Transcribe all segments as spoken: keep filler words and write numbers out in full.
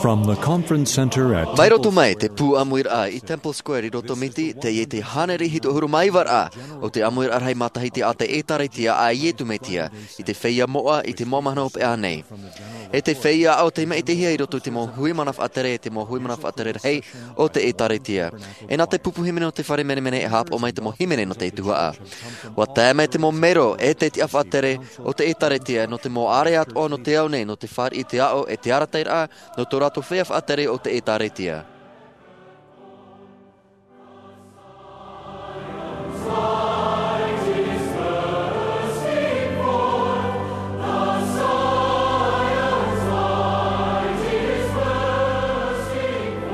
From the conference center at Mai roto Temple mai te pū ʻāmuiraʻa i Temple Square i Rotomiti, teie te hānere hitu ʻahuru mā iva raʻa o te ʻāmuiraʻa rahi matahiti a te ʻĒtārētia a Iesu Mesia, i te feiā moʻa i te mau mahana hopeʻa nei. E te feiā aʻo tei maʻitihia i roto i te mau hui mana faʻatere, te mau hui mana faʻatere rahi o te ʻĒtārētia. E nā te pupu hīmene o te fare menemene e haʻapaʻo mai te mau hīmene nō te tuhaʻa. ʻUa tae mai te mau mero e te tiʻa faʻatere o te ʻĒtārētia nō te mau ʻāreʻa atoʻa nō te ao nei, nō te fāriʻi i te aʻo e te arataʻiraʻa nō tō rātou feiā faʻatere o te ʻĒtārētia.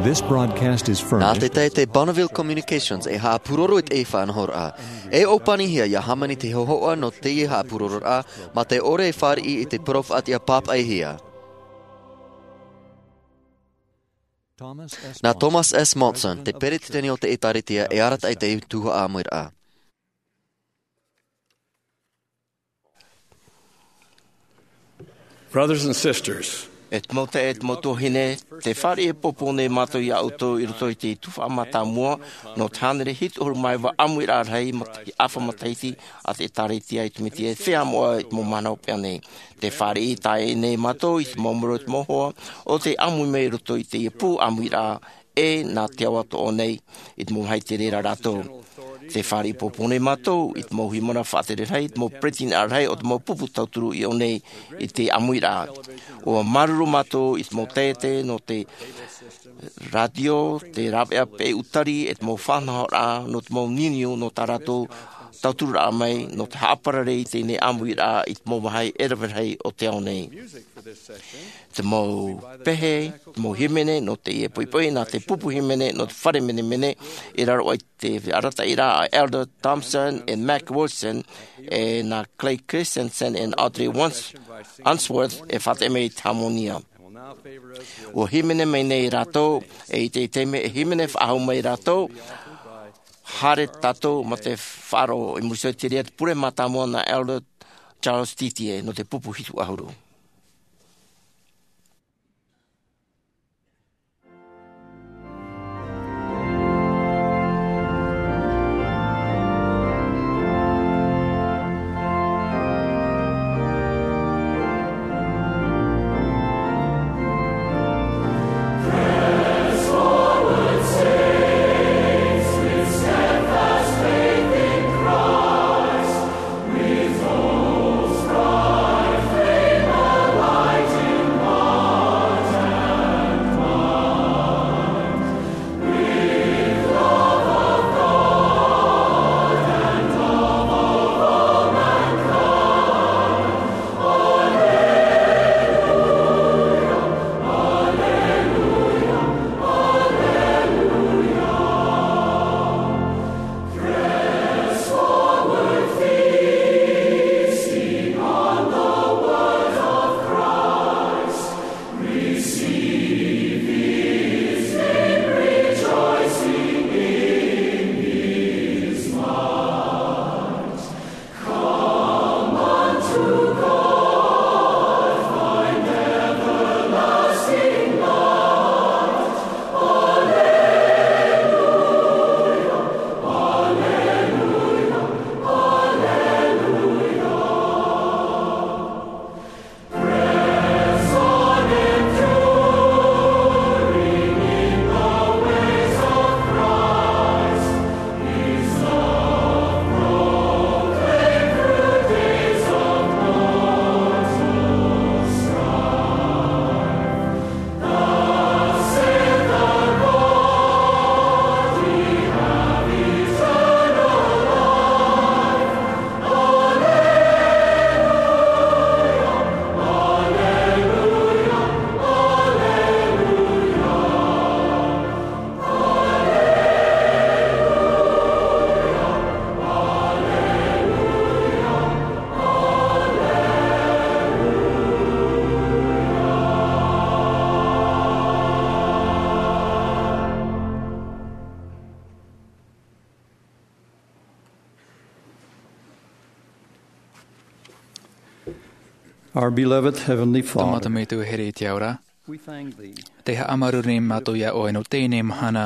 This broadcast is Nā te furnished tae te Bonneville Communications e haʻapūroro i te faʻanahoraʻa. E ʻōpanihia ia hāmani te hōhoʻa nō teie haʻapūrororaʻa, mā te ʻore e fāriʻi i te parau faʻatiʻa pāpaʻihia. Nā Thomas S. Monson, te peresideni o te ʻĒtārētia, e arataʻi i te tuhaʻa ʻāmuiraʻa. Brothers and sisters, e te mau taeaʻe, e te mau tuahine, tē fāriʻi ʻohipa nei mātou iā ʻoutou i roto i te tuhaʻa mātāmua nō te hānere hitu ʻahuru mā iva ʻāmuiraʻa rahi mata-, ʻāfa matahiti a te ʻĒtārētia a Iesu Mesia e feiā moʻa i te mau mahana hopeʻa nei. Tē fāriʻi tae nei mātou i te mau mero, i te mau hoa o tei ʻāmui mai i roto i teie pū ʻāmuiraʻa e nā te ao atoʻa nei, i te mau vāhi tei reira rātou. Tē fāriʻi ʻohipa nei mātou i te mau hui mana faʻatere rahi, i te mau peretiteni rahi o te mau pupu tauturu i ʻō nei i te ʻāmuiraʻa. ʻUa māuruuru mātou i te mau taeaʻe nō te rātio, te rāveʻa peʻe ʻūtari, e te mau faʻanahoraʻa nō te mau niuniu nō tā rātou tautururaʻa mai, nō te haʻaparare i teie ʻāmuiraʻa i te mau vāhi e rave rahi o te ao nei. Te mau pehe, te mau hīmene nō teie poʻipoʻi, nā te pupu hīmene nō te fare menemene, i raro aʻe i te arataʻiraʻa a Elder Thompson e Mac Wilson, e nā Clay Christensen e Audrey Wans-, Unsworth e faʻateʻa mai i te hāmani. ʻUa hīmene mai nei rātou, e i te, i te mea e hīmene faʻahou mai rātou, haere tātou mā te faʻaroʻo. I muri iho i te reira, te pure mātāmua nā Elder Charles Titie nō te pupu hitu ʻahuru. Our beloved Heavenly Tō Father, mātou Metua here i te ao ra, Te haʻamāuruuru nei mātou iā ʻoe nō teie nei mahana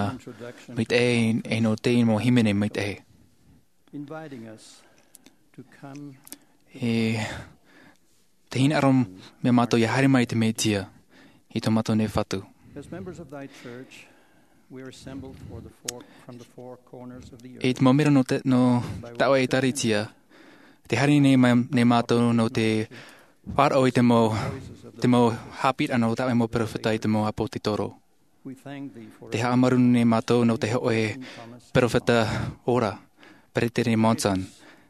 maitaʻi, e nō teie mau hīmene maitaʻi. E te hinaʻaro mai mātou ia haere mai i te Mesia, i tō mātou nei Fatu. E te mau mero nō te, nō taua ʻētāretia, te haere nei mai, nei mātou nō te faʻaroʻo i te mau, te mau haʻapiʻiraʻa nō taua mau peropheta i te mau ʻāpōsetolo. Te haʻamāuruuru nei mātou nō te hōʻē peropheta ora, Peresideni Monson,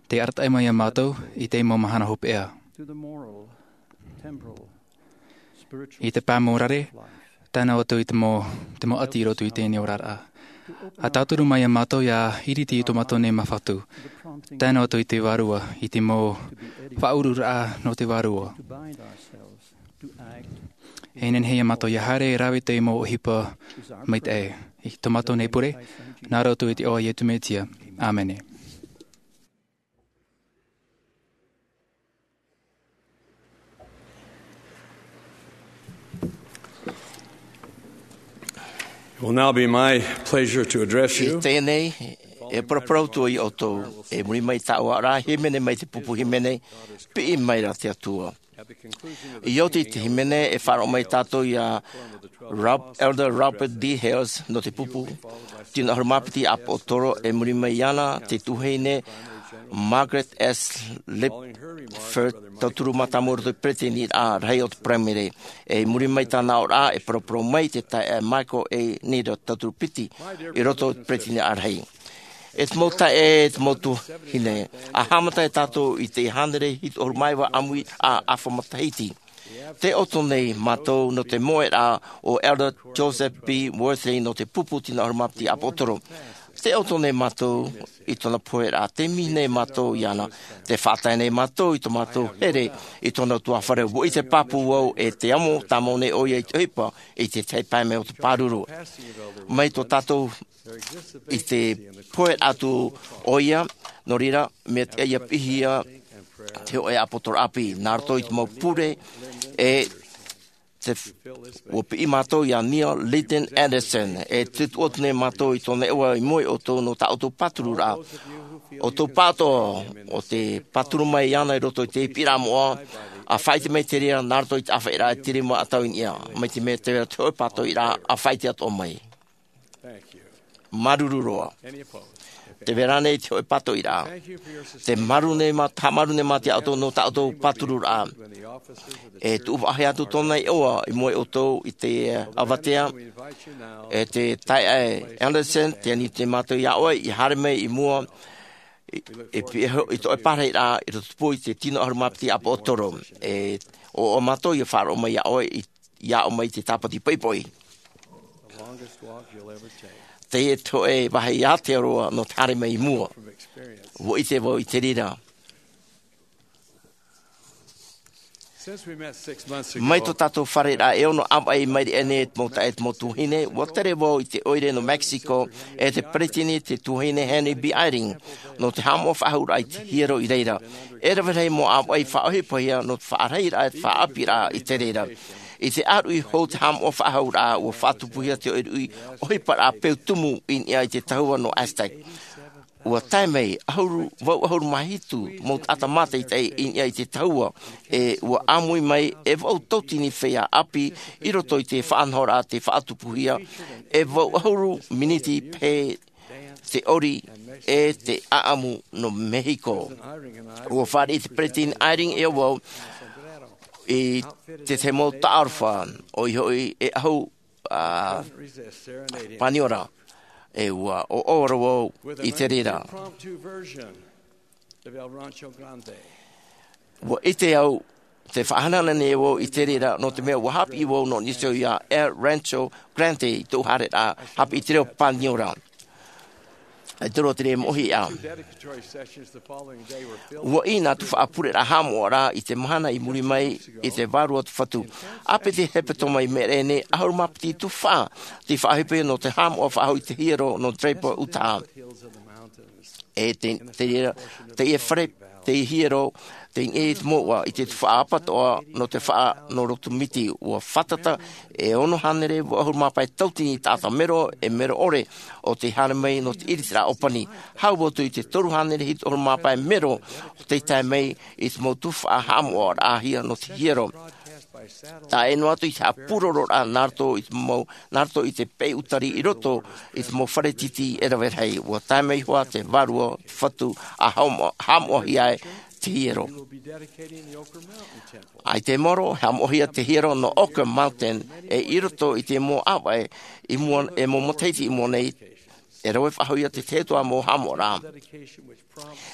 tē arataʻi mai iā mātou i te mau mahana hopeʻa. I te pae mau rare, tae noa atu i te mau, te mau ʻati i roto i teie nei oraraʻa. ʻA tauturu mai iā mātou ia iriti i tō mātou nei mau Fatu. Tae noa atu i te Vārua, i te mau faʻauruuraʻa nō te Vārua. E nehenehe iā mātou ia haere e rave i te mau ʻohipa maitaʻi. I tō mātou nei pure, nā roto i te iʻoa o Iesu Mesia. ʻĀmene. It will now be my pleasure to address you. I teie nei, e paraparau atu iā ʻoutou, i muri mai i tāʻu aʻoraʻa hīmene mai te pupu hīmene, Piʻi Mai Rā te Atua. I oti i te hīmene, e faʻaroʻo mai tātou iā Rob-, Elder Robert D. Hales nō te pupu tino ʻahuru mā piti ʻāpōsetolo, e muri mai iāna te tuahine Margaret S. Lipford, tauturu mātāmua i roto i te Peresideniraʻa Rahi o te Paraimere. E muri mai tāna aʻoraʻa, e paraparau mai te taeaʻe Michael A. Needle, tauturu piti i roto i te Peresideniraʻa Rahi. E te mau taeaʻe, e te mau tuahine, ʻa haʻamata tātou i te hānere hitu ʻahuru mā iva ʻāmui a ʻāfa matahiti. Tē ʻoto nei mātou nō te moʻeraʻa o Elder Joseph B. Worthley nō te pupu tino ʻahuru mā piti ʻāpōsetolo. Tē ʻoto nei mātou i tōna poheraʻa, tē mihi nei mātou iāna, tē faʻatae nei mātou i tō mātou here i tōna ʻutuāfare. ʻUa ʻite pāpū vau, e te amo tāmau nei ʻoia i te ʻohipa i te tahi pae mai o te pāruru. Mai tō tātou i te pohe atu ʻoia, nō reira, mea tiʻa ia piʻihia te hōʻē ʻāpōsetolo ʻāpī, nā roto i te mau pure, e te f-, ʻua piʻi mātou iā Neil Leighton Andersen, e tuʻu atu nei mātou i tōna iʻoa i mua iā ʻoutou nō tā ʻoutou pātururaʻa. ʻOutou pāʻatoʻa o tē pāturu mai iāna i roto i te piʻiraʻa moʻa, ʻa faʻaʻite mai te reira nā roto i te ʻāfaʻiraʻa e te rima ʻatau i niʻa, mai te mea tē vai ra te hōʻē pātoʻiraʻa, ʻa faʻaʻite atoʻa mai. Māuruuru roa. Tē vai ra ānei te hōʻē pātoʻiraʻa? Tē māuruuru nei mā-, haʻamāuruuru nei mātou iā ʻoutou nō tā ʻoutou pātururaʻa. E tuʻu faʻahou atu tōna iʻoa i mua iā ʻoutou i te, eh, avatea. E te taeaʻe Andersen, tē ani nei mātou iā ʻoe, ʻia haere mai i mua, i, i pi-, i tō ʻoe parahiraʻa, i roto i te tino ʻahuru mā piti ʻāpōsetolo. E ʻoaʻoa mātou ʻia faʻaroʻo mai iā ʻoe i iā ʻoe mai te tāpati poʻipoʻi. Teie te hōʻē vāhi ātea roa nō te haere mai i mua. ʻUa ʻite vau i te reira. Mai tō tātou fārereiraʻa e ono ʻāvaʻe i maʻiri aʻe nei e te mau taeaʻe, e te mau tuahine, ʻua tere vau i te ʻoire nō Mexico, e te peresideni, te tuahine Henry B. Eyring, nō te haʻamoʻa faʻahou raʻa i te hiero i reira. E rave rahi mau ʻāvaʻe i faʻaʻohipahia nō te faʻarahiraʻa, e te faʻaʻāpīraʻa i te reira. I te ʻāruʻi hou te haʻamoʻa faʻahou raʻa, ʻua faʻatupuhia te ʻoiruʻi ʻohiparaʻa peu tumu i niʻa i te tahua nō Aztec. ʻUa tae mai ʻahuru, vau ʻahuru mā hitu mau taʻata mātaʻitaʻi i niʻa i te tahua, e ʻua ʻāmui mai e vau tauatini feiā ʻāpī i roto i te faʻanahoraʻa tei faʻatupuhia, e vau ʻahuru miniti pē te ʻori e te ʻāʻamu nō Mexico. ʻUa fāriʻi te peresideni Eyring iā vau i te tahi mau taʻarofa, ʻoia hoʻi e ʻahu, ā, paniora, e ʻua ʻoaʻoa roa vau i te reira. ʻUa ʻite au, tē faʻahanahana nei vau i te reira, nō te mea ʻua haʻapiʻi vau nō niʻa iho iā El Rancho Grande i tōʻu haereraʻa haʻapiʻi i te reo paniora. E te roa te reira moʻohiʻa. ʻUa ʻī nā te faʻapureraʻa haʻamoʻaraʻa i te mahana i muri mai i te Vārua o te Fatu. ʻĀpī te hepetoma i maʻiri aʻe nei, ʻahuru mā piti tuhaʻa tei faʻaʻohipahia nō te haʻamoʻa faʻahou i te hiero nō Draper, Utah. E te, te reira, teie fare te hiero, te ʻē i te mouʻa, i te tuhaʻa apatoʻa, nō te faʻa, nō roto miti, ʻua fātata, e ono hānere, ʻahuru mā pae tautini taʻata mero, e mero ʻore, ʻo tei haere mai, nō te ʻiritiraʻa ʻōpani. Hau atu i te toru hānere, hitu ʻahuru mā pae mero, ʻo tei tae mai, i te mau tuhaʻa haʻamoʻaraʻahia, nō te hiero. Tae noa atu i te haʻapūrororaʻa, nā roto i te mau, nā roto i te peu tari i roto, i te mau fare tītī e rave rahi. ʻUa tae mai hoʻi te vārua, te fatu, ʻa haʻamo-, haʻamoʻahia ai te hiero. ʻAita e maoro, haʻamoʻahia te hiero nō Oquirrh Mountain, e i roto i te mau ʻāvaʻe, i mua, e mau matahiti i mua nei, e rave faʻahou ia te tahi atu ā mau haʻamoʻaraʻa.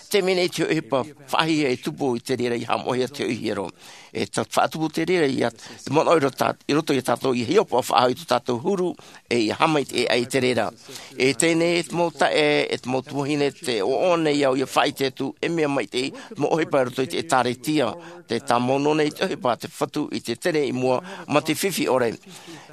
Te mea nei te ʻohipa faʻahiahia e tupu i te reira ʻia haʻamoʻahia te hiero. E ta-, faʻatupu te reira ia te manaʻo i roto, i roto ia tātou ʻia hiʻopoʻa faʻahou i tō tātou huru, e ʻia haʻamaitaʻi ai i te reira. E teie nei e te mau taeaʻe, e te mau tuahine, tē ʻoaʻoa nei au ʻia faʻaʻite atu, e mea maitaʻi, te mau ʻohipa i roto i te ʻĒtārētia. Tē tāmau noa nei te ʻohipa a te fatu i te tere i mua, mā te fifi ʻore.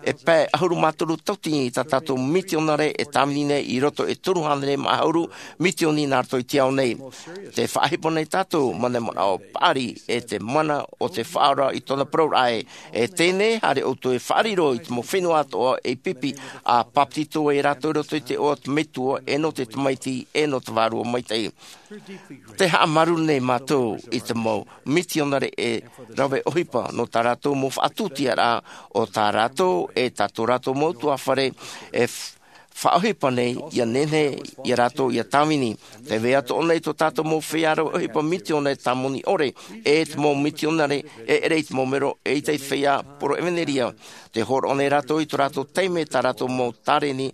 E pae ʻahuru mā toru tautini tā tātou mitionare e tāvini nei i roto e toru hānere mā ʻahuru mitioni nā roto i te ao nei. Tē faʻaʻohipa nei tātou, mā te manaʻo paʻari, e te mana o te Faʻaora i tōna parau ra ē. E teie nei, haere ʻoutou e faʻariro i te mau fenua atoʻa ei pipi, ʻa bāpetizo ai rātou i roto i te iʻoa o te Metua, e nō te Tamaiti, e nō te Vārua Maitaʻi. Tē haʻamāuruuru nei mātou i te mau mitionare e rave ʻohipa nō tā rātou mau faʻatūtiaraʻa, ʻo tā rātou, e tā tō rātou mau ʻutuāfare, e f-, faʻaʻohipa nei, ʻia nehenehe, ia rātou, ʻia tāvini. Tē vai atoʻa nei tō tātou mau feiā rave ʻohipa mitionare tāmoni ʻore, e te mau mitionare, e ʻere i te mau mero, e ʻaita i te feiā poro ʻevanelia. Tē hōroʻa nei rātou i tō rātou taime, tā rātou mau tāreni,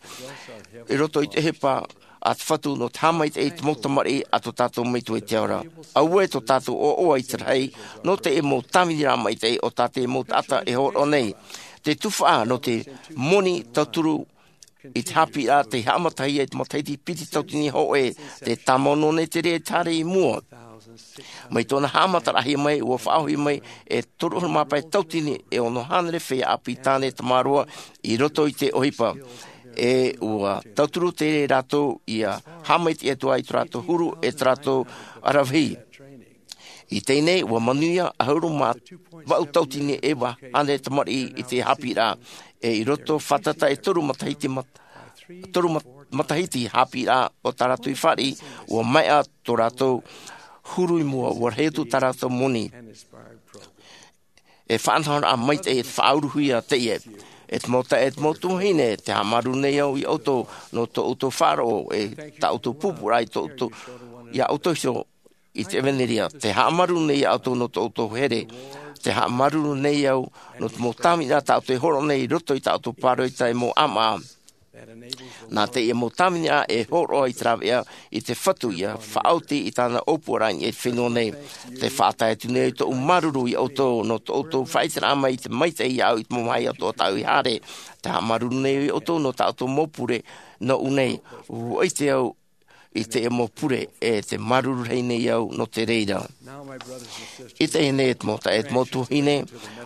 i roto i te ʻohipa, a te Fatu nō te haʻamaitaʻi i te mau tamariʻi a tō tātou Metua i te ao ra. Auē tō tātou ʻoaʻoa i te rahi, nō te mau tāviniraʻa maitaʻi o tā te mau taʻata e hōroʻa nei. Te tuhaʻa nō te moni tauturu i te haʻapiʻiraʻa tei haʻamatahia i te matahiti piti tautini hōʻē, tē tāmau noa nei te reira i te haere i mua. Mai tōna haʻamataraʻahia mai, ʻua faʻaʻohi mai e toru ʻahuru mā pae tautini e ono hānere feiā ʻāpī tāne tamaroa i roto i te ʻohipa. E ʻua tauturu te reira rātou ʻia haʻamaitaʻi atu ai i tō rātou huru e tō rātou aravihi. I teie nei, ʻua manuia ʻahuru mā vaʻu tautini e iva hānere tamariʻi i te haʻapiʻiraʻa. E i roto fātata e toru matahiti mat-, toru mat-, matahiti haʻapiʻiraʻa o tā rātou i fāriʻi, ʻua maeʻa tō rātou huru i mua, ʻua rahi atu tā rātou moni. E faʻanahoraʻa maitaʻi e faʻauruhia teie. E te mau taeaʻe, e te mau tuahine, tē haʻamāuruuru nei au ia ʻoutou, nō tō ʻoutou faʻaroʻo, e tā ʻoutou pūpūraʻa i tō ʻoutou, ia ʻoutou iho i te ʻevanelia. Tē haʻamāuruuru nei ia ʻoutou nō tō ʻoutou here. Tē haʻamāuruuru nei au, nō te mau tāvini tā ʻoutou e hōroʻa nei i roto i tā ʻoutou pāroita e mau ʻāmaʻa. Nā teie mau tāvini e hōroʻa i te rāveʻa i te Fatu ʻia faʻaoti i tāna ʻōpuaraʻa i te fenua nei. Tē faʻatae atu nei tōʻu māuruuru ia ʻoutou, nō tō ʻoutou faʻaʻiteraʻa mai i te maitaʻi ia au i te mau vāhi atoʻa tāʻu i haere. Tē haʻamāuruuru nei ia ʻoutou, nō tā ʻoutou mau pure, nōʻu nei. ʻUa ʻite au i teie mau pure, e tē māuruuru rahi nei au nō te reira. I teie nei e te mau taeaʻe, e te mau tuahine,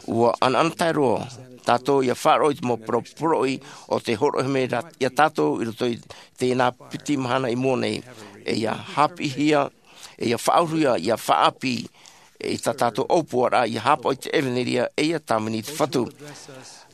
ʻua ʻanaʻanatae roa tātou ʻia faʻaroʻo i te mau parau poroʻi o tē hōroʻahia mai ra-, ia tātou i roto i teie nā piti mahana i mua nei. E ʻia haʻapiʻihia, e ʻia faʻauruhia, ʻia faʻaʻāpī, e i tā tātou ʻōpuaraʻa, ʻia haʻapaʻo i te ʻevanelia, e ʻia tāvini i te Fatu.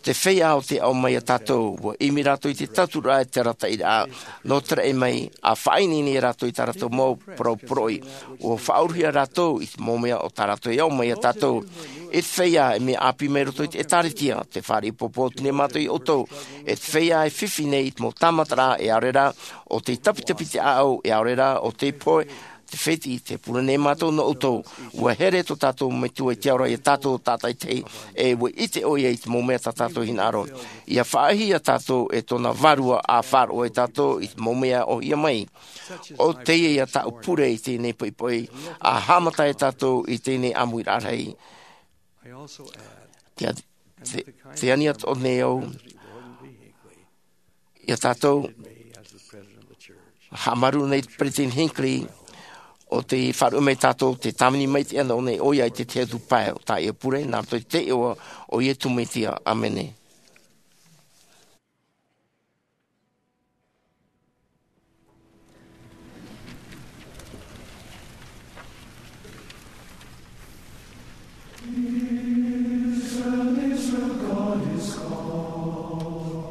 Te feiā ʻo tē ʻaʻau mai ia tātou, ʻua ʻimi rātou i te tauturu e te arataʻiraʻa, nō te raʻi mai, ʻa faʻaineine rātou i tā rātou mau parau poroʻi. ʻUa faʻauruhia rātou i te mau mea o tā rātou e ʻaʻau mai ia tātou. E te feiā, e mea ʻāpī mai roto i te ʻĒtārētia, tē fāriʻi pōpō atu nei mātou ia ʻoutou. E te feiā e fifi nei i te mau tāmataraʻa, e ʻaore rā, ʻo tei tapitapi te ʻāʻau, e ʻaore rā, ʻo tei pohe, te fētiʻi, tē pure nei mātou nō ʻoutou. ʻUa here tō tātou Metua i te ao ra ia tātou tātaʻitahi, e ʻua ʻite ʻoia i te mau mea tā tātou hinaʻaro. ʻIa faʻaʻohihia tātou e tōna Vārua, ʻa faʻaroʻo ia tātou i te mau mea ʻōhie mai. ʻO teie ia tāʻu pure i teie nei poʻipoʻi, ʻa haʻamata ia tātou i teie nei ʻāmuiraʻa rahi. Te, te, te ani atoʻa nei au ia tātou, haʻamāuruuru nei te Peresideni Hinckley, ʻo tei faʻaruʻe mai ia tātou, tē tāvini maitaʻi ana ʻōna ʻoia i te tahi atu pae o tāʻu pure, nā roto i te iʻoa o Iesu Mesia. ʻĀmene. Israel, Israel, God is calling,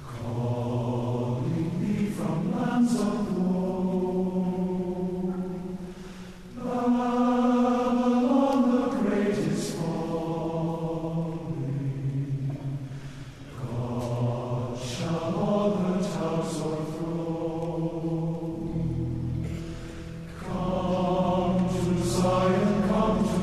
calling me from lands of woe. Babylon the great is falling. God shall all her towers o'erthrow. Come to Zion, come to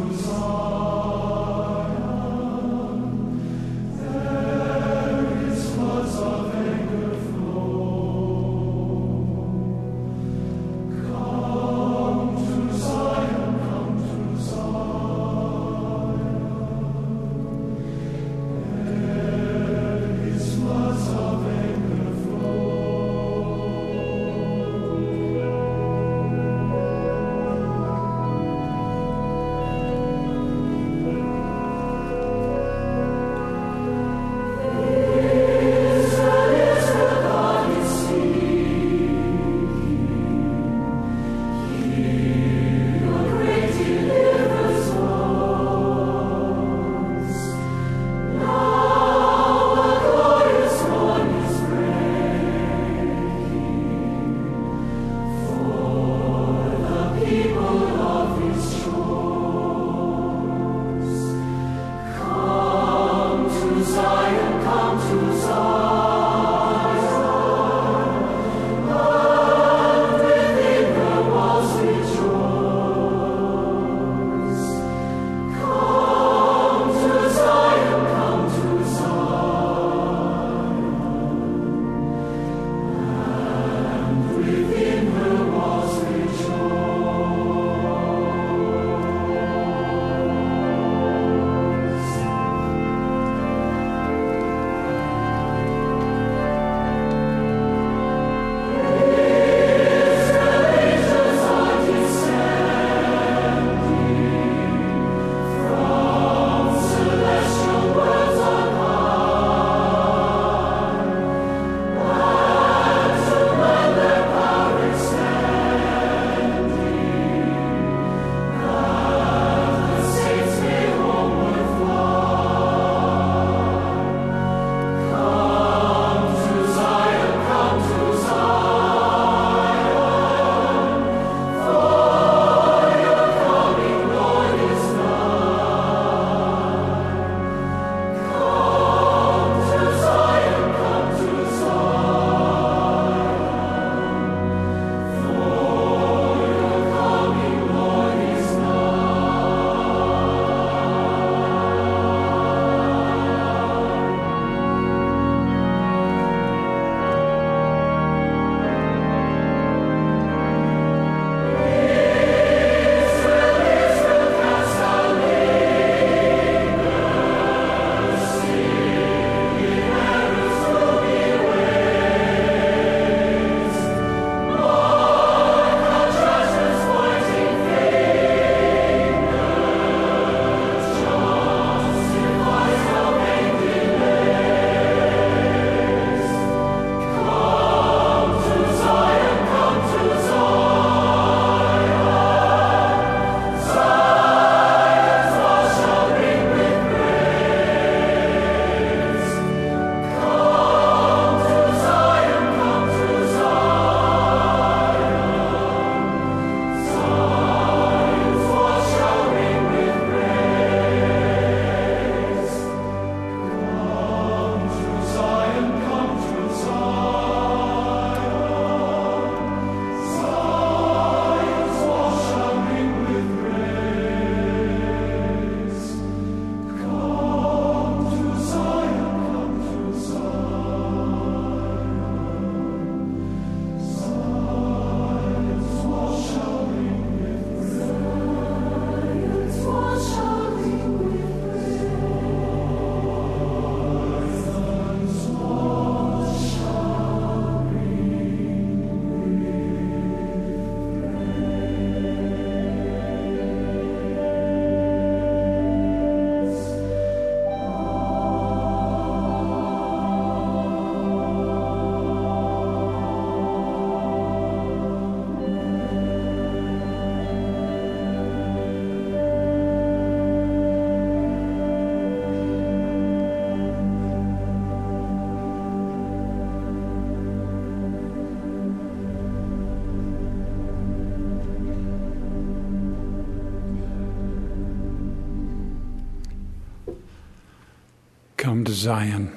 Come to Zion.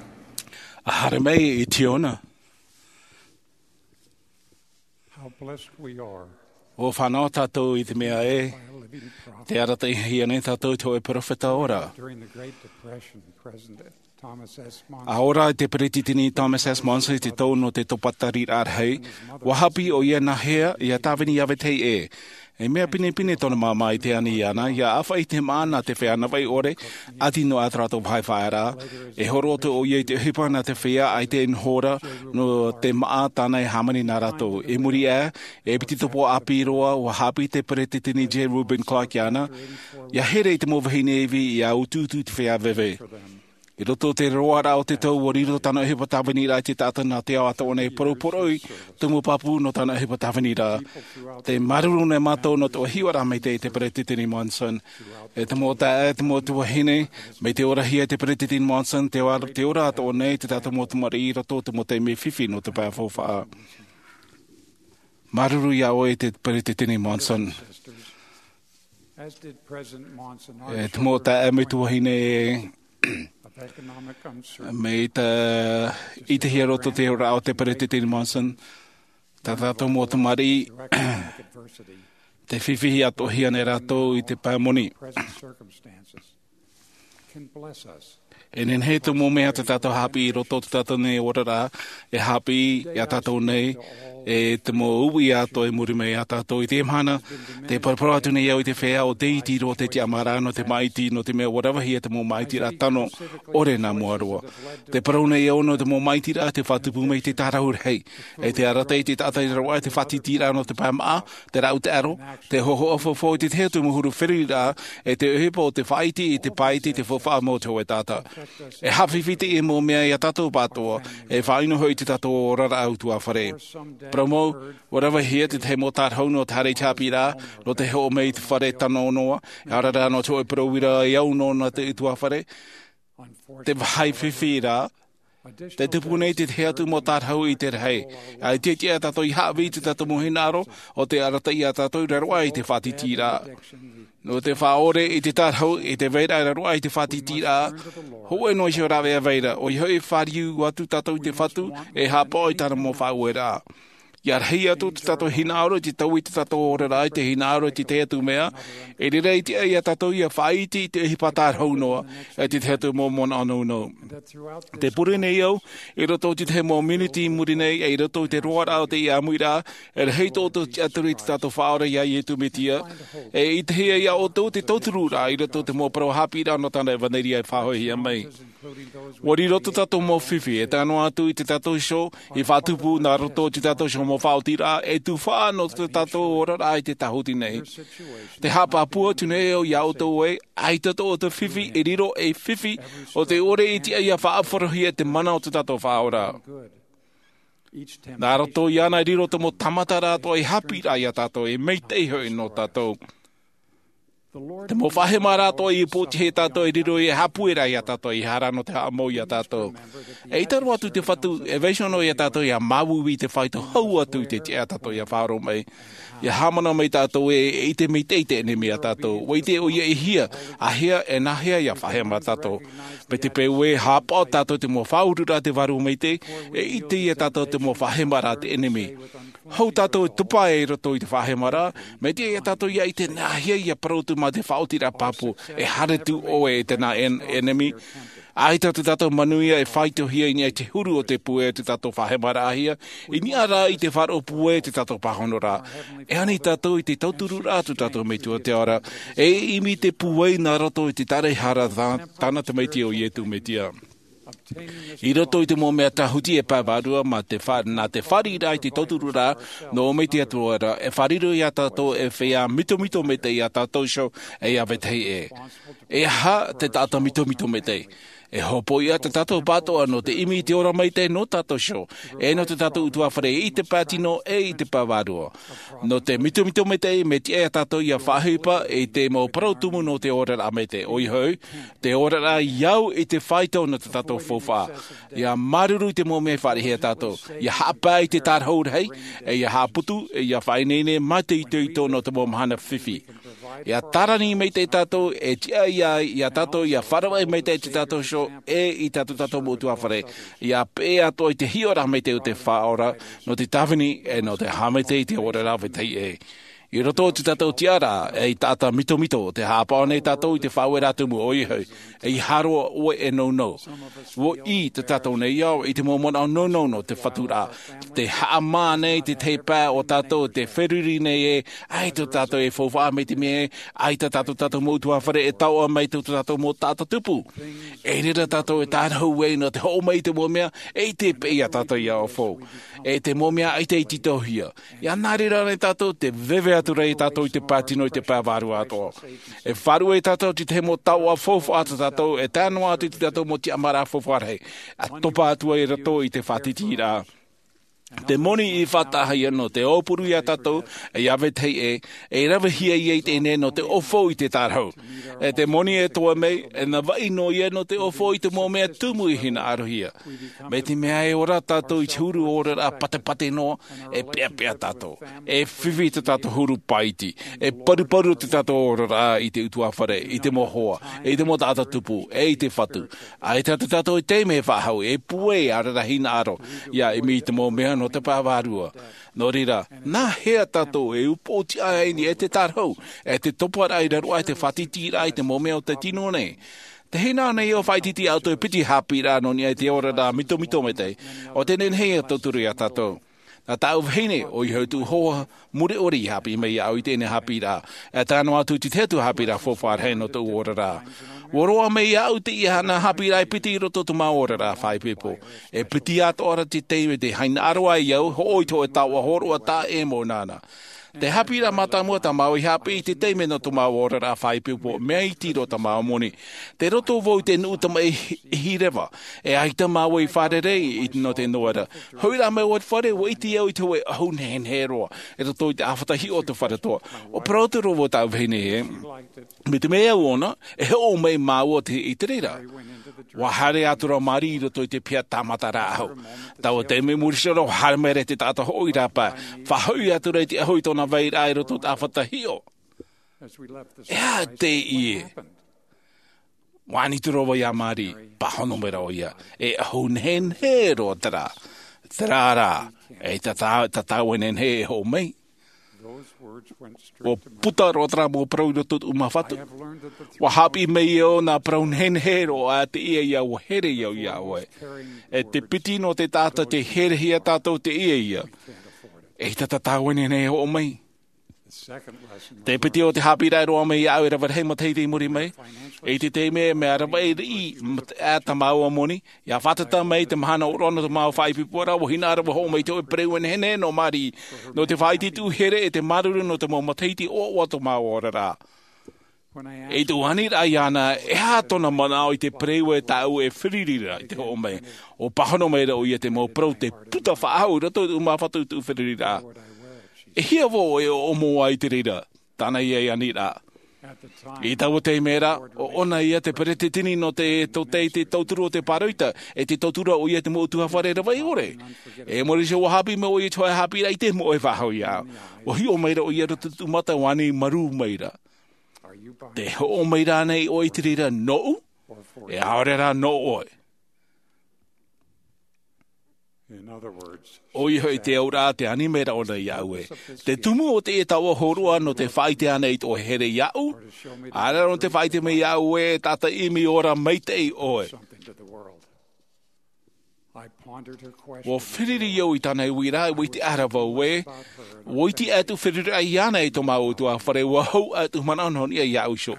A haere mai i Tiona. How blessed we are. ʻUa fānaʻo tātou i te mea ē, te arataʻihia nei tātou te hōʻē peropheta ora. During the Great Depression, President Thomas S. Monson. A ora i te peretiteni Thomas S. Monson i te tau nō te tōpataraʻa rahi, ʻua haʻapiʻi ʻoia nā hea ia tāvini i Avetehia. E mea pinepine tōna māmā i te ani iāna, ʻia ʻāfaʻi i te māʻa nā te feiā navaʻi ʻore, ʻati nō ʻAtarato Vahevaera. E horo atu ʻoia i te ʻohipa nā te feiā ʻaita e noho ra nō te māʻa tāna e hāmani nā rātou. I muri aʻe, e piti tōpō ʻāpī roa, ʻua haʻapiʻi te peretiteni J. Reuben Clark iāna, ʻia here i te mau vahine ivi ʻia utuutu i te feiā veve. I roto i te roaraʻa o te tau, ʻua riro tāna ʻohipa tāviniraʻa i te taʻata nā te ao atoʻa nei, poroporoʻi te mau pāpū nō tāna ʻohipa tāviniraʻa. Tē māuruuru nei mātou nō te hiʻoraʻa maitaʻi i te peretiteni Monson. E te mau taeaʻe, e te mau tuahine, mai te orahia e te peretiteni Monson, te ora, te ora atoʻa nei te tātou mau tamariʻi i roto i te mau taime fifi nō te pae faufaʻa. Māuruuru iā ʻoe e te peretiteni Monson. As did President Monson, our E te mau taeaʻe, e te mau tuahine, of economic uncertainty, mai te, i te hia roto te ora o te peretiteni Monson, tā tātou mau tamariʻi, economic adversity, te fifi atoʻa nei rātou i te pae moni. Present circumstances can bless us. E nehenehe te mau mea tā tātou haʻapiʻi i roto i tō tātou nei oraraʻa, e haʻapiʻi iā tātou nei, e te mau uʻi atoʻa i muri mai iā tātou. I teie mahana, tē paraparau atu nei au i te feiā ʻo Dei Tiro, te tiʻamāraʻa nō te māʻiti, nō te mea ʻua ravehia te mau māʻitiraʻa tano ʻore nā mua roa. Tē parau nei au nō te mau māʻitiraʻa tē faʻatupu mai i te tārahu rahi, e tē arataʻi i te taʻata i raro aʻe i te faʻatītīraʻa nō te pae māʻa, te rāʻau taʻero, te hōhoʻa faufaʻa i te tahi atu mau huru feruriraʻa, e te ʻohipa o te faʻaiti i te pāʻiti i te faufaʻa mau o te hōʻē taʻata. E haʻafifi teie mau mea iā tātou pāʻatoʻa, e faʻaʻino hoʻi i tō tātou oraraʻa ʻutuāfare. Parau mau, ʻua ravehia te tahi mau tārahu nō te haere i te haʻapiʻiraʻa, nō te hoʻo mai i te fare tano noa, e ʻaore rā nō te hōʻē parau ʻuira e au noa nā te ʻutuāfare. Te vāhi fifi rā, tē tupu nei te tahi atu mau tārahu i te rahi. ʻAita e tiʻa iā tātou ʻia haʻavī i tō tātou mau hinaʻaro, ʻo tē arataʻi iā tātou i raro aʻe i te faʻatītīraʻa. Nō te faʻaʻore i te tārahu, i te vairaʻa i raro aʻe i te faʻatītīraʻa, hōʻē noa iho rāveʻa vai ra, ʻoia hoʻi e fāriu atu tātou i te Fatu, e haʻapaʻo i tāna mau faʻaueraʻa. ʻIa rahi atu tō tātou hinaʻaro i te taui i tō tātou oraraʻa i te hinaʻaro i te tahi atu mea, e reira e tiʻa iā tātou ʻia faʻaiti i te ʻohipa tārahu noa, e te tahi atu mau manaʻo nounou. Tē pure nei au, i roto i te tahi mau minuti i muri nei, e i roto i te roaraʻa o teie ʻāmuiraʻa, e rahi tō ʻoutou tiʻaturi i tō tātou Faʻaora iā Iesu Mesia, e ʻitehia iā ʻoutou te tauturu ra i roto i te mau parau haʻapiʻiraʻa nō tāna ʻevanelia e faʻahoʻihia mai. ʻUa riro tō tātou mau fifi, e tae noa atu i tō tātou iho, i faʻatupu nā roto i tō tātou iho mau faʻaotiraʻa, e tuhaʻa nō tō tātou oraraʻa i te tāhuti nei. Tē haʻapāpū atu nei au iā ʻoutou ē, ʻaita tō ʻoutou fifi e riro ei fifi, ʻo tē ʻore e tiʻa ʻia faʻaʻāfarohia te mana o tō tātou Faʻaora. Nā roto iāna e riro te mau tāmataraʻa atoʻa e haʻapiʻiraʻa iā tātou, e maitaʻi hoʻi nō tātou. Te mau faʻahemaraʻa atoʻa i pōtiʻi iā tātou e riro ei haʻapueraʻa iā tātou, ʻeiaha rā nō te haʻamou iā tātou. ʻEita roa atu te Fatu, e vaiiho noa iā tātou ʻia māuiui i te faito hau atu i te tiʻa iā tātou ʻia faʻaroʻo mai. ʻIa haʻamanaʻo mai tātou ē, e ʻite maitaʻi te ʻenemi iā tātou. ʻUa ʻite ʻoia e hia, āhea, e nā hea ʻia faʻahema tātou. Mai te peu ē, haʻapaʻo tātou i te mau faʻaururaʻa a te Vārua Maitaʻi, e ʻite iā tātou te mau faʻahemaraʻa a te ʻenemi. Hou tātou e topa i roto i te faʻahemaraʻa, mai te tiʻa iā tātou ʻia ʻite nā hea ʻia parau atu mā te faʻaotiraʻa pāpū, e haere atu ʻoe e te nā ʻen-, ʻenemi. ʻAita tō tātou manuia e faitohia i niʻa i te huru o te pūai o tō tātou faʻahemaraʻahia, i niʻa rā i te faʻaroʻo pūai o tō tātou pāhonoraʻa. E ani tātou i te tautururaʻa a tō tātou Metua i te ao ra, e ʻimi i te pūai nā roto i te tāraʻehara tā-, tāna Tamaiti ʻo Iesu Mesia. I roto i te mau mea tāhuti e pae vārua, mā te fa-, nā te fāriʻiraʻa i te tautururaʻa nō ʻō mai te Atua ra, e fārerei iā tātou e feiā mitomito maitaʻi iā tātou iho, e iā vetahi ʻē. E aha te taʻata mitomito maitaʻi? E hopoiʻa tā tātou pāʻatoʻa nō te ʻimi i te ora maitaʻi nō tātou iho, e nō tō tātou ʻutuāfare i te pae tino, e i te pae vārua. Nō te mitomito maitaʻi, mea tiʻa iā tātou ʻia faʻaʻohipa i te mau parau tumu nō te oraraʻa maitaʻi, ʻoia hoʻi, te oraraʻa i au i te faito nō tō tātou faufaʻa. ʻIa māuruuru i te mau mea i fāriʻi iā tātou. ʻIa haʻapae i te tārahu rahi, e ʻia haʻaputu, e ʻia faʻaineine mā te itoito nō te mau mahana fifi. Ia tārani maitaʻi tātou, e tiʻa ia, ia tātou, ia faʻaravaʻi maitaʻi i tā tātou iho, e i tā tātou mau ʻutuāfare. Ia peʻe atoʻa i te hiʻoraʻa maitaʻi o te Faʻaora, nō te tāvini, e nō te haʻamaitaʻi i te oraraʻa vetahi ʻē. I roto i tā tātou tiʻaraʻa, e i taʻata mitomito, tē haʻapaʻo nei tātou i te faʻaueraʻa tumu ʻoia hoʻi, ʻeiaha roa ʻoe e nounou. ʻUa ʻī tā tātou nei ao, i te mau manaʻo nounou nō te Fatu ra, tē haʻamā nei te tahi pae o tātou, tē feruri nei ē, ʻaita tātou e faufaʻa mai te mea ē, ʻaita tā tātou mau ʻutuāfare e taoʻa mai tō tātou mau taʻata tupu. I reira tātou e tārahu ai nō te hoʻo mai i te mau mea, e ʻite paʻi ia tātou ia ʻoutou. E te mau mea ʻaita i tītauhia. Ia nā reira nei tātou, tē veve atu ra ia tātou i te pae tino, i te pae vārua atoʻa. E faʻaruʻe tātou i te mau taoʻa faufaʻa tā tātou, e tae noa atu i tā tātou mau tiʻamāraʻa faufaʻa rahi. E topa atu ai rātou i te faʻatītīraʻa. Te moni i faʻataʻahia nō te aupuru ia tātou, e ia vetahi ʻē, e ravehia ia i teie nei nō te ʻaufau i te tārahu. E te moni e toe mai, e navaʻi noa ia nō te ʻaufau i te mau mea tumu i hinaʻarohia. Mai te mea e ora tātou i te huru oraraʻa patepate noa, e peʻapeʻa tātou. E fifi tā tātou huru paʻiti. E paruparu tā tātou oraraʻa i te ʻutuāfare, i te mau hoa, i te mau taʻata tupu, e i te Fatu. ʻAita tā tātou e taime e faʻahou, e pūai, ʻaore rā hinaʻaro, ia ʻimi i te mau mea nō te pae vārua. Nō reira, nā hea tātou e upoʻotiʻa ai nei e te tārahu, e te toparaʻa i raro aʻe i te faʻatītīraʻa i te mau mea o te tino nei? Tē hinaʻaro nei au faʻaʻiteʻite atu e piti haʻapiʻiraʻa nō niʻa i te oraraʻa mitomito maitaʻi, ʻo tē nehenehe e tauturu ia tātou. Nā tāʻu vahine, ʻoia hoʻi tōʻu hoa, mure ʻore i haʻapiʻi mai iāʻu i teie haʻapiʻiraʻa, e tae noa atu i te tahi atu haʻapiʻiraʻa faufaʻa rahi nō tōʻu oraraʻa. ʻUa roaʻa mai iāʻu teie haʻapiʻiraʻa e piti i roto i tō māua oraraʻa faʻaipoipo. E piti atoʻa ra te taime tē hinaʻaro ai au, hoʻo i te hōʻē taoʻa hōroʻa taʻa ʻē mau nāna. Te haʻapiʻiraʻa mātāmua tā māua i haʻapiʻi i te taime nō tō māua oraraʻa faʻaipoipo, mea iti roa tā māua moni. Tei roto vau i te nuʻu tamaʻi ʻihi reva, e ʻaita māua i fārerei i te, nō te noera. Hoʻi rā mai au i te fare, ʻua ʻite au i te hōʻē ʻahu nehenehe roa, i roto i te ʻāfata hiʻo o te fare toa. ʻUa parau atu ra vau i tāʻu vahine ē, mai te mea au ʻōna, e hoʻo mai māua te, i te reira. ʻUa haere atu ra Marie i roto i te piha tāmata rāʻau. Taua taime i muri iho ra, ʻua haere mai ra te taʻata hoʻo i rāpae. Faʻahoʻi atu ra i te ʻahu i tōna vairaʻa i roto i te ʻāfata hiʻo. E aha teie? ʻUa ani atu ra vau ia Marie, pāhono mai ra ʻoia. E ʻahu nehenehe roa terā. Terā rā, e tā, tā, tā tāua e nehenehe e hoʻo mai. ʻUa puta roa terā mau parau i roto i tōʻu mau fatu. ʻUa haʻapiʻi mai au nā parau nehenehe roa teie ia ʻua here au iā ʻoe. E te piti nō te taʻata tei herehia tātou teie ia. E ʻaita tā tāua e nehenehe e hoʻo mai. Te piti o te haʻapiʻiraʻa e roaʻa mai iāʻu e rave rahi matahiti i muri mai. I te taime mea rave riʻi, ā, tā māua moni, ʻia fātata mai te mahana ʻōroʻa nō tō māua faʻaipoiporaʻa, ʻua hinaʻaro vau e hoʻo mai i te hōʻē pereue nehenehe nō Marie, nō te faʻaʻite i tōʻu here e te māuruuru nō te mau matahiti ʻoaʻoa o tō māua oraraʻa. I tōʻu aniraʻa iāna, e aha tōna manaʻo i te pereue tāʻu e feruri ra i te hoʻo mai? ʻUa pāhono mai ra ʻoia i te mau parau tei puta faʻahou i roto i tōʻu mau fatu i tōʻu feruriraʻa. E hia vau e ʻōmoa i te reira, tāna ia aniraʻa. I taua taime ra, ʻo ʻōna ia te peretiteni nō te, tō te, te tauturu o te pāroita, e te tauturu ʻoia i te mau ʻutuāfare ravaʻi ʻore. E muri iho ʻua haʻapiʻi mai ʻoia i te hōʻē haʻapiʻiraʻa ʻaita e moʻe faʻahou iāʻu. ʻUa hiʻo mai ra ʻoia i roto i tōʻu mata, ʻua ani marū mai ra. Tē hoʻo mai ra ānei ʻoe i te reira nōʻu? E ʻaore rā nō ʻoe. ʻOia hoʻi te auraʻa tē ani mai ra ʻōna iāʻu ē. Te tumu o teie taoʻa hōroʻa nō te faʻaʻite ānei i tō here iāʻu? ʻAore rā nō te faʻaʻite mai iāʻu ē, e taʻata ʻimi ora maitaʻi ʻoe. ʻUa feruri au i tāna uiraʻa, ʻua ʻite ʻara vau ē, ʻua ʻite atu feruri iāna i tō māua ʻutuāfare, ʻua hau atu manaʻo nō niʻa iāʻu iho.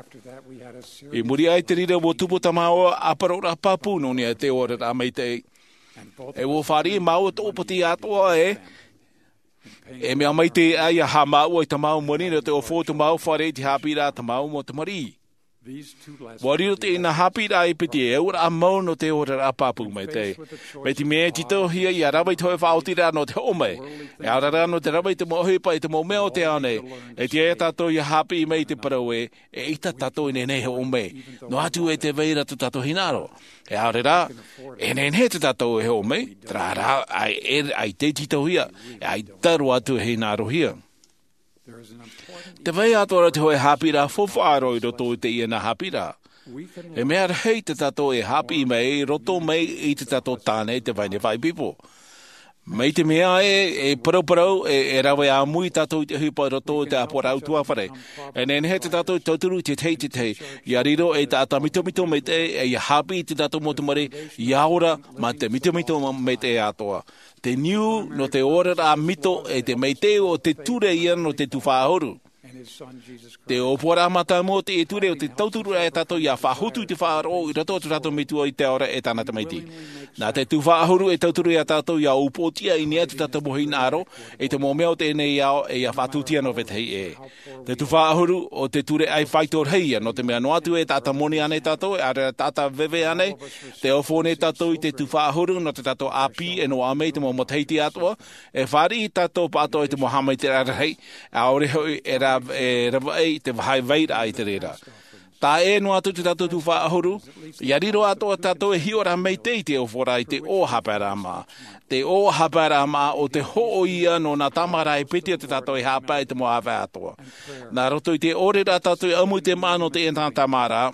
I muri aʻe i te reira ʻua tupu tā māua ʻāparauraʻa pāpū nō niʻa i te oraraʻa maitaʻi. E ʻua fāriʻi māua tōʻopoti atoʻa ē, e mea maitaʻi ia haʻamāuʻa i tā māua moni nō te ʻaufau o tō māua fare i te haʻapiʻiraʻa tā māua mau tamariʻi. ʻUa riro teie haʻapiʻiraʻa e piti e auraʻa mau nō te oraraʻa pāpū maitaʻi. Mai te mea e tītauhia ʻia rave i te hōʻē faʻaotiraʻa nō te hoʻo mai. E ʻaore rā nō te rave i te mau ʻohipa i te mau mea o te ao nei. E tiʻa ia tātou ʻia haʻapiʻi mai i te parau ē, e ʻaita tātou e nehenehe e hoʻo mai. Noa atu e tē vai ra tō tātou hinaʻaro. E ʻaore rā, e nehenehe tā tātou e hoʻo mai, terā rā, ʻaita e, ʻaita e tītauhia, e ʻaita roa atu e hinaʻarohia. Te vai atoʻa ra te hoʻe haʻapiʻiraʻa faufaʻa roa i roto i teie nā haʻapiʻiraʻa. E mea rahi tā tātou e haʻapiʻi mai i roto mai i tā tātou tāne i te vahine faʻaipoipo. Mai te mea ē, e parauparau e rave ʻāmui tātou i te ʻohipa i roto i te ʻāpoʻoraʻa ʻutuāfare. E nehenehe tā tātou e tauturu i te tahi i te tahi ia riro ei taʻata mitomito maitaʻi, e ia haʻapiʻi i tā tātou mau tamariʻi ia ora mā te mitomito maitaʻi atoʻa. Te niu nō te oraraʻa mito e te maitaʻi o te ture ia nō te tufaʻahuru. Te ʻōpuaraʻa mātāmua o teie ture o te tauturu ia tātou ia faʻahotu i te faʻaroʻo i roto i tō tātou metua i te ao ra e tāna tamaiti. Nā te tufaʻahuru e tauturu ia tātou ia upoʻotiʻa i niʻa i tō tātou mau hinaʻaro i te mau mea o teie nei ao e ia faʻatūtia nō vetahi ʻē. Te tufaʻahuru o te ture ʻaifāito rahi ia nō te mea noa atu e taʻata moni ānei tātou, e ʻaore rā taʻata veve ānei. Te ofo nei tātou i te tufaʻahuru nō tō tātou ʻāpī e noaʻa mai i te mau matahiti atoʻa. E fāriʻi tātou pāʻatoʻa i te mau haʻamaitaʻiraʻa rahi, ʻaore hoʻi e ravaʻi i te vairaʻa i te reira. Taʻa ʻē noa atu tō tātou tufaʻahuru, ia riro atoʻa tātou e hiʻo ra maitaʻi i te oforaʻa i te ʻō haʻapaeraʻa maʻa. Te ʻō haʻapaeraʻa maʻa o te hoʻo ia nō nā tāmāraʻa e piti o tō tātou e haʻapae i te mau ʻāvae atoʻa. Nā roto i te ʻore ra tātou e ʻamu i te maʻa nō teie nā tāmāraʻa,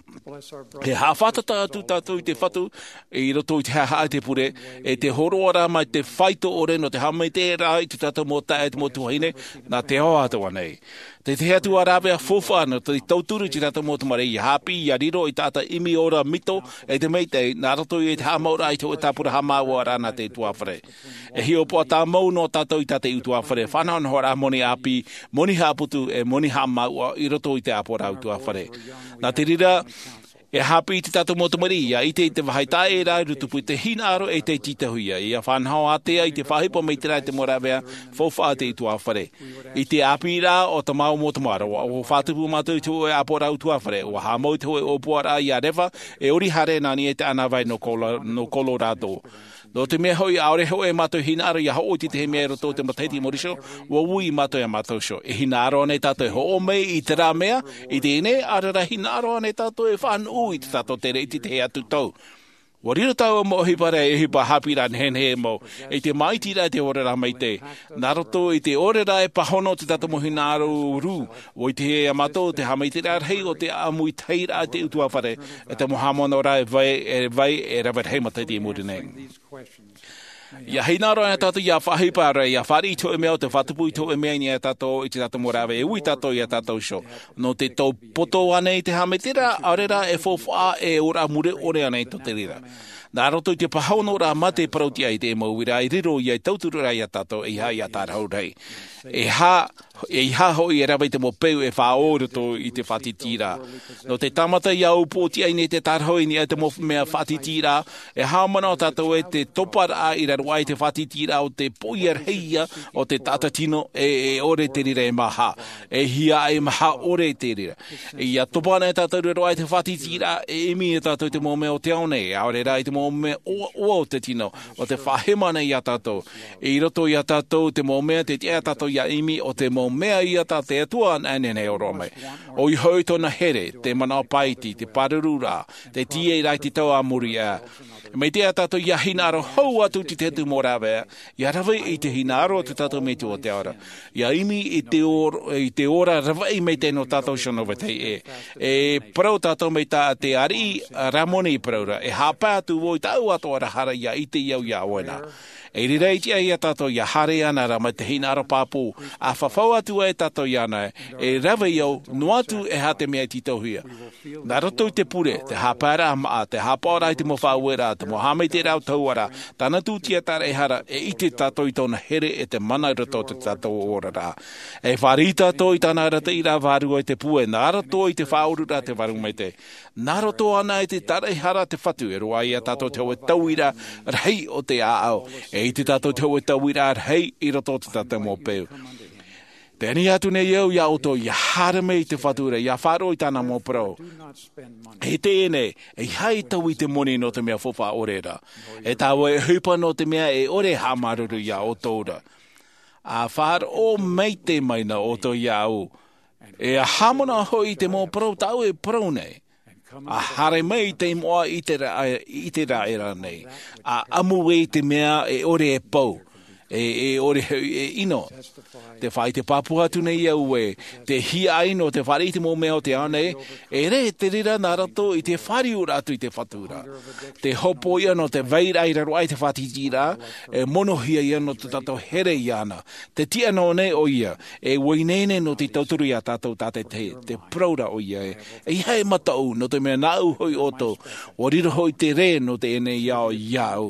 e haʻafātata atu tātou i te Fatu i roto i te haʻahaʻa i te pure, e te hōroʻa ra mai te faito ʻore nō te haʻamaitaʻiraʻa i tō tātou mau taeaʻe, te mau tuahine, nā te ao atoʻa nei. Te tahi atu ā rāveʻa faufaʻa nō te tauturu i tō tātou mau tamariʻi ia haʻapiʻi ia riro ei taʻata ʻimi ora mito e te maitaʻi nā roto i te haʻamāuʻaraʻa i te hoʻe tāpura haʻamāuʻaraʻa nā te ʻutuāfare. E hiʻopoʻa tāmau noa tātou i tā te ʻutuāfare, fānahonahoraʻa moni ʻāpī, moni haʻaputu e moni haʻamāuʻa i roto i te ʻāpoʻoraʻa ʻutuāfare. Nā te reira, e haʻapiʻi i tō tātou mau tamariʻi ia ʻite i te vāhi taʻa ʻē rā i tupu i te hinaʻaro e te tītauhia, ia fānaho ātea i te faʻaʻohipa maitaʻi i te mau rāveʻa faufaʻa a te ʻutuāfare. I te ʻāpīraʻa o tā māua mau tamāroa, ʻua faʻatupu mātou i te hoʻe ʻāpoʻoraʻa ʻutuāfare, ʻua haʻamau i te hoʻe ʻōpuaraʻa ia reva e ʻori haere nā niʻa i te ʻānāvai nō Colo-, nō Colorado. Nō te mea hoʻi, ʻaore hoʻi e mātou hinaʻaro ia hoʻo i te tahi mea i roto i te matahiti i muri iho, ʻua ui mātou iā mātou iho. E hinaʻaro ānei tātou e hoʻo mai i terā mea i teie nei, ʻaore rā hinaʻaro ānei tātou e faʻanuʻu i tō tātou tere i te tahi atu tau? ʻUa riro taua mau ʻohipa ra ei ʻohipa haʻapiʻiraʻa nehenehe mau, i te māʻitiraʻa i te oraraʻa maitaʻi. Nā roto i te ʻore ra e pāhono tō tātou mau hinaʻaro rū, ʻua ʻite iā mātou te haʻamaitaʻiraʻa rahi o te ʻamu i te tahiraʻa a te ʻutuāfare, e te mau haʻamanaʻoraʻa e vai, e vai, e rave rahi matahiti i muri nei. Ia hinaʻaro ānei tātou ia faʻaʻohipa ra, ia fāriʻi i te hoʻe mea o te faʻatupu i te hoʻe mea i niʻa iā tātou, i tō tātou mau rāveʻa, e ui tātou iā tātou iho. Nō te tau poto ānei te haʻamaitaʻiraʻa, ʻaore rā e faufaʻa, e ora mure ʻore ānei tō te reira. Nā roto i te pāhonoraʻa mā te parautiʻa i te mau uiraʻa i riro ia i tauturu ra iā tātou, ʻeiaha ia tārahu rahi. ʻEiaha, ʻeiaha hoʻi e rave i te mau peu e faʻaō i roto i te faʻatītīraʻa. Nō te tāmata ia upoʻotiʻa i niʻa i te tārahu i niʻa i te mau mea faʻatītīraʻa, e haʻamanaʻo tātou ē te toparaʻa i raro aʻe i te faʻatītīraʻa o te poʻia rahi ia o te taʻata tino, e, e ʻore te reira e maha, e hiaʻai maha ʻore te reira. Ia topa ānei tātou i raro aʻe i te faʻatītīraʻa, e ʻimi iā tātou i te mau mea o te ao nei, ʻaore rā i te mau mea ʻoaʻoa o te tino, o te faʻahema nei iā tātou. I roto iā tātou te mau mea, tē tiʻa iā tātou ia ʻimi, ʻo te mau mea ia tā te Atua anaʻe e nehenehe e hōroʻa mai. ʻOia hoʻi tōna here, te manaʻo pāʻiti, te pāruru ra, te tīaʻi ra i te tau a muri aʻe. Mai te taeaʻe tātou ia hinaʻaro hou atu i te tahi atu mau rāveʻa, ia rave i te hinaʻaro o tō tātou Metua o te ao ra. Ia ʻimi i te or-, i te ora ravaʻi maitaʻi nō tātou iho nō vetahi ʻē. E parau tātou mai tā te ariʻi Ramoni i parau ra, e haʻapae atu vau i tāʻu atoʻa ra hara ia ʻite au iā ʻoe na. I reira e tiʻa iā tātou ia haere ana ra mai te hinaʻaro pāpū, ʻa fafau atu ai tātou iāna, e rave au, noa atu e aha te mea e tītauhia. Nā roto i te pure, te haʻapaeraʻa māʻa, te haʻapaʻoraʻa i te mau faʻaueraʻa, te mau haʻamaitaʻiraʻa o te hauʻa ra, tāna tūtia tāraʻehara, e ʻite tātou i tōna here e te mana i roto o tō tātou oraraʻa. E fāriʻi tātou i tāna arataʻiraʻa vārua i te pūai, nā roto i te Faʻaoraraʻa te Vārua Maitaʻi. Nā roto āna i te tāraʻehara a te Fatu, e roaʻa iā tātou te hōʻē tauiraʻa rahi o te ʻāʻau, e ʻite tātou te hōʻē tauiraʻa rahi i roto o tō tātou mau peu. Tē ani atu nei au iā ʻoutou, ia haere mai i te Fatu ra, ia faʻaroʻo i tāna mau parau. E teie nei, ʻeiaha e tau i te moni nō te mea faufaʻa ʻore ra. E taua e ʻohipa nō te mea e ʻore e haʻamāuruuru iā ʻoutou ra. ʻA faʻaroʻo maitaʻi mai na ʻoutou iāʻu. E haʻamanaʻo hoʻi i te mau parau tāʻu e parau nei. ʻA haere mai i te moʻa i te ra-, i te raʻi ra nei. ʻA ʻamu i te mea e ʻore e pau. E e ʻore hoʻi e ʻino. Te faʻaʻite pāpū atu nei au ē, te hiaʻai nō te fāriʻi i te mau mea o te ao nei, e rē te reira nā roto i te fāriu atu i te Fatu ra. Te hopoiʻa nō te vairaʻa i raro aʻe i te fātītīraʻa, e monohia ia nō tō tātou here iāna. Te tiʻa nō nei ʻoia, e ʻua ineine nō te tauturu iā tātou tātaʻitahi, te parau ra ʻoia ē, ʻeiaha e mataʻu, nō te mea nāʻu hoʻi ʻoutou, ʻua riro hoʻi te rē nō teie nei ao iāʻu.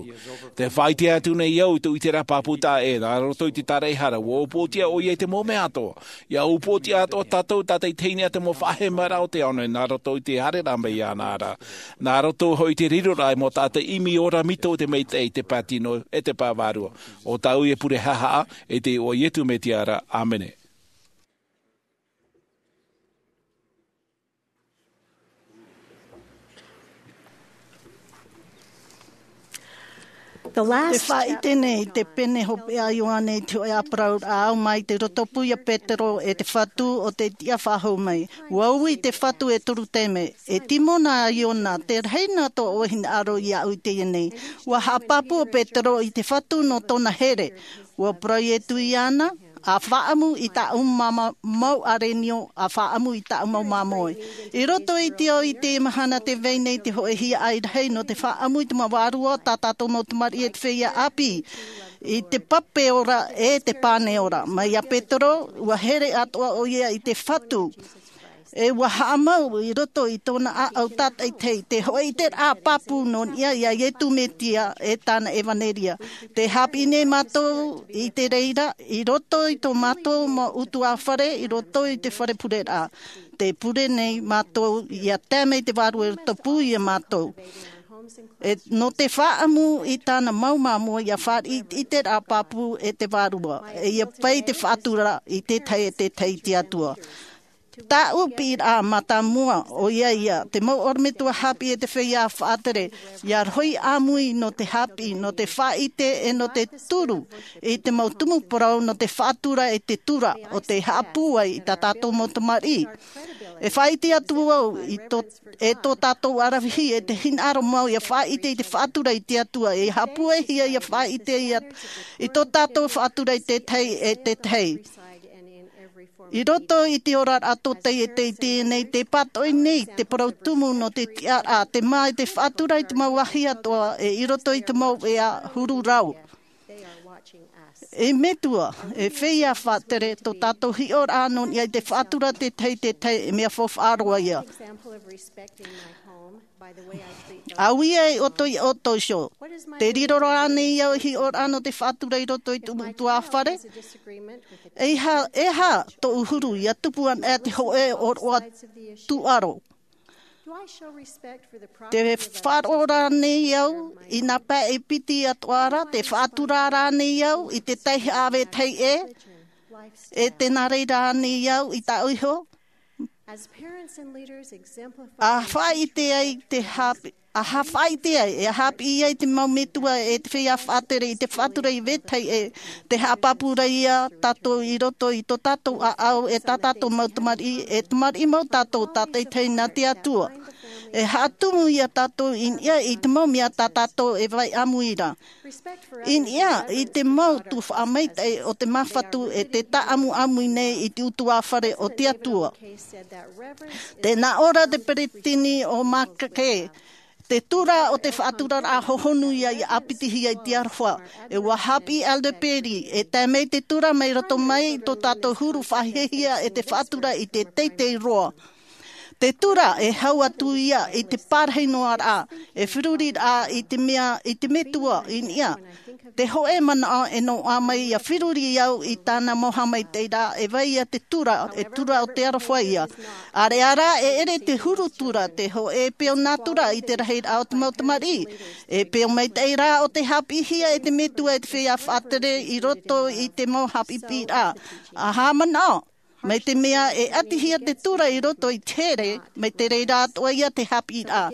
Te faʻaʻite atu nei au i tō ʻiteraʻa pāpū taʻa ʻē, nā roto i te tāraʻehara, ʻua upoʻotiʻa ʻoia i te mau mea atoʻa. ʻIa upoʻotiʻa atoʻa tātou tātaʻitahi nei ā te mau faʻahemaraʻa o te ao nei, nā roto i te haereraʻa mai iāna ra. Nā roto hoʻi i te riroraʻa i te mau taʻata ʻimi ora mito o te maitaʻi, te pātino, e te pae vārua. ʻO tāʻu ia pure haʻahaʻa, i te iʻoa o Iesu Mesia ra. ʻĀmene. The last Te faʻaʻite nei, te pene hopeʻa a Ioane i te hōʻē ʻāparauraʻa, ʻaore mai te roto pū ia Petero e te Fatu o te tiʻa faʻahou mai. ʻUa ui te Fatu e toru taime, e Simona Iona, te rahi nā tō ʻoe hinaʻaro iāʻu i teie nei. ʻUa haʻapāpū ʻo Petero i te Fatu nō tōna here. ʻUa parau Iesu iāna, ʻa faʻaʻamu i tāʻu mau ʻārenio, ʻa faʻaʻamu i tāʻu mau māmoe. I roto i te ao i teie mahana tē vai nei te hōʻē hiaʻai rahi nō te faʻaʻamu i te mau vārua tā tātou mau tamariʻi e te feiā ʻāpī, i te pape ora e te pane ora. Mai iā Petero, ʻua here atoʻa ʻoia i te Fatu. E ʻua haʻamau i roto i tōna ʻāʻau tātaʻitahi te hōʻē ʻiteraʻa pāpū nō niʻa iā Iesu Mesia e tāna ʻevanelia. Tē haʻapiʻi nei mātou i te reira, i roto i tō mātou mau ʻutuāfare, i roto i te fare pureraʻa. Tē pure nei mātou ʻia tae mai te Vārua i roto pū iā mātou. E, nō te faʻaʻamu i tāna mau māmoe ʻia fāriʻi i te ʻiteraʻa pāpū e te Vārua. E ʻia pai te faʻatura i te tahi e te tahi i te Atua. Tāʻu piʻiraʻa mātāmua, ʻoia ia, te mau ʻorometua haʻapiʻi e te feiā faʻatere, ʻia rohi ʻāmui nō te haʻapiʻi, nō te faʻaʻite e nō te turu, i te mau tumu parau nō te faʻatura e te tura, ʻo tē haʻapūai i tā tātou mau tamariʻi. E faʻaʻite atu au, i tō, e tō tātou ʻaravihi, e te hinaʻaro mau ʻia faʻaʻite i te faʻatura i te Atua, e haʻapūaihia ʻia faʻaʻite ia, i tō tātou faʻatura i te tahi e te tahi. I roto i te oraraʻa tōtaiete i teie nei, tē pātoʻi nei te parau tumu nō te tiʻaraʻa, te mā i te faʻatura i te mau vāhi atoʻa, e i roto i te mau ʻēʻa huru rau. E Metua, e feiā faʻatere, tō tātou hiʻoraʻa nō niʻa i te faʻatura te tahi, te tahi, e mea faufaʻa roa ia. Au ia e ʻoutou i ʻoutou iho. Tē riro rānei au i hiʻoraʻa nō te faʻatura i roto i tōʻu ʻutuāfare? E aha, e aha tōʻu huru ʻia tupu ana e te hōʻē ʻōroʻa tūʻaro? Te faʻaroʻo rānei au i nā pae e piti atoʻa ra, te faʻatura rānei au i te taihaʻa vetahi ʻē, e tē nā reira rānei au i tāʻu iho? A faʻaʻite ai te haʻapiʻi, a ha-, faʻaʻite ai, e haʻapiʻi ai te mau metua e te feiā faʻatere i te faʻatura i vetahi ʻē, tē haʻapāpū ra ia tātou i roto i tō tātou ʻāʻau, e tā tātou mau tamariʻi, e tamariʻi mau tātou tātaʻitahi nā te Atua. E haʻatumu ia tātou i niʻa i te mau mea tā tātou e vai ʻāmui ra. I niʻa i te mau tuhaʻa maitaʻi o te Māfatu e tē tāʻamuʻamui nei i te ʻutuāfare o te Atua. Tē nā ʻō ra te peresideni o Mackay, te tura o te faʻaturaraʻa hohonu ia ʻia ʻāpitihia i te aroha. E ʻua haʻapiʻi Elder Perry, e tae mai te tura mai roto mai i tō tātou huru faʻahiahia e te faʻatura i te teitei roa. Te tura e hau atu ia i te pārahi noa ra, e feruri ra i te mea, i te metua i niʻa. Te hōʻē manaʻo e noaʻa mai ʻia feruri au i tāna mau haʻamaitaʻiraʻa, e vai ia te tura, e tura o te aroha ia. ʻĀreʻa rā, e ʻere te huru tura, te hōʻē peu nā tura i te rahiraʻa o te mau tamariʻi. E peu maitaʻi rā ʻo tē haʻapiʻihia e te metua e te feiā faʻatere i roto i te mau haʻapiʻiraʻa. ʻA haʻamanaʻo, mai te mea e ʻatihia te tura i roto i te here, mai te reira atoʻa ia te haʻapiʻiraʻa.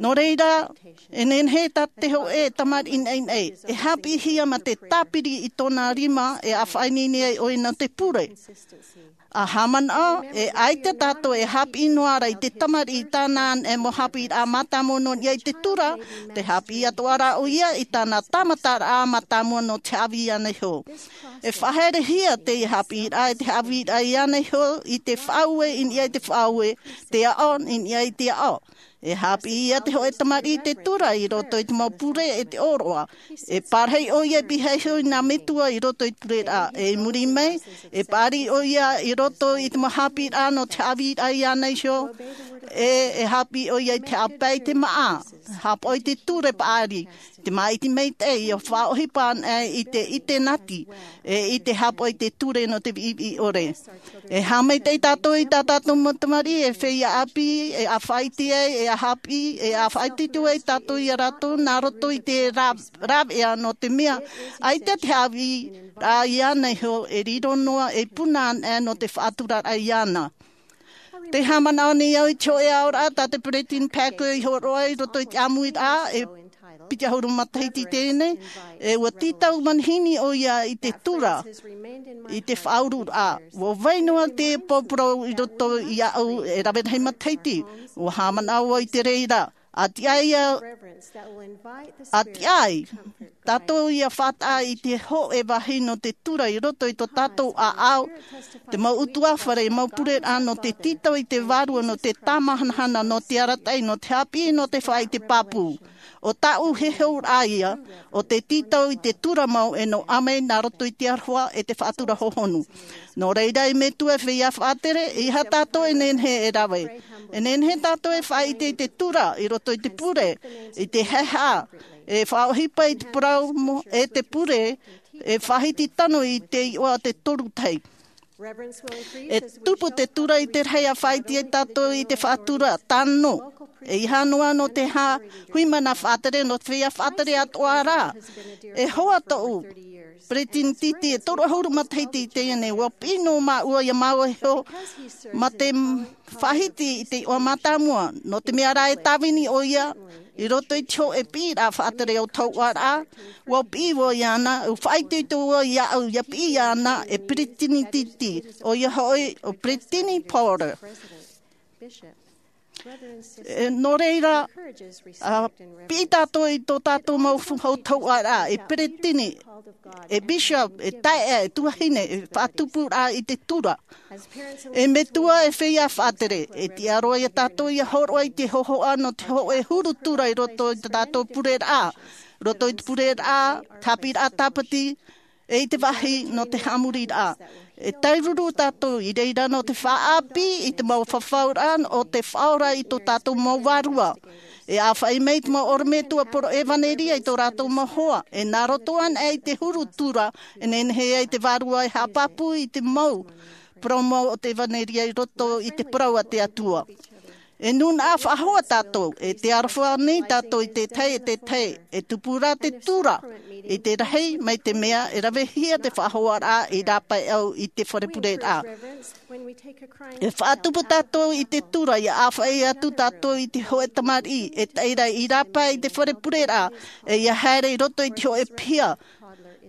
Nō reira, e nehenehe tā te hōʻē tamariʻi naʻinaʻi e haʻapiʻihia mā te tāpiri i tōna rima e ʻāfaʻi nei ai ʻoia nō te pure. A haʻamanaʻo, e ʻaita tātou e haʻapiʻi noa ra i te tamariʻi i tāna anaʻe mau haʻapiʻiraʻa mātāmua nō niʻa i te tura, te haʻapiʻi atoʻa rā ʻoia i tāna tāmataraʻa mātāmua nō te haʻavī iāna iho. E faʻaherehia te haʻapiʻiraʻa e te haʻavīraʻa iāna iho i te faʻaue i niʻa i te faʻaue, te aʻo i niʻa i te aʻo. E haʻapiʻi ia te hōʻē tamariʻi i te tura i roto i te mau pure e te ʻōroʻa. E pārahi ʻoia e pihaʻi iho i nā metua i roto i te pureraʻa. E i muri mai, e paʻari ʻoia i roto i te mau haʻapiʻiraʻa nō te haʻavīraʻa iāna iho. E, e haʻapiʻi ʻoia i te haʻapae i te māʻa. Haʻapaʻo i te ture paʻari. Te māʻiti maitaʻi, ʻia faʻaʻohipa anaʻe i te, i te nati, e i te haʻapaʻo i te ture nō te viʻiviʻi ʻore. E haʻamaitaʻi tātou i tā tātou mau tamariʻi, e feiā ʻāpī, e ʻāfaʻi iti ai, e haʻapiʻi, e ʻāfaʻi iti ai tātou ia rātou, nā roto i te rā-, rāveʻa nō te mea, ʻaita te haʻavīraʻa iāna iho, e riro noa, e puna anaʻe nō te faʻaturaraʻa iāna. Tē haʻamanaʻo nei au i te hōʻē aʻoraʻa tā te Peresideni Packer i hōroʻa i roto i te ʻāmuiraʻa, e piti ʻahuru matahiti teie nei, e ʻua tītau manihini ʻoia i te tura, i te faʻaururaʻa. ʻUa vai noa te pōporo i roto iāʻu e rave rahi matahiti, ʻua haʻamanaʻo vau i te reira. ʻA tiʻa ia, ʻa tiʻa ai tātou ʻia faʻataʻa i te hōʻē vāhi nō te tura i roto i tō tātou ʻāʻau, te mau ʻutuāfare, mau pureraʻa nō te tītau i te vārua, nō te tāmahanahana, nō te arataʻi, nō te haʻapiʻi, nō te faʻaʻite pāpū. ʻO tāʻu heheu rā ia, ʻo te tītau i te tura mau e nō ʻāmui nā roto i te aroha e te faʻatura hohonu. Nō reira, e metua, e feiā faʻatere, ʻeiaha tātou e nehenehe e rave. E nehenehe tātou e faʻaʻite i te tura i roto i te pure, i te haʻehaʻa, e faʻaʻohipa i te parau mo-, e te pure, e faʻahiti tano i te iʻoa o te toru tahi. E tupu te tura i te rahi ʻa faʻaʻite ai tātou i te faʻatura tano. ʻEiaha noa nō te hā-, hui mana faʻatere, nō te feiā faʻatere atoʻa rā. E hoa tōʻu peresideni titi e toru ʻahuru matahiti i teie nei, ʻua piʻi noa māua ia māua iho, mā te m-, faʻahiti i te iʻoa mātāmua, nō te mea rā e tāvini ʻoia, i roto i te hōʻē piʻiraʻa faʻatere o te hōʻēraʻa, ʻua piʻi vau iāna, ʻua faʻaitoito vau iāʻu, ʻia piʻi iāna, e peresideni titi, ʻoia hoʻi, ʻo Peresideni Porter. E, nō reira, ʻa piʻi tātou i tō tātou mau fu-, hau tauʻaraʻa, e peresideni, e bishop, e taeaʻe, e tuahine, e faʻatupuraʻa i te tura. E metua, e feiā faʻatere, e tiʻa roa ia tātou ʻia hōroʻa i te hōhoʻa nō te hōʻē huru tura i roto i tā tātou pureraʻa, roto i te pureraʻa, tāpiraʻa tāpati, e i te vāhi nō te haʻamoriraʻa. E tairuru tātou i reira nō te faʻaʻāpī i te mau fafauraʻa o te Faʻaora i tō tātou mau vārua. E ʻāfaʻi mai te mau ʻorometua poro ʻevaneria i tō rātou mau hoa, e nā roto anaʻe i te huru tura, e nehenehe ai te vārua e haʻapāpū i te mau parau mau o te ʻevaneria i roto i te parau a te Atua. E nūnaʻa faʻahou tātou, e te aroha nei tātou i te tahi, e te tahi, e tupu rā te tura, i te rahi, mai te mea, e ravehia te faʻahoaraʻa i rāpae au i te fare pureraʻa. E faʻatupu tātou i te tura, ʻia ʻāfaʻi atu tātou i te hōʻē tamariʻi, e tae ra i rāpae i te fare pureraʻa, e ʻia haere i roto i te hōʻē piha.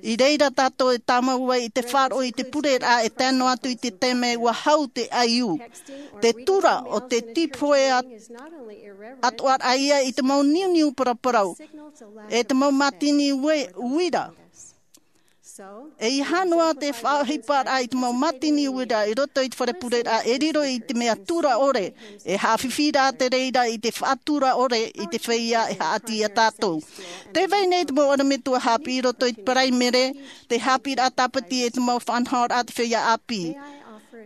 I reira tātou e tāmau ai i te faʻaroʻo i te pureraʻa e tae noa atu i te taime ʻua hau te ʻaiū. Te tura ʻo te tīpohe at-, atoʻaraʻa ia i te mau niuniu paraparau, e te mau mātini ue-, uira. ʻEiaha noa te faʻaʻohiparaʻa i te mau mātini uira i roto i te fare pureraʻa e riro i te mea tura ʻore, e haʻafifi rā te reira i te faʻatura ʻore i te feiā e haʻati ia tātou. Tē vai nei te mau ʻorometua haʻapiʻi i roto i te paraimere, te haʻapiʻiraʻa tāpati e te mau faʻanahoraʻa te feiā ʻāpī.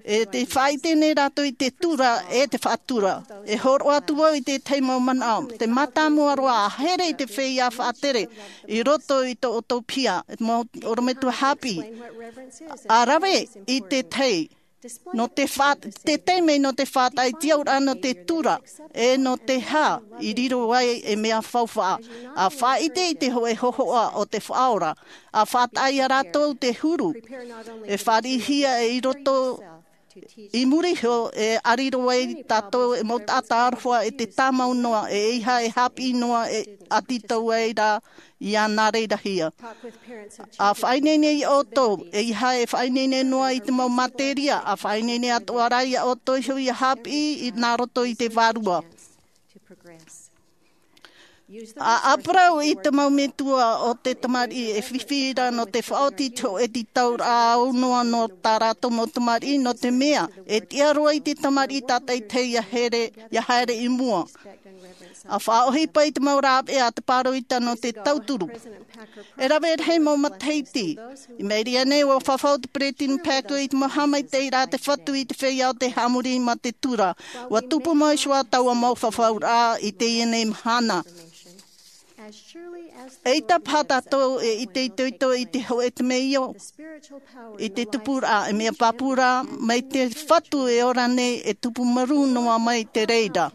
E te faʻaʻite nei rātou i te tura e te faʻatura. E hōroʻa atu vau i te tahi mau manaʻo, te mātāmua roa ʻa here i te feiā faʻatere i roto i tō ʻoutou piha, e te mau ʻorometua haʻapiʻi. ʻA rave i te tahi, nō te fa-, te taime nō te faʻataʻa i te auraʻa nō te tura, e nō te hā, i riro ai e mea faufaʻa. ʻA faʻaʻite i te hōʻē hōhoʻa o te Faʻaora, ʻa faʻataʻa ia rātou te huru. E fāriʻihia e i roto I muri iho e ʻariro ai tātou e mau taʻata aroha e te tāmau noa, e ʻeiaha e haʻapiʻi noa e ʻati tau ai rā ia nā reira hia. A faʻaineine ia ʻoutou, ʻeiaha e faʻaineine noa i te mau materia, a faʻaineine atoʻa rā ia ʻoutou iho ia haʻapiʻi i nā roto i te vārua. A ʻāparau i te mau metua o te tamariʻi e fifi ra nō te faʻaoti i te hōʻē tītauraʻa aunoa nō tā rātou mau tamariʻi, nō te mea e tiʻa roa i te tamariʻi tātaʻitahi ia here, ia haere i mua. A faʻaʻohipa i te mau rāveʻa a te pāroita nō te tauturu. E rave rahi mau matahiti, i maʻiri aʻe nei ʻua fafau te Peresideni Packer i te mau haʻamaitaʻiraʻa a te Fatu i te feiā o te haʻamori mā te tura. ʻUa tupu mai iho ā taua mau fafauraʻa i teie nei mahana. ʻEita paha tātou e ʻite itoito i te hōʻē temeio, i te tupuraʻa, e mea pāpū ra mai te Fatu e ora nei e tupu marū noa mai te reira.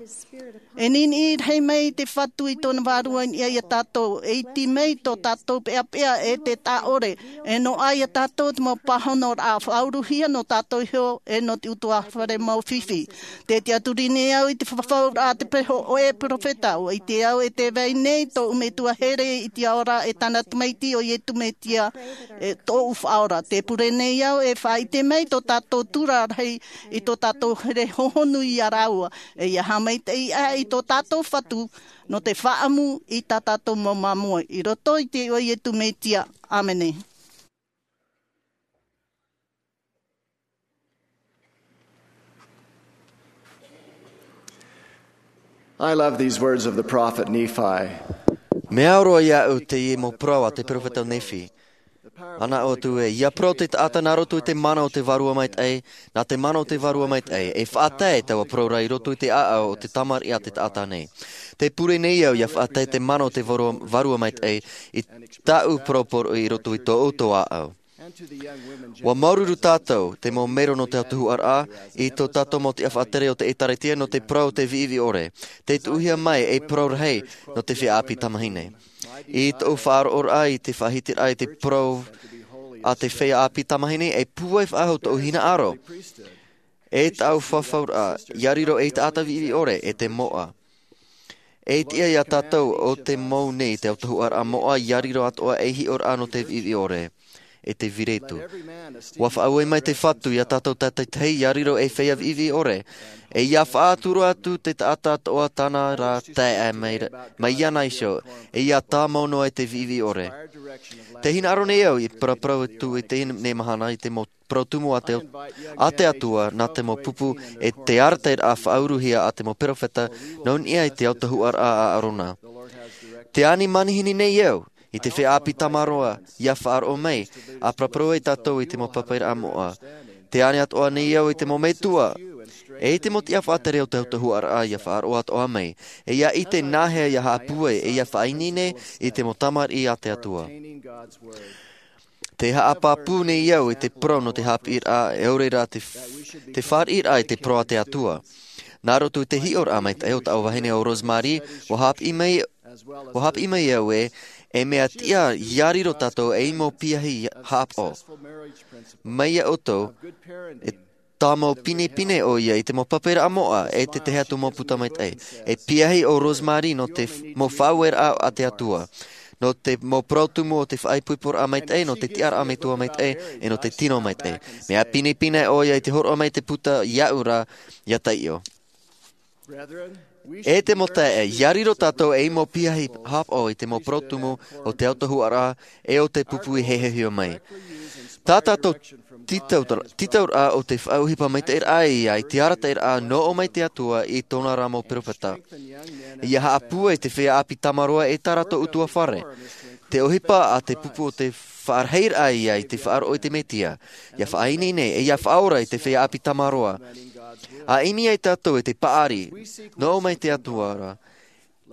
E niniʻi rahi mai te Fatu i tōna vārua i niʻa ia tātou, e iti mai tō tātou peʻapeʻa e te taʻore, e noaʻa ia tātou te mau pāhonoraʻa faʻauruhia nō tātou iho e nō te ʻutuāfare mau fifi. Tē tiʻaturi nei au i te fafauraʻa a te peho o e peropheta, ʻua ʻite au e tē vai nei tōʻu metua here i te ao ra e tāna tamaiti ʻo Iesu Mesia, e tōʻu Faʻaora. Tē pure nei au e faʻaʻite mai tō tātou tura rahi i tō tātou here hohonu ia rāua, e ia haʻamaitaʻi aʻe i tō tātou Fatu nō te faʻaʻamu i tā tātou mau māmoe. I roto i te iʻoa o Iesu Mesia. ʻĀmene. I love these words of the prophet Nephi. Mea au roa iāʻu teie mau parau a te peropheta o Nephi. Ana ʻoutou ē, ia parau te taʻata nā roto i te mana o te Vārua Maitaʻi, nā te mana o te Vārua Maitaʻi, e faʻatae taua parau ra i roto i te ʻāʻau o te tamariʻi a te taʻata nei. Tē pure nei au ia faʻatae te mana o te Vārua, Vārua Maitaʻi i tāʻu parau poroʻi i roto i tō ʻoutou ʻāʻau. ʻUa māuruuru tātou, te mau mero nō te autahuʻaraʻa, i tō tātou mau tiʻa faʻatere o te ʻĒtārētia nō te parau o te viʻiviʻi ʻore. Tē tuʻuhia mai ei parau rahi nō te feiā ʻāpī tamāhine. I tōʻu faʻaroʻoraʻa i te faʻahitiraʻa i te parau a te feiā ʻāpī tamāhine, e pūai faʻahou tōʻu hinaʻaro. E tāʻu fafauraʻa, ia riro ei taʻata viʻiviʻi ʻore, e te moʻa. E tiʻa ia tātou ʻo te mau nei te autahuʻaraʻa moʻa, ia riro atoʻa ei hiʻoraʻa nō te viʻiviʻi ʻore, e te viretu. ʻUa faʻaue mai te Fatu ia tātou tātaitahi, ia riro ei feiā viʻiviʻi ʻore, e ia faʻatura atu te taʻata atoʻa tāna ra taeaʻe mai, mai iāna iho, e ia tāmau noa i te viʻiviʻi ʻore. Tē hinaʻaro nei au i paraparau atu i teie nei mahana i te mau parau tumu a te, a te Atua, nā te mau pupu, e te arataʻiraʻa faʻauruhia a te mau peropheta, nō niʻa i te autahuʻaraʻa a ʻĀrona. Tē ani manihini nei au, i te feiā ʻāpī tamaroa, ia faʻaroʻo mai, ʻa paraparau ai tātou i te mau papaʻiraʻa moʻa. Tē ani atoʻa nei au i te mau metua, e i te mau tiʻa faʻatere o te autahuʻaraʻa ia faʻaroʻo atoʻa mai, e ia ʻite nāhea ia haʻapūai, e ia faʻaineine i te mau tamariʻi a te Atua. Tē haʻapāpū nei au i te parau nō te haʻapiʻiraʻa, e ʻaore rā te, te fāriʻiraʻa i te parau a te Atua. Nā roto i te hiʻoraʻa maitaʻi o tāʻu vahine ʻo Rosemary, ʻua haʻapiʻi mai, ʻua haʻapiʻi mai au ē, e mea tiʻa ia riro tātou ei mau piahi haʻapaʻo. Mai iā ʻoutou, e tāmau pinepine ʻoia i te mau papaʻiraʻa moʻa, e te tahi atu mau puta maitaʻi. E piahi ʻo Rosemary nō te f-, mau faʻaueraʻa a te Atua. Nō te mau parau tumu o te faʻaipoiporaʻa maitaʻi, nō te tiʻaraʻa metua maitaʻi, e nō te tino maitaʻi. Mea pinepine ʻoia i te hōroʻa mai te puta iāʻu ra, ia taiʻo. E te mau taeaʻe, ia riro tātou ei mau piahi haʻapaʻo i te mau parau tumu o te autahuʻaraʻa, e o te pupu i hiʻohia mai. Tā tātou tītau-, tītauraʻa o te faʻaʻohipa maitaʻiraʻa ia i te arataʻiraʻa nō ʻō mai te Atua i tōna ra mau peropheta. Ia haʻapūai te feiā ʻāpī tamaroa e tā rātou ʻutuāfare. Te ʻohipa a te pupu o te faʻarahiraʻa ia i te faʻaroʻo i te Mesia. Ia faʻaineine, e ia faʻaora i te feiā ʻāpī tamaroa. ʻA ʻimi ai tātou i te paʻari, nō ʻō mai te Atua ra.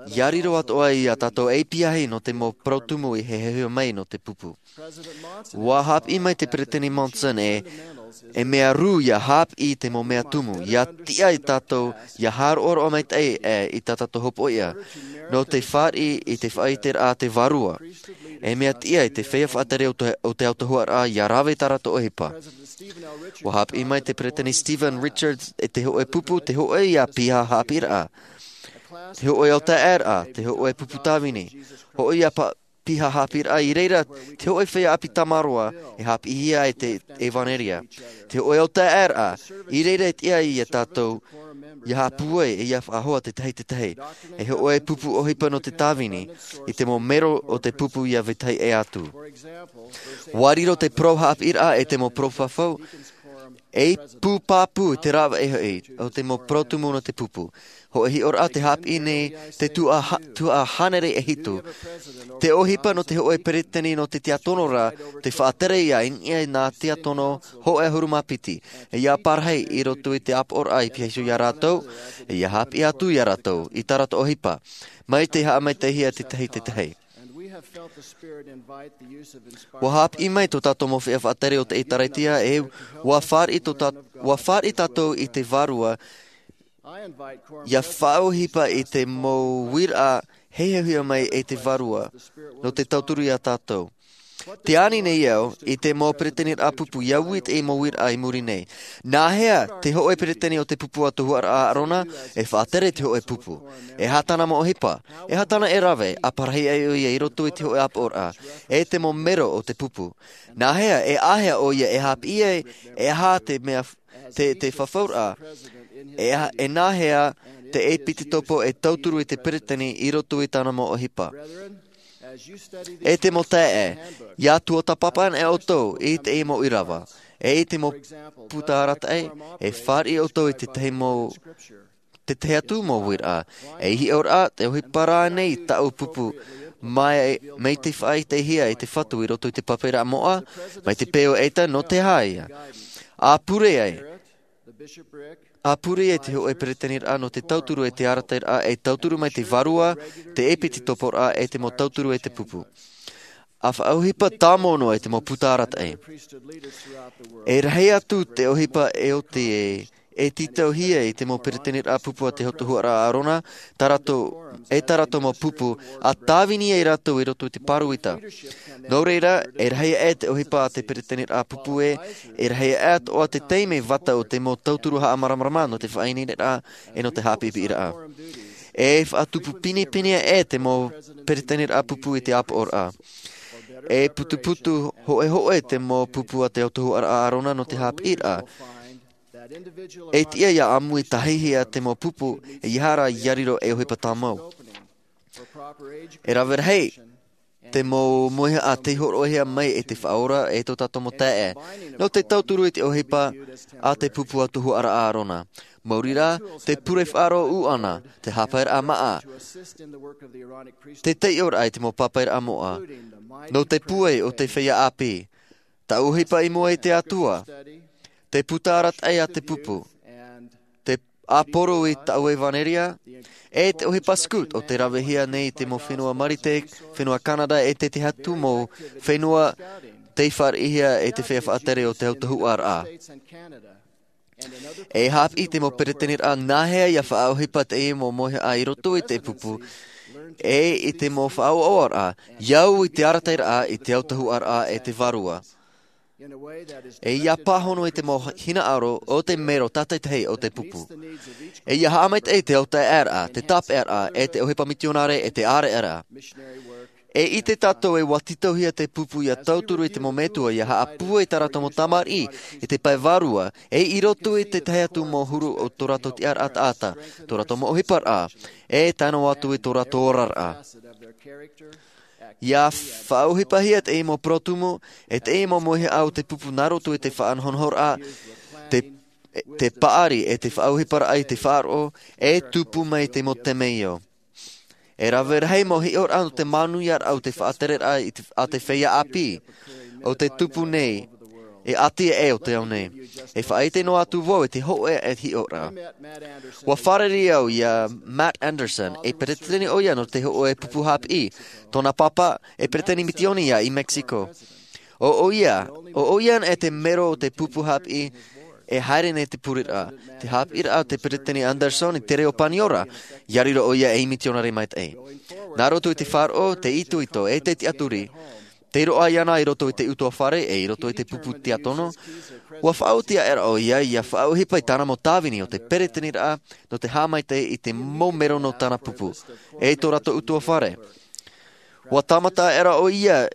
Ia riro atoʻa ia tātou ei piahi nō te mau parau tumu i heheu mai nō te pupu. Ua hāpiʻi mai te peresideni Monson e e mea rū ia hāpiʻi i te mau mea tumu ia tiʻa i tātou ia hāroʻaroʻa maitaʻi e i tā tātou hopoiʻa nō te fāriʻi i te faʻaiteraʻa a te vārua. E mea tiʻa i te feiā faʻatere o te o te autahuʻaraʻa ia rave i tā rātou ʻohipa. Ua hāpiʻi mai te peresideni Stephen Richards e te hoʻe pupu te hoʻe ia piha hāpiʻiraʻa, te hoʻe autaeaeraʻa, te hoʻe pupu tāvini, hoʻe ia piha hāpiʻiraʻa i reira te hoʻe feiā ʻāpī tamaroa e hāpiʻihia ai te evanelia. Te hoʻe autaeaeraʻa i reira e tiʻa ia tātou ia haʻapūai e ia faʻahoa tētahi tētahi e hoʻe pupu ʻohipa nō te tāvini i te mau mero o te pupu ia vetahi ʻē atu. Ua riro te parau hāpiʻiraʻa e te mau parau fafau ei pū pāpū i te rāveʻa hoʻi o te mau parau tumu nō te pupu. Hoʻe hiʻoraʻa te hāpiʻi nei te tuhaʻa hānere e hitu te ʻohipa nō te hoʻe peresideni nō te tiakono ra te faʻatere ia i niʻa i nā tiakono hoʻe ʻahuru mā piti e ia parahi i roto i te apoʻoraʻa i piha iho ia rātou e ia hāpiʻi atu ia rātou i tā rātou ʻohipa mai te haʻamaitaʻihia tētahi tētahi. Ua hāpiʻi mai tō tātou mau feiā faʻatere o te ʻēkālesia e ua fāriʻi tō tā ua fāriʻi tātou i te vārua ia faʻaʻohipa i te mau uiraʻa heheuhia mai e te vārua nō te tauturu ia tātou. Te ani nei au i te mau peresideni pupu ia ui te mau uiraʻa i muri nei. Nāhea te hoʻe peresideni o te pupu autahuʻaraʻa a ʻārona e faʻatere te hoʻe pupu? E aha tāna mau ʻohipa? E aha tāna e rave a parahi ai ʻoia i roto i te hoʻe apoʻoraʻa e te mau mero o te pupu? Nāhea e āhea ʻoia e hāpiʻi ai? E aha te mea te te fafauraʻa e aha e nāhea te ʻepitekopo e tauturu i te peresideni i roto i tāna mau ʻohipa? E te mau taeaʻe, ia tuatāpapa ana ʻoutou i te mau ʻīrava e i te mau puta arataʻi e fāriʻi ʻoutou i tētahi mau tētahi atu mau uiraʻa. E hiʻoraʻa te ʻohipa rānei taʻu pupu mai mai te faʻaitehia e te fatu i roto i te pāpaʻiraʻa moʻa mai te peu ʻaita nō te aha ia a pure ai a pure ai te hoʻe peresideni raʻa nō te tauturu e te arataʻiraʻa e tauturu mai te vārua te ʻepitekoporaʻa e te mau tauturu e te pupu. A faʻaʻohipa tāmau noa i te mau puta arataʻi e rahi atu te ʻohipa e oti e e tītauhia i te mau peresideni pupu a te autahuʻaraʻa a ʻārona tā rātou e tā rātou mau pupu a tāvini ai rātou i roto i te pāruita. Nō reira e rahi aʻe te ʻohipa a te peresideni pupu e e rahi aʻe atoʻa te taime vata o te mau tauturu haʻamāramarama nō te faʻaineineraʻa e nō te haʻapiʻipiʻiraʻa. E faʻatupu pinepine aʻe te mau peresideni pupu i te apoʻoraʻa. E putuputu hoʻehoʻe te mau pupu a te autahuʻaraʻa a ʻārona nō te haʻapiʻiraʻa. E tiʻa ia ʻāmui tahihia te mau pupu e ia hara ia riro e ʻohipa tāmau. E rave rahi te mau mauhaʻa tei hōroʻahia mai e te faʻaora e tō tātou mau taeaʻe nō te tauturu i te ʻohipa a te pupu autahuʻaraʻa a ʻārona. Maori rā te pure faʻaroʻo ʻana te hāpaeraʻa māʻa te taiʻoraʻa i te mau pāpaʻiraʻa moʻa nō te pūai o te feiā ʻāpī. Taʻu ʻohipa i mua i te atua te puta arataʻi a te pupu te ʻāporo i taʻu evanelia e te ʻohipa scout o te ravehia nei i te mau fenua marite fenua canada e te tahi atu mau fenua tei fāriʻihia e te feiā faʻatere o te autahuʻaraʻa. E hāpiʻi te mau peresideni nāhea ia faʻaʻohipa te mau mauhaʻa i roto i te pupu e i te mau faʻaʻoaʻoaraʻa ia au i te arataʻiraʻa i te autahuʻaraʻa e te vārua. E ia pāhono i te mau hinaʻaro o te mero tātaitahi o te pupu. E ia haʻamaitaʻi te autaeaʻeraʻa te tāpeʻaraʻa e te ʻohipa mitionare e te ʻāreʻaraʻa. E ʻite tātou e ua tītauhia te pupu ia tauturu i te mau metua ia haʻapūai tā rātou mau tamariʻi i te pae vārua e i roto i te tahi atu mau huru o tō rātou tiʻaraʻa taʻata tō rātou mau ʻohiparaʻa e tae noa atu i tō rātou oraraʻa. Ia faʻaʻohipahia te mau parau tumu e te mau mauhaʻa o te pupu nā roto i te faʻanahonahoraʻa te paʻari e te faʻaʻohiparaʻa i te faʻaroʻo e tupu mai te mau temeio. E rave rahi mau hiʻoraʻa nō te manuiaraʻa o te faʻatereraʻa a te feiā ʻāpī o te tupu nei. E ʻati ē o te ao nei. E faʻaʻite noa atu vau i te hōʻē hiʻoraʻa. Ua fārerei au iā Matt Anderson, e peretiteni ʻoia nō te hōʻē pupu haʻapiʻi, tōna pāpā, e peretiteni mitioni ia i Mexico. ʻO ʻoia, ʻo ʻoia anaʻe te mero o te pupu haʻapiʻi e haere nei te pureraʻa. Te haʻapiʻiraʻa o te peretiteni Anderson i te reo Paniora, ia riro ʻoia ei mitionare maitaʻi. Nā roto i te faʻaroʻo, te itoito, e te tiʻaturi, tei roaʻa iāna i roto i te ʻutuāfare, e i roto i te pupu tiatono, ua faʻaoti aʻera ʻoia ia faʻaʻohipa i tāna mau tāvini o te peretiteniraʻa nō te haʻamaitaʻi i te mau mero nō tāna pupu, e tō rātou ʻutuāfare. Ua tāmata aʻera ʻoia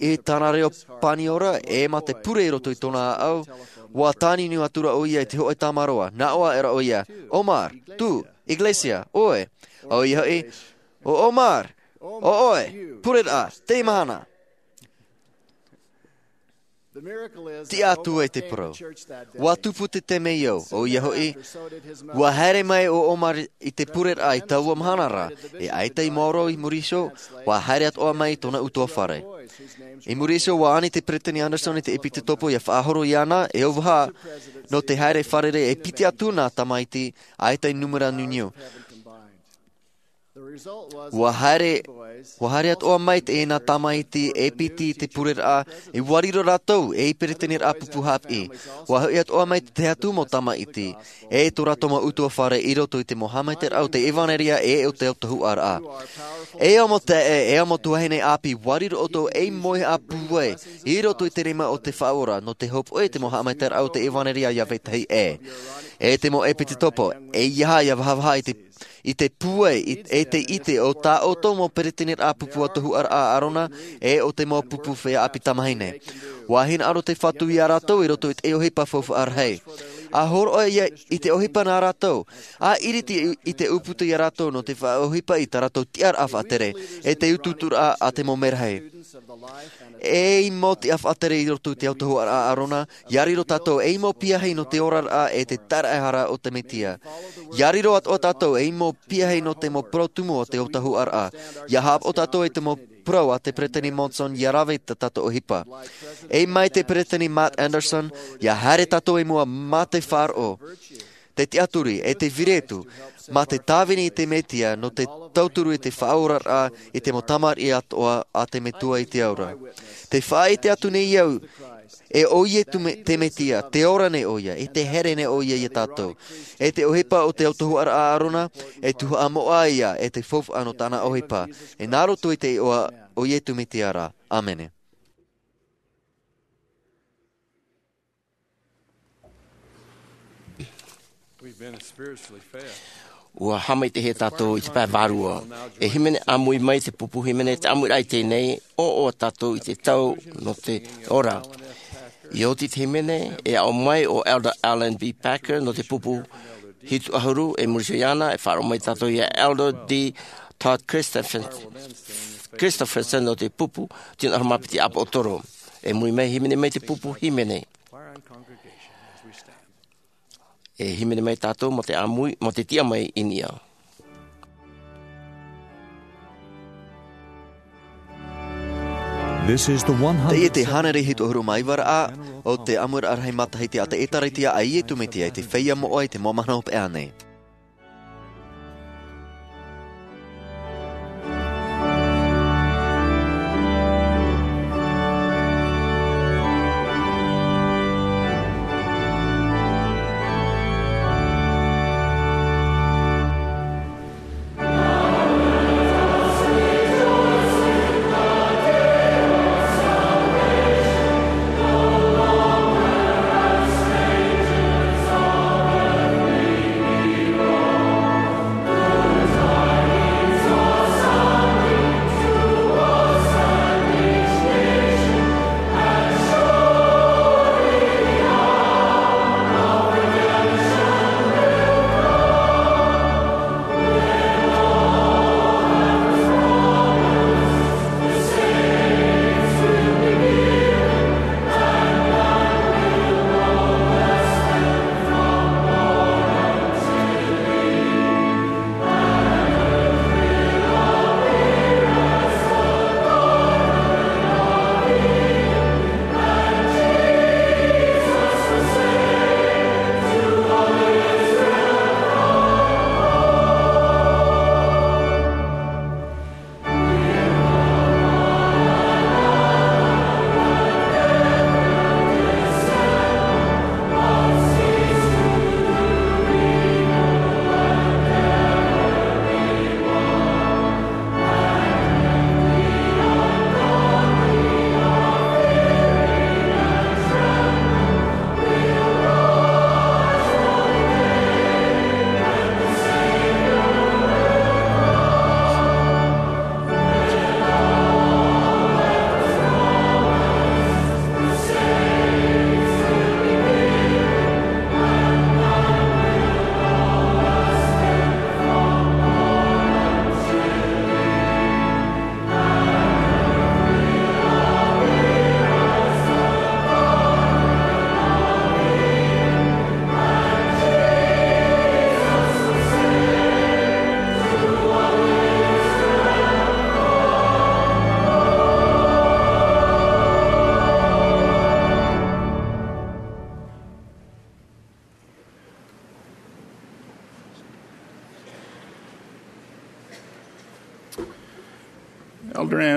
i tāna reo Paniora, e mā te pure i roto i tōna ʻāʻau, ua tāniuniu atura ʻoia i te hōʻē tamaroa, nā ʻō aʻera ʻoia, "Omar, tú, iglesia, ʻoe." ʻO ʻoia hoʻi, "ʻO Omar, ʻo ʻoe, pureraʻa, te mahana." Tiʻa atu ai te parau. Ua tupu te temeio, ʻo ʻoia hoʻi, ua haere mai ʻo Omar i te pureraʻa i taua mahana ra, e ʻaita i maoro i muri iho, ua haere atoʻa mai tōna ʻutuāfare. I muri iho, ua ani te peretiteni Anderson i te ʻepitopo ia faʻahoro iāna, e ʻo vaha, nō te haere fārerei e piti atu nā tamaiti, ʻaita i nūmera niuniu. Ua haere, ua haere atoʻa mai te ʻena tamaiti e piti i te pureraʻa, e ua riro rātou ei peretiteniraʻa pupu haʻapiʻi. Ua hoʻi atoʻa mai te tahi atu mau tamaiti, e tō rātou mau ʻutuāfare i roto i te mau haʻamaitaʻiraʻa o te ʻevanelia e o te autahuʻaraʻa. E amo taeaʻe, e amo tuahine ʻāpī, ua riro ʻoutou ei moihaʻa pūai i roto i te rima o te Faʻaora, nō te hopoiʻa i te mau haʻamaitaʻiraʻa o te ʻevanelia ia vetahi ʻē. E te mau ʻepitopo, ʻeiaha ia vahavaha i te i te pūai, i, e te ʻite o tā ʻoutou mau peretiteniraʻa pupu autahuʻaraʻa a ʻĀrona, e o te mau pupu feiā ʻāpī tamāhine. Ua hinaʻaro te Fatu iā rātou i roto i te ʻohipa faufaʻa rahi. ʻA hōroʻa ia i te ʻohipa nā rātou, ʻa ʻiriti i, i te ʻūputa iā rātou nō te faʻaʻohipa i tā rātou tiʻaraʻa faʻatere, e te utuuturaʻa a te mau merahi. Ei mau tiʻa faʻatere i roto i te autahuʻaraʻa a ʻĀrona, ia riro tātou ei mau piahi nō te oraraʻa e te taraehara o te Mesia. Ia riro atoʻa tātou ei mau piahi nō te mau parau tumu o te autahuʻaraʻa. Ia haʻapaʻo tātou i te mau parau a te Peretiteni Monson ia rave i tā tātou ʻohipa. E mai te Peretiteni Matt Anderson, ia haere tātou i mua mā te faʻaroʻo, te tiʻaturi, e te vīritu, mā te tāvini i te Mesia nō te tauturu i te faʻaoraraʻa i te mau tamariʻi atoʻa a te Metua i te ao ra. Tē faʻaʻite atu nei au, e ʻo Iesu te Me-, te Mesia, tē ora nei ʻoia, e tē here nei ʻoia iā tātou. E te ʻohipa o te autahuʻaraʻa a ʻĀrona, e tuhaʻa moʻa ia, e te faufaʻa nō tāna ʻohipa. E nā roto i te iʻoa o Iesu Mesia ra. ʻĀmene. We've been spiritually fed. Ua haʻamaitaʻihia tātou i te pae vārua. E hīmene ʻāmui mai te pupu hīmene, te ʻāmuiraʻa i teie nei, ʻoaʻoa tātou i te tau nō te ora. I oti te hīmene, e aʻo mai ʻo Elder Alan B. Packer nō te pupu hitu ʻahuru, e muri iho iāna, e faʻaroʻo mai tātou iā Elder D. Todd Christopher-, Christopherson nō te pupu tino ʻahuru mā piti ʻāpoʻotoro. E muri mai, hīmene mai te pupu hīmene. E hīmene mai tātou mā te ʻāmui, mā te tiʻa mai i niʻa. This is the one hundred. Teie te hānere hitu ʻahuru mā iva ra o te ʻāmuiraʻa rahi matahiti a te ʻĒtārētia a Iesu Mesia i te feiā moʻa i te mau mahana hopeʻa nei.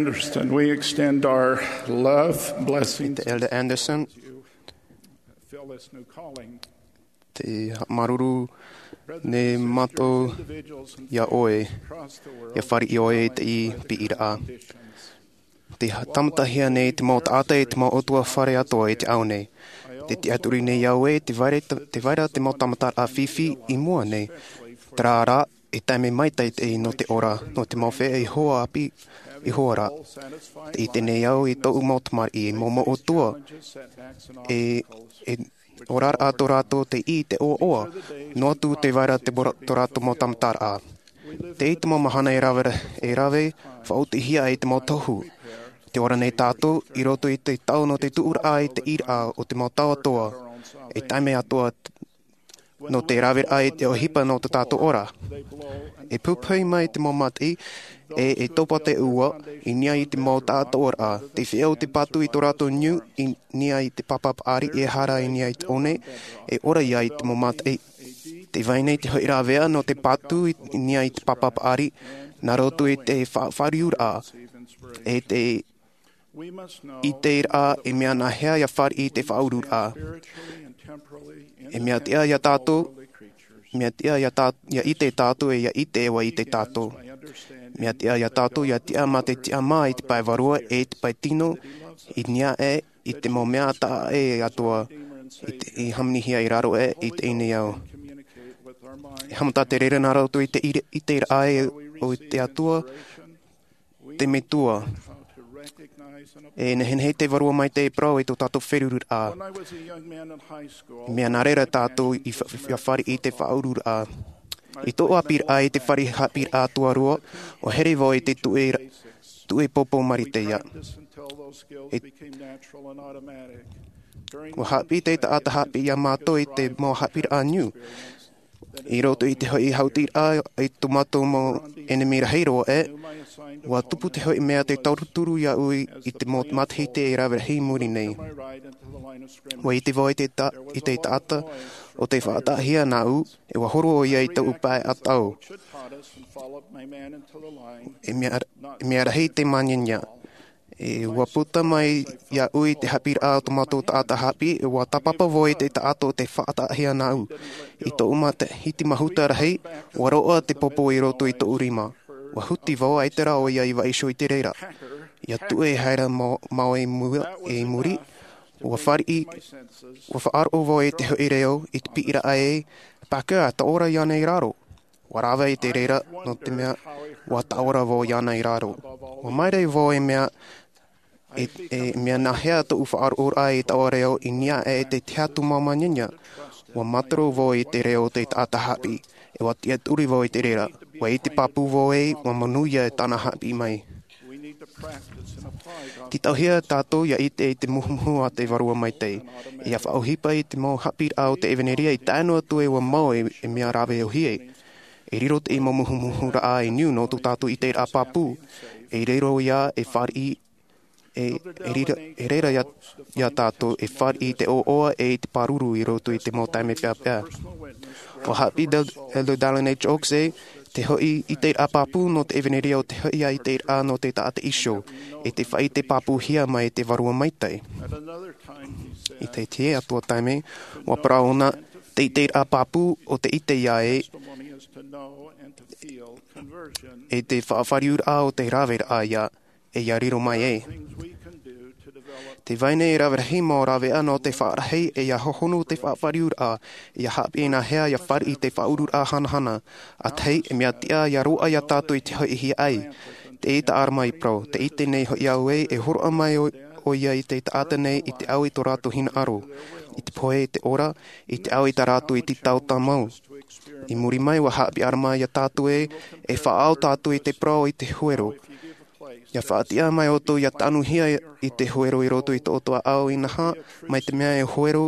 Anderson, we extend our love, blessings, Te Elder Anderson, fill this new calling. Te māuruuru nei mātou iā ʻoe, ʻia fāriʻi ʻoe i te piʻiraʻa. Tē tāmatahia nei te mau taʻata e te mau ʻutuāfare atoʻa i te ao nei. Tē tiʻaturi nei au ē, tē vai ra, tē vai ra te mau tāmataraʻa fifi i mua nei. Terā rā, e taime maitaʻi nō te ora, nō te mau feiā i hoa ʻāpī, i hoa ra. Tē ʻite nei au i tōʻu mau tamariʻi, mau, mau ʻutuāfare, e, e oraraʻa tō rātou tei ʻī i te ʻoaʻoa, noa atu tē vai ra te bora-, tō rātou mau tāmataraʻa. Tē ʻite te mau mahana e rave, e rave, faʻaotihia ai te mau tohu. Tē ora nei tātou, i roto i te tau nō te tuʻuraʻa i te ʻīraʻa o te mau tau atoʻa, e taime atoʻa nō te raveraʻa i te ʻohipa nō tō tātou ora. E pupuhi mai te mau mataʻi, e, e topa te ua, i niʻa i te mau taʻatoʻaraʻa. Tē feiā te patu i tō rātou niu, i niʻa i te papa paʻari, e hara i niʻa i te one, e ora ia i te mau mataʻi. Tē vai nei te hoʻi rāveʻa nō te patu i, i niʻa i te papa paʻari, nā roto i te faʻafāriuraʻa, e te ʻiteraʻa e mea nāhea ʻia fāriʻi i te faʻauruuraʻa. E mea tiʻa ia tātou, mea tiʻa ia tā-, ʻia ʻite tātou e ʻia ʻite e ʻua ʻite tātou. Mea tiʻa ia tātou, ʻia tiʻa mā te tiʻamā i te pae vārua e i te pae tino, i niʻa aʻe i te mau mea taʻa ʻē atoʻa, i te, i hāmanihia i raro aʻe i teie nei ao. E haʻamata te reira nā roto i te ʻite, ʻiteraʻa e o te Atua, te Metua. E nehenehe te Vārua Maitaʻi e parau i tō tātou feruriraʻa. Mea nā reira tātou i fa-, ʻia fāriʻi i te faʻauruuraʻa. I tōʻu ʻāpīraʻa i te fare haʻapiʻiraʻa tuarua, ʻua here vau i te tuʻe ra-, tuʻe pōpō Marite ia. E, ʻua haʻapiʻi te taʻata haʻapiʻi iā mātou i te mau haʻapiʻiraʻa niu. I roto i te hoʻi hautiraʻa i tō mātou mau ʻenemi rahi roa aʻe, ʻua tupu te hoʻi mea tē tauturu iāʻu i te mau matahiti e rave rahi i muri nei. ʻUa ʻite vau i te ta-, i te taʻata ʻo tē faʻataʻahia nāʻu, e ʻua horo ʻoia i tōʻu pae ʻatau. E mea, e mea rahi te māniania. E ʻua puta mai iāʻu i te haʻapiʻiraʻa o tō mātou taʻata haʻapiʻi, e ʻua tāpapa vau i te taʻata ʻo tē faʻataʻahia nāʻu. I tōʻu matahiti mahuta rahi, ʻua roaʻa te pōpō i roto i tōʻu rima. ʻUa huti vau, ʻaita rā ʻoia i vaiiho i te reira. ʻIa tuʻu e haere mau, mau i mua, i muri, ʻua fāriʻi, ʻua faʻaroʻo vau i te hoʻi reo, i te piʻiraʻa ē, Parker, e taʻo ra iāna i raro. ʻUa rave i te reira, nō te mea, ʻua taʻo ra vau iāna i raro. ʻUa maere vau e mea, e, e mea nāhea tōʻu faʻaroʻoraʻa i taʻo reo i niʻa aʻe i te tiʻa atu māniania. ʻUa mātaro vau i te reo o te taʻata haʻapiʻi, e ʻua tiʻaturi vau i te reira. ʻUa ʻite pāpū vau ē, ʻua manuia e tāna haʻapiʻi mai. Tītauhia tātou ʻia ʻite i te muhumuhu a te Vārua Maitaʻi, ʻia faʻaʻohipa i te mau haʻapiʻiraʻa o te ʻevanelia i tae noa atu e ʻua mau e, e mea rave ʻōhie. E riro te mau muhumuhuraʻa e niu nō tō tātou ʻiteraʻa pāpū. E riro ia e fāriʻi, e, e rira, e reira iā, iā tātou e fāriʻi i te ʻoaʻoa e i te pāruru i roto i te mau taime peʻapeʻa. ʻUa haʻapiʻi Del-, Elder Dallin H. Oaks ē, te hoʻi ʻiteraʻa pāpū nō te ʻevanelia ʻo te hoʻi ʻiteraʻa nō te taʻata iho, e te faʻaʻite pāpūhia mai te Vārua Maitaʻi. I te tahi atu taime, ʻua parau ʻōna, te ʻiteraʻa pāpū ʻo te ʻite ia ē, e te faʻafāriuraʻa ʻo te raveraʻa ia, e ʻia riro mai ē. Tē vai nei e rave rahi mau rāveʻa nō te faʻarahi e ʻia hohonu te faʻafāriuraʻa, ʻia haʻapiʻi nāhea ʻia fāriʻi i te faʻauruuraʻa hanahana. ʻA tahi, e mea tiʻa ʻia roaʻa iā tātou i te hoʻi hiaʻai. Tē ʻite ʻĀrama i parau, tē ʻite nei hoʻi au ē, e hōroʻa mai ʻo, ʻoia i te taʻata nei i te au i tō rātou hinaʻaro, i te pohe, i te ora, i te au i tā rātou iti tau tāmau. I muri mai, ʻua haʻapiʻi ʻĀrama iā tātou ē, e faʻaau tātou i te parau i te huero. ʻIa faʻatiʻa mai ʻoutou ʻia tanuhia i te huero i roto i tō ʻoutou ʻāʻau inaha, mai te mea e huero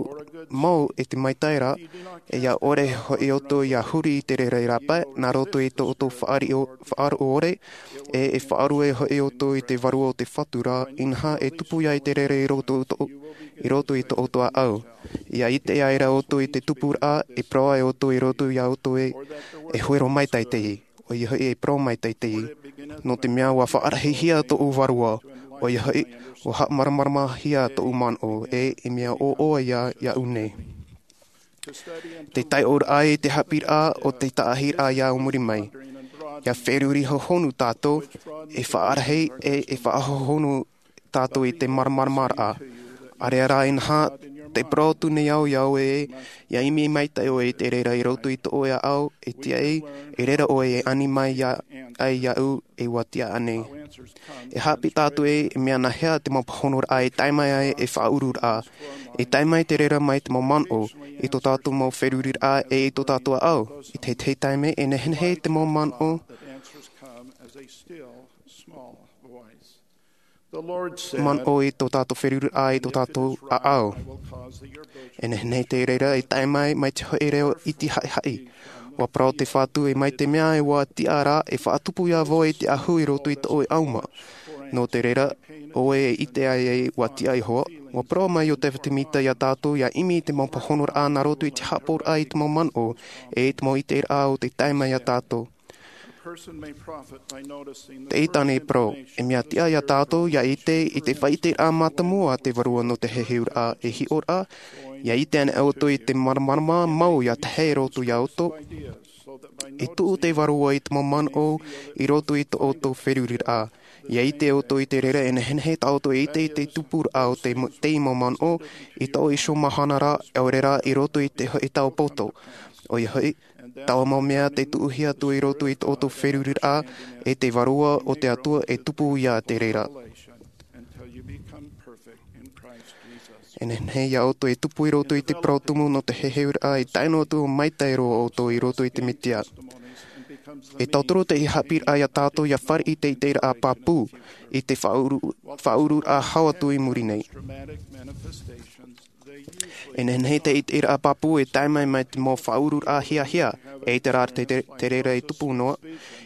mau e te maitaʻi ra, e ʻia ʻore hoʻi ʻoutou ʻia huri i te reira i rāpae, nā roto i tō ʻoutou faʻariʻo-, faʻaroʻo ʻore, e, e faʻarue hoʻi ʻoutou i te vārua o te Fatu ra, inaha e tupu ia i te reira i roto i tō, i roto i tō ʻoutou ʻāʻau. ʻIa ʻite ai ra ʻoutou i te tupuraʻa, e parau ai ʻoutou i roto iā ʻoutou ē, e huero maitaʻi teie. ʻOia hoʻi e parau maitaʻi teie. Nō te mea ua faʻarahihia tōʻu vārua, ʻoia hoʻi, ua haʻamāramaramahia tōʻu manaʻo, e, e mea ʻoaʻoa ia, iaʻu nei. Te taiʻoraʻa i te haʻapiʻiraʻa o te taʻahiraʻa ia muri mai. ʻIa feruri hohonu tātou, e faʻarahi, e, e faʻahohonu tātou i te māramaramaraʻa. ʻĀreʻa rā inaha, tē parau atu nei au ia ʻoe, ʻia ʻimi maitaʻi ʻoe i te reira i roto i tō ʻoe ʻāʻau, e tiaʻi, e reira ʻoe e ani mai ia, ai iaʻu, e ua tiʻa ānei. E haʻapiʻi tātou ē, e mea nāhea te mau pāhonoraʻa e tae mai ai e faʻaururaʻa. E tae mai te reira mai te mau manaʻo, i tō tātou mau feruriraʻa e i tō tātou ʻāʻau. I te, te taime, e nehenehe te mau manaʻo, manaʻo i tō tātou feruriraʻa i tō tātou ʻāʻau. E nehenehe te reira e tae mai, mai te hoʻi reo iti haʻihaʻi. ʻUa parau te Fatu e mai te mea e ua tiʻa ra e faʻatupu ia vau i te ahu i roto i tō ʻoe ʻauma. Nō te reira, ʻoe e ʻite ai e ua tiʻa Iehova, ʻua parau mai Iosepha Semita ia tātou ʻia ʻimi i te mau pāhonoraʻa nā roto i te haʻapaʻoraʻa i te mau manaʻo, e i te mau ʻiteraʻa o te tae mai ia tātou. Te ʻiteraʻa e parau, e mea tiʻa ia tātou ʻia ʻite i te faʻaʻiteraʻa mātāmua a te Vārua nō te heheuraʻa e hiʻoraʻa, ʻia ʻite ana ʻoutou i te māramarama mau ʻia tahe i roto ia ʻoutou. E tuʻu te Vārua i te mau manaʻo i roto i tō ʻoutou feruriraʻa. ʻIa ʻite ʻoutou i te reira e nehenehe tā ʻoutou e ʻite i te tupuraʻa o te, te mau manaʻo, i tō ʻoutou iho mahana ra, ʻaore rā i roto i te hoʻi tau poto. ʻOia hoʻi, taua mau mea tē tuʻuhia atu i roto i tō ʻoutou feruriraʻa, e te Vārua o te Atua e tupu ia te reira. E nehenehe ia ʻoutou e tupu i roto i te parau tumu nō te heheuraʻa e tae noa atu ʻo maitaʻi roa ʻoutou i roto i te Mesia. E tauturu te haʻapiʻiraʻa ia tātou ʻia fāriʻi i te ʻiteraʻa pāpū, i te faʻauru-, faʻaururaʻa hau atu i muri nei. E nehenehe te ʻiteraʻa pāpū e tae mai mai te mau faʻaururaʻa hiahia, e te rā te, te, te reira e tupu noa.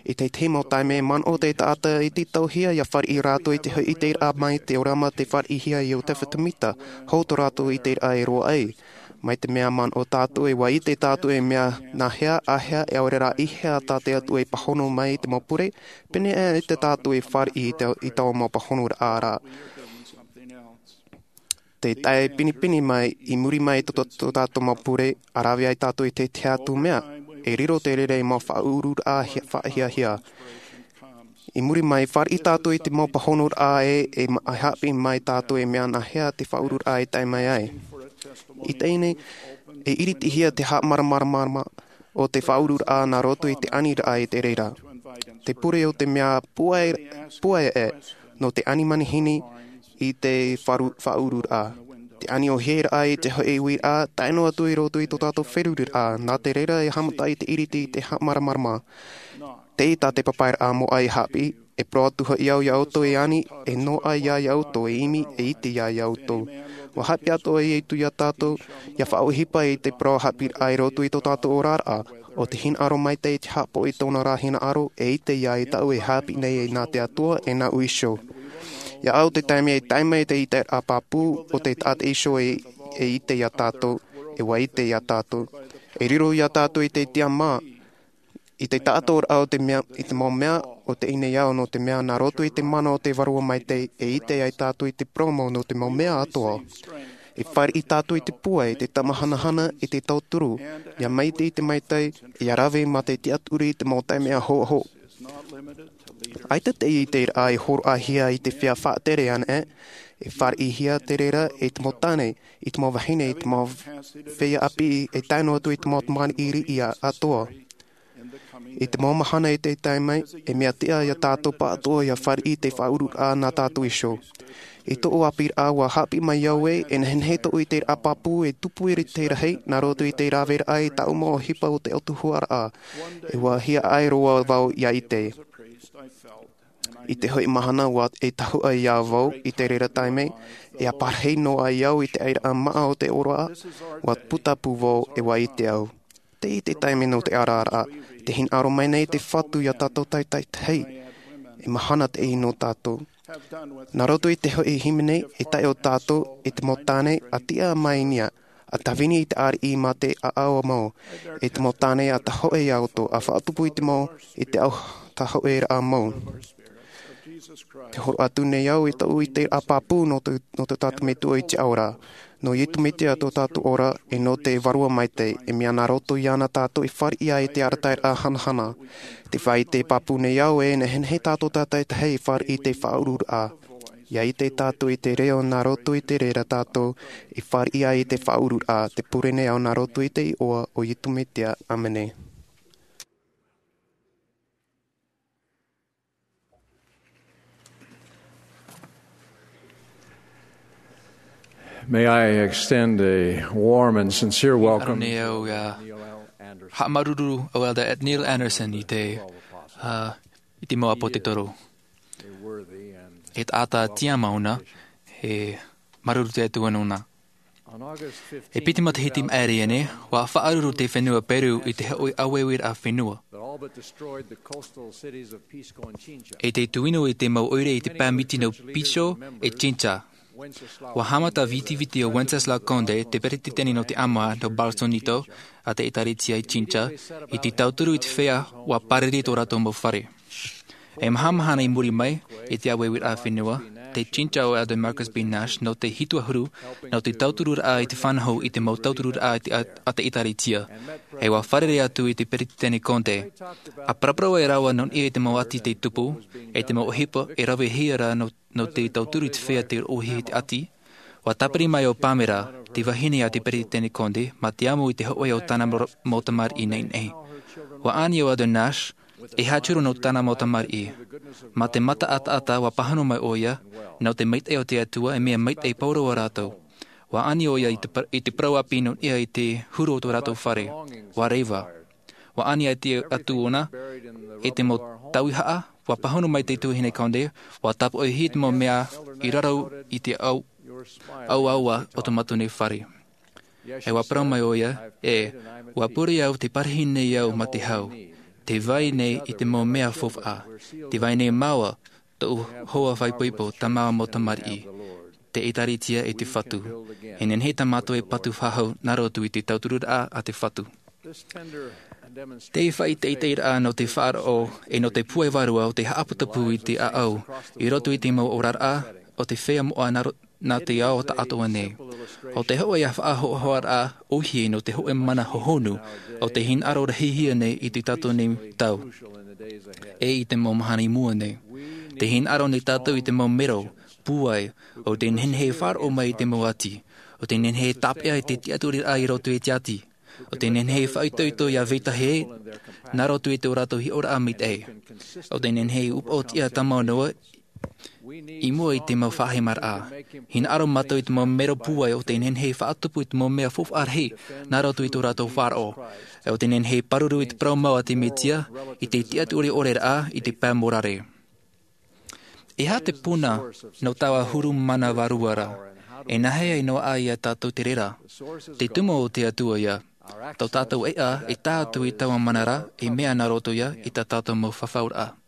I te, te mau taime manaʻo te taʻata i te tauhia ʻia fāriʻi rātou i te hoʻi ʻiteraʻa mai te ʻōrama tē fāriʻihia e Iosepha Semita, hou tō rātou ʻiteraʻa e roaʻa ai. Mai te mea manaʻo tātou e ʻua ʻite tātou e mea nāhea, āhea, ʻaore rā i hea tā te Atua e pāhono mai i te mau pure, pēneiaʻe tātou e fāriʻi i te, i taua mau pāhonoraʻa ra. Te tae pinepine mai, i muri mai tō, tō, tō tātou mau pure, ʻa rave ai tātou i te tahi atu mea, e riro te reira i mau faʻaururaʻa hia-, faʻahiahia. I muri mai, fāriʻi tātou i te mau pāhonoraʻa e, e ma-, e haʻapiʻi mai tātou e mea nāhea te faʻaururaʻa e tae mai ai. I teie nei, e iritihia te haʻamāramaramaraʻa o te faʻaururaʻa nā roto i te aniraʻa i te reira. Te pure o te mea puaʻe, puaʻe e, nō te ani manihini i te faru-, faʻaururaʻa. Te ani ʻōhie raʻa i te hoʻi uiraʻa, tae noa atu i roto i tō tātou feruriraʻa, nā te reira e haʻamata i te iriti i te haʻamāramarama. Tei tā te papairaʻa moʻa e haʻapiʻi, e parau atu hoʻi au ia ʻoutou e ani, e noaʻa ia ʻoutou e ʻimi, e ʻite ia ʻoutou. ʻUa haʻapiʻi atoʻa Iesu ia tātou, ʻia faʻaʻohipa i te parau haʻapiʻiraʻa i roto i tō tātou oraraʻa, ʻo te hinaʻaro maitaʻi i te haʻapaʻo i tōna ra hinaʻaro, e ʻite ia e tāʻu e haʻapiʻi nei e nā te Atua, e nāʻu iho. ʻIa au te taime e tae mai te ʻiteraʻa pāpū, ʻo te taʻata iho e, e ʻite ia tātou, e ʻua ʻite ia tātou. E riro ia tātou i te tiʻamā, i te taʻatoʻaraʻa o te mea, i te mau mea, ʻo teie nei au nō te mea nā roto i te mana o te Vārua Maitaʻi, e ʻite ai tātou i te parau mau nō te mau mea atoʻa. E fāriʻi tātou i te pūai, i te tamahanahana, i te tauturu, ʻia maitaʻi i te maitaʻi, ʻia rave mā te tiʻaturi i te mau taime ʻahoʻaho. ʻAita te ʻiteraʻa e hōroʻahia i te feiā faʻatere anaʻe, e fāriʻihia te reira i te mau tāne, i te mau vahine, i te mau feiā ʻāpī, e tae noa atu i te mau tamariʻi riʻi atoʻa. I te mau mahana e tae mai, e mea tiʻa ia tātou pāʻatoʻa ʻia fāriʻi i te faʻaururaʻa nā tātou iho. I tōʻu ʻāpīraʻa ʻua haʻapiʻi mai au ē, e nehenehe tōʻu ʻiteraʻa pāpū e tupu i te rahi, nā roto i te raveraʻa i tāʻu mau ʻohipa o te ʻOtua huaraʻa. E ʻua hiaʻai roa vau ʻia ʻite. I te hoʻi mahana ʻua e tahuʻa ia vau i te reira taime, e ʻāparahi noa ai au i te airaʻa māʻa o te ora, ʻua puta pū vau e ʻua ʻite au. Tei te taime nō te araraʻa, te hinaʻaro mai nei te Fatu ia tātou tātaʻitahi, e mahana teie nō tātou. Nā roto i te hoʻi hīmene, e taiʻo tātou, e te mau tāne, ʻa tiʻa mai i niʻa, A tāvini i te ariʻi mā te ʻaʻau mau, e te mau tāne a tahoʻe iā ʻoutou, a faʻatupu i te mau, i te au tahoʻeraʻa mau. Te horoʻa atu nei au i tōʻu ʻiteraʻa pāpū nō te, nō te tātou Metua i te ao ra, nō Iesu Mesia tō tātou ora, e nō te Vārua Maitaʻi, e mea nā roto iāna tātou e fāriʻi ai i te arataʻiraʻa hanahana. Te faʻaʻite pāpū nei au e nehenehe tātou tātaʻitahi e fāriʻi i te faʻaururaʻa. ʻIa ʻite tātou i te reo nā roto i te reira tātou e fāriʻi ai i te faʻaururaʻa, te pure nei au nā roto i te iʻoa o Iesu Mesia. ʻĀmene. May I extend a warm and sincere welcome. Nei au ia haʻamāuruuru au Elder Neil Andersen i te, uh, i te mau ʻāpōsetolo. E taʻata tiʻamau na, e māuruuru te Atua nōna. E piti matahiti maʻiri aʻe nei, ʻua faʻaruru te fenua Peru i te hoʻi ʻāueueraʻa fenua. E te tuinu i te mau ʻoire i te pae miti nō Pisco e Chincha. ʻUa haʻamata vitiviti ʻo Wenceslao Conde, te peretiteni nō te ʻāmoa nō Barcelonito, a te ʻētārētia i Chincha, i te tauturu i te feiā ʻua pāriri tō rātou mau fare. E maha mahana i muri mai, i te ʻāueueraʻa fenua, tei Chincha ʻo Elder Marcus B. Nash, nō te hitu ʻahuru, nō te tautururaʻa i te fānaʻo i te mau tautururaʻa i te ʻā-, a te ʻētārētia. E ʻua fārerei atu i te peretiteni Conde. ʻA paraparau ai rāua nō niʻa i te mau ati tei tupu, e te mau ʻohipa e ravehia ra nō, nō te tauturu i te feiā tei roʻohia i te ati. ʻUa tāpiri mai ʻo Pamela, te vahine a te peretiteni Conde, mā te amo i te hoʻi o tāna mau, mau tamariʻi nehenehe. ʻUa ani ʻo Elder Nash, e haʻatura nō tāna mau tamariʻi. Mā te mata ʻataʻata ʻua pāhono mai ʻoia, nō te maitaʻi o te Atua e mea maitaʻi pauroa rātou. ʻUa ani ʻoia i te par-, i te parau ʻāpī nō niʻa i te huru o tō rātou fare. ʻUa reva. ʻUa ani atu ʻōna, e te mau tauihaʻa, ʻua pāhono mai te tuahine Conde, ʻua tāpoʻihia te mau mea i raro i te au-, auaua o tō mātou nei fare. E ʻua parau mai ʻoia, e, ʻua pure au te parahi nei au mā te hau. Te vai nei i te mau mea faufaʻa. Te vai nei māua, tōʻu hoa faʻaipoipo, tā māua mau tamariʻi. Te ʻētārētia e te Fatu. E nehenehe tā mātou e patu faʻahou nā roto i te tautururaʻa a te Fatu. Te faʻaʻiteʻiteraʻa nō te faʻaroʻo, e nō te pūai vārua o te haʻaputapū i te ʻāʻau, i roto i te mau oraraʻa, o te feiā moʻa nā ro-, nā te ao taʻatoʻa nei. ʻO te hoʻi ā faʻahoʻahoʻaraʻa ʻōhie nō te hoʻi mana hohonu, ʻo te hinaʻaro rahihia nei i tā tātou nei tau. E i te mau mahana i mua nei. Te hinaʻaro nei tātou i te mau mero, pūai, ʻo tē nehenehe e faʻaroʻo mai i te mau ati, ʻo tē nehenehe e tāpeʻa i te tiʻaturiraʻa i roto i te ati, ʻo tē nehenehe e faʻaitoito ʻia vetahi, nā roto i tō rātou hiʻoraʻa maitaʻi, ʻo tē nehenehe e upoʻotiʻa tāmau noa, i mua i te mau faʻahemaraʻa. Hinaʻaro mātou i te mau mero pūai ʻo tē nehenehe e faʻatupu i te mau mea faufaʻa rahi, nā roto i tō rātou faʻaroʻo, ʻo tē nehenehe e pāruru i te parau mau a te Mesia, i te tiʻaturi ʻore raʻa, i te pae morare. E aha te puna nō taua huru mana vārua ra? E nāhea e noaʻa ia tātou te reira? Te tumu o te Atua ia. Tō tātou ʻēʻa e tae atu i taua mana ra, e mea nā roto ia i tā tātou mau fafauraʻa.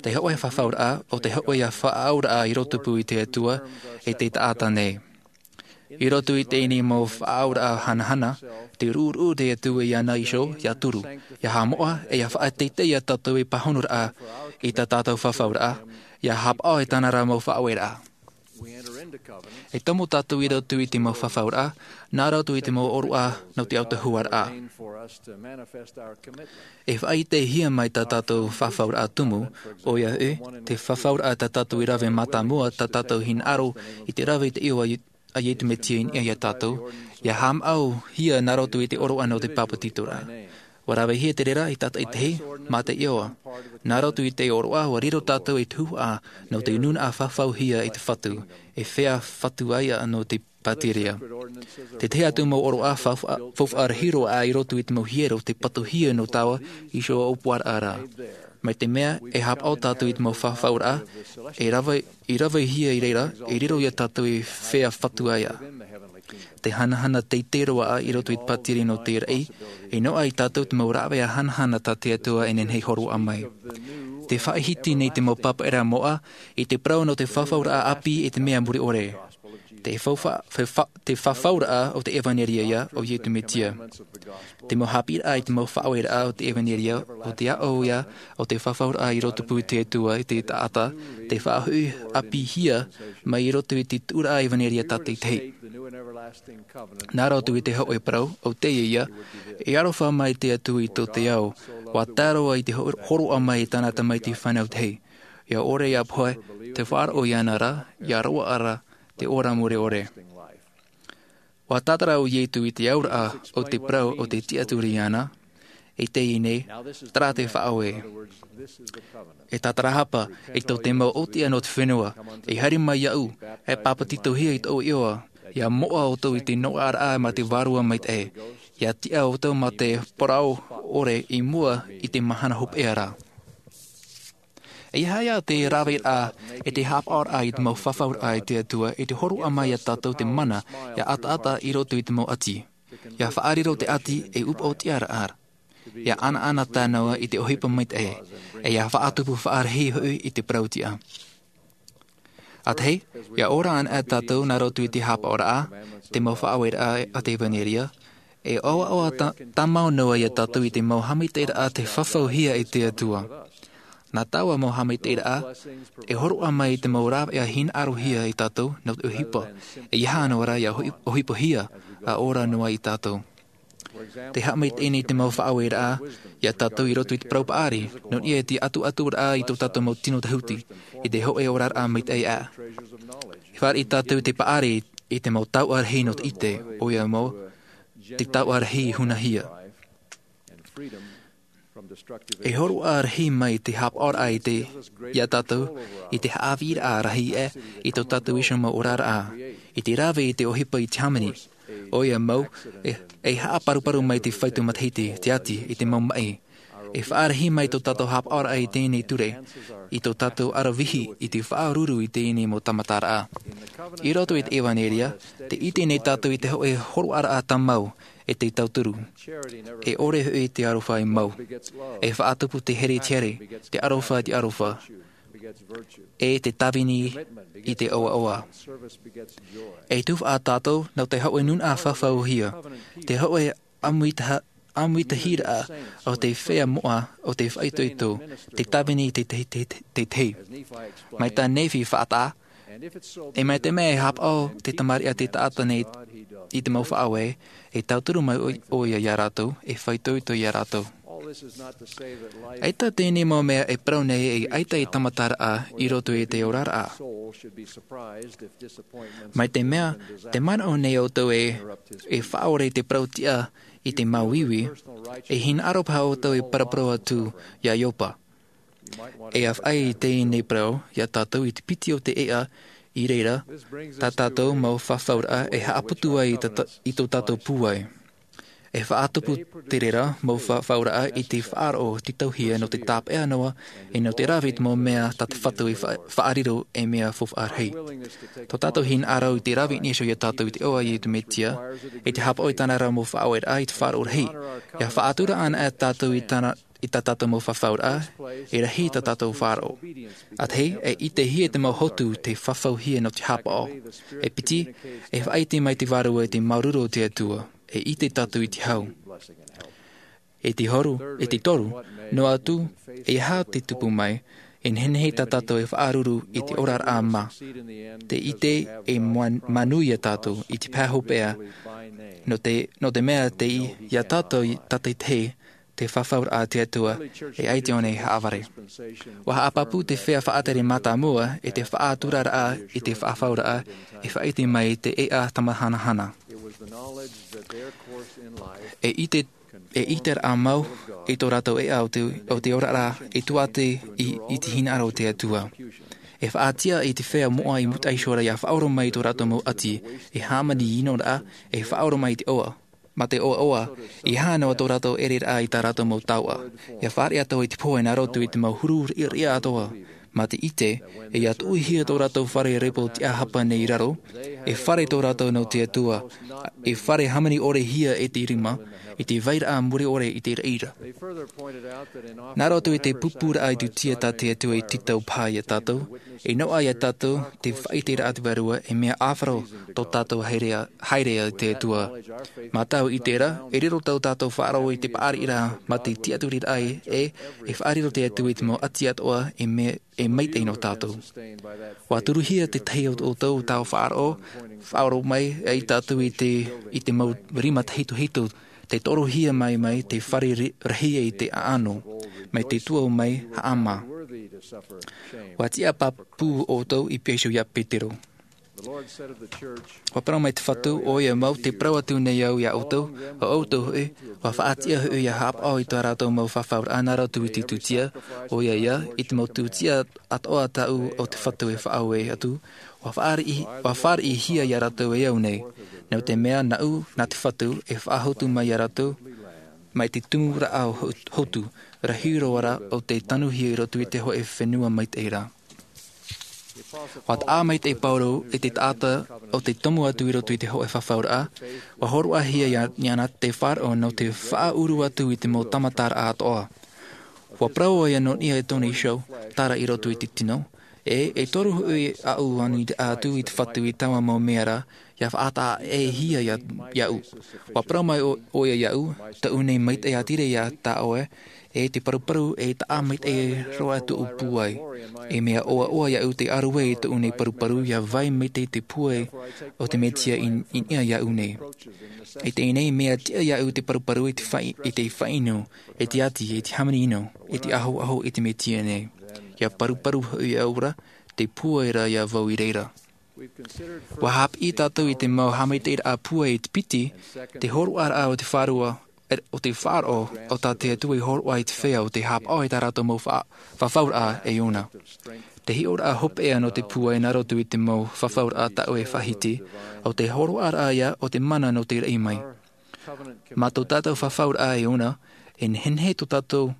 Te hoʻi fafauraʻa, ʻo te hoʻi ā faʻaauraʻa i roto pū i te Atua, e te taʻata nei. I roto i teie nei mau faʻaauraʻa hanahana, tē ruʻuruʻu te Atua iāna iho, ʻia turu, ʻia haʻamoʻa, e ʻia faʻateitei ia tātou e pāhonoraʻa, i tā tātou fafauraʻa, ʻia haʻapaʻo i tāna ra mau faʻaueraʻa. E tomo tātou i roto i te mau fafauraʻa, nā roto i te mau ʻōroʻa nō te autahuʻaraʻa. E faʻaʻitehia mai tā tātou fafauraʻa tumu, ʻoia hoʻi, te fafauraʻa tā tātou i rave mātāmua, tā tātou hinaʻaro i te rave i te iʻoa a Iesu Mesia i niʻa ia tātou, ʻia haʻamāuruhia nā roto i te ʻōroʻa nō te papetitoraʻa. ʻUa ravehia te reira e tātaʻitahi, mā te iʻoa. Nā roto i te ʻōroʻa, ʻua riro tātou i te huaʻa nō te nūnaʻa fafauhia e te Fatu, e feiā fatuaʻa nō te pātireia. Te tahi atu mau ʻōroʻa faufaʻa, faufaʻa rahi roa i roto i te mau hiero, te patuhia nō taua iho ʻōpuaraʻa ra. Mai te mea, e haʻapaʻo tātou i te mau fafauraʻa, e rave, i ravehia i reira, e riro ia tātou ei feiā fatuaʻa. Te hanahana teitei roa i roto i te pātireia nō te raʻi, e noaʻa ia tātou te mau rāveʻa hanahana tā te Atua e nehenehe e hōroʻa mai. Tē faʻahiti nei te mau pāpaʻiraʻa moʻa, i te parau nō te fafauraʻa ʻāpī e te mea mure ʻore. Te faufa- faufa- te fafauraʻa o te ʻevanelia ia o Iesu Mesia. Te mau haʻapiʻiraʻa i te mau faʻaueraʻa o te ʻevanelia, o te aʻo ia o te fafauraʻa i roto pū i te Atua i te taʻata, te faʻahoʻi ʻāpīhia mai i roto i te tuʻuraʻa ʻevanelia tātaʻitahi. Nā roto i te hōʻē parau, o teie ia, e aroha mai te Atua i tō te ao, ʻua tae roa i te hor- hōroʻa mai i tāna tamaiti fānau tahi. ʻIa ʻore ʻia pohe, te faʻaroʻo iāna ra, ʻia roaʻa ra te ora mure ʻore. ʻUa tātara ʻo Iesu i te auraʻa o te parau o te tiʻaturi iāna, e teie nei, terā te faʻaue. E tātarahapa, e tō te mau ʻōtiʻa nō te fenua, e haere mai iāʻu, e pāpetitohia i tōʻu iʻoa, ʻia moʻa ʻoutou i te noaʻaraʻa mā te Vārua Maitaʻi, ʻia tiʻa ʻoutou mā te parau ʻore i mua i te mahana hopeʻa ra. E aha ia te raveraʻa e te haʻapaʻoraʻa i te mau fafauraʻa i te Atua, i te hōroʻa mai iā tātou te mana, ʻia ataata i roto i te mau ʻati. ʻIa faʻariro te ʻati e upoʻotiʻaraʻa. ʻIa ʻanaʻanatae noa i te ʻohipa maitaʻi. E ʻia faʻatupu faʻarahi hoʻi i te parau tiʻa. ʻA tahi, ʻia ora ana tātou nā roto i te haʻapaʻoraʻa, te mau faʻaueraʻa a te ʻevanelia, e ʻoaʻoa tā- tāmau noa iā tātou i te mau haʻamaitaʻiraʻa tei fafauhia e te Atua. Nā taua mau haʻamaitaʻiraʻa, e hōroʻa mai i te mau rāveʻa hinaʻarohia iā tātou nō te ʻohipa, e ʻeiaha noa rā ʻia ʻohi- ʻohipahia, ʻa ora noa iā tātou. Te haʻamaitaʻi nei te mau faʻaueraʻa iā tātou i roto i te parau paʻari, nō niʻa i te ʻatuʻaturaʻa i tō tātou mau tino tahuti, i te hōʻē oraraʻa maitaʻi ā. E fāriʻi tātou i te paʻari i te mau taoʻa rahi nō te ʻite, ʻoia mau, te taoʻa rahi hunahia. E hōroʻa rahi mai te haʻapaʻoraʻa i te, iā tātou, i te haʻavīraʻa rahi ē, i tō tātou iho mau oraraʻa, i te rave i te ʻohipa i te hāmani. ʻOia mau, e, e haʻaparuparu mai te faufaʻa matahiti, te ʻati, i te mau maʻi. E faʻarahi mai tō tātou haʻapaʻoraʻa i teie nei ture, i tō tātou ʻaravihi i te faʻaruru i teie nei mau tāmataraʻa. I roto i te ʻevanelia, tē ʻite nei tātou i te hōʻē hōroʻaraʻa tāmau, e te tauturu. E ʻore hoʻi te aroha e mau. E faʻatupu te here i te here, te aroha i te aroha. E te tāvini i te ʻoaʻoa. E tuhaʻa tātou nō te hōʻē nūnaʻa fafauhia, te hōʻē ʻāmuitaha-, ʻāmuitahiraʻa o te feiā moʻa o te faʻaitoito, te tāvini i te, te, te, te, te. Mai tā Nephi faʻataʻa, e mai te mea e haʻapaʻo te tamariʻi a te taʻata nei i te mau faʻaue, e tauturu mai ʻo, ʻoia iā rātou, e faʻaitoito iā rātou. ʻAita teie nei mau mea e parau nei e ʻaita e tāmataraʻa i roto i te oraraʻa. Mai te mea, tē manaʻo nei ʻoutou e, e faʻaʻore i te parau tiʻa i te māuiui, e hinaʻaro paha ʻoutou e paraparau atu iā Ioba. E ʻāfaʻi i teie nei parau iā tātou i te piti o te ʻēʻa, i reira, tā tātou mau fafauraʻa e haʻaputu ai i tā, i tō tātou pūai. E faʻatupu te reira mau fafauraʻa i te faʻaroʻo tītauhia nō te tāpeʻa noa, e nō te rave i te mau mea tā te Fatu i fa-, faʻariro ei mea faufaʻa rahi. Tō tātou hinaʻaro i te rave i niʻa iho iā tātou i te iʻoa a Iesu Mesia, e te haʻapaʻo i tāna ra mau faʻaueraʻa i te faʻaroʻo rahi. ʻIa faʻatura anaʻe tātou i tāna, i tā tātou mau fafauraʻa, e rahi tā tātou faʻaroʻo. ʻA tahi, e ʻitehia te mau hotu tei fafauhia nō te haʻapaʻo. E piti, e faʻaʻite mai te Vārua i te māuruuru o te Atua. E ʻite tātou i te hau. E te hōru, e te toru, noa atu, e aha te tupu mai, e nehenehe tā tātou e faʻaruru i te oraraʻa mā. Tē ʻite e mua-, manuia tātou i te pae hopeʻa, nō te, nō te mea tei iā tātou i tātaʻitahi te fafauraʻa a te Atua, e ʻaita ʻōna e haʻavare. ʻUa haʻapāpū te feiā faʻatere mātāmua i te faʻaturaraʻa i te fafauraʻa, e faʻaʻite mai te ʻēʻa tamahanahana. E ʻite, e ʻiteraʻa mau i tō rātou ʻēʻa o te, o te oraraʻa e tuaʻa i, i te hinaʻaro o te Atua. E faʻatiʻa i te feiā moʻa i mūtaʻa iho ra ʻia faʻaora mai i tō rātou mau ʻati, e hāmani ʻinoraʻa, e faʻaora mai i te ʻoaʻoa. Mā te ʻoaʻoa, e aha noa tō rātou ʻereraʻa i tā rātou mau taoʻa. ʻIa fāriʻi atoʻa i te pohe nā roto i te mau huru riʻariʻa atoʻa. Mā te ʻite, e ia tuʻuhia tō rātou fare repo tiʻahapa nei i raro, e fare tō rātou nō te Atua, e fare hāmani ʻore hia e te rima, i te vairaʻa mure ʻore i te reira. Nā roto i te pupuraʻa i tūtia tā te Atua i tītau paha iā tātou, e noaʻa iā tātou te faʻaʻiteraʻa te Vārua e mea ʻāfaro tō tātou haerea, haerea i te Atua. Mā tāʻu ʻite ra, e riro tō tātou faʻaroʻo i te paʻari ra mā te tiʻaturiraʻa e, e faʻariro te Atua i te mau ʻati atoʻa e mea, e maitaʻi nō tātou. ʻUa turuhia te tahi o, o tō tātou faʻaroʻo, faʻaroʻo mai ai tātou i te, i te mau rima tahitohito, te torohia mai mai te fare ri-, rahi i te ʻaʻano, mai te tuʻu mai haʻamā. ʻUa tiʻa pāpū ʻoutou i pīhaʻi iho iā Petero. ʻUa parau mai te Fatu, ʻoia mau, tē parau atu nei au iā ʻoutou, ʻo ʻoutou hoʻi, ʻua faʻatiʻa hoʻi ʻia haʻapaʻo i tā rātou mau fafauraʻa nā roto i te tūtia, ʻoia ia, i te mau tūtia atoʻa tāʻu o te Fatu e faʻaue atu, ʻua fāriʻi, ʻua fāriʻihia iā rātou e au nei. Nō te mea nāʻu, nā te Fatu, e faʻahotu mai iā rātou, mai te tumuraʻa ho-, hotu, rahi roa ra ʻo tē tanuhia i roto i te hōʻē fenua maitaʻi ra. ʻUa taʻa mai te Paulo e te taʻata o te tomo atu i roto i te hōʻē fafauraʻa, ʻua hōroʻahia iā, iāna te faʻaroʻo nō te faʻaʻuru atu i te mau tāmataraʻa atoʻa. ʻUa parau ʻoia nō niʻa i tōna iho, tāra i roto i te tino, e, e toru hoʻi aʻu ʻānui atu i te Fatu i taua mau mea ra, ʻia faʻataʻa-ʻē-hia iā, iāʻu. ʻUa parau mai ʻo, ʻoia iāʻu, tāʻu nei maitaʻi ā ture iā tā ʻoe, e te paruparu e taʻa maitaʻi roa tōʻu pūai. E mea ʻoaʻoa iāʻu te ʻāruʻe i tōʻu nei paruparu ʻia vai maitaʻi te pūai o te Mesia i, i niʻa iāʻu nei. E teie nei mea tiʻa iāʻu te paruparu i te faʻi-, i te faʻainu, e te ati, e te hāmani ʻino, e te ahoaho i te Mesia nei. ʻIa paruparu hoʻi au ra, te pūai ra iā vau i reira. ʻUa haʻapiʻi tātou i te mau haʻamaitaʻiraʻa pūai i te piti, te hōroʻaraʻa o te Vārua, e, o te faʻaroʻo, ʻo tā te Atua i hōroʻa i te feiā ʻo tē haʻapaʻo i tā rātou mau fa-, fafauraʻa e ʻōna. Te hiʻoraʻa hopeʻa nō te pūai nā roto i te mau fafauraʻa tāʻu e faʻahiti, ʻo te hōroʻaraʻa ïa o te mana nō te raʻi mai. Mā tō tātou fafauraʻa e ʻōna, e nehenehe tō tātou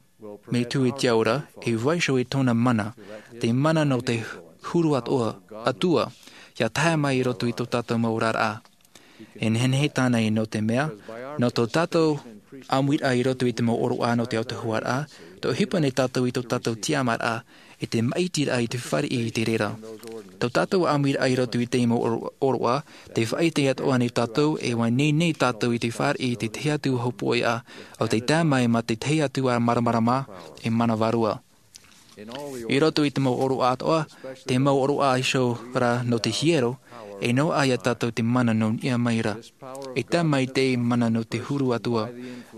metua i te ao ra, e vaiiho i tōna mana, te mana nō te huru atoʻa, Atua, ʻia tae mai i roto i tō tātou mau oraraʻa. E nehenehe tāna i nō te mea, nō tō tātou ʻāmuiraʻa i roto i te mau ʻōroʻa nō te autahuʻaraʻa, tē ʻohipa nei tātou i tō tātou tiʻamāraʻa, e te māʻitiraʻa i te fāriʻi i te reira. Tō tātou ʻāmuiraʻa i roto i te mau ʻōro-, ʻōroʻa, tē faʻaʻite atoʻa nei tātou, e ʻua ineine tātou i te fāriʻi i te tahi atu hōpoiʻa, ʻo tē tae mai mā te tahi atu ā māramarama, e mana vārua. I roto i te mau ʻōroʻa atoʻa, te mau ʻōroʻa iho ra nō te hiero, e noaʻa iā tātou te mana nō niʻa mai ra. E tae mai te mana nō te huru Atua,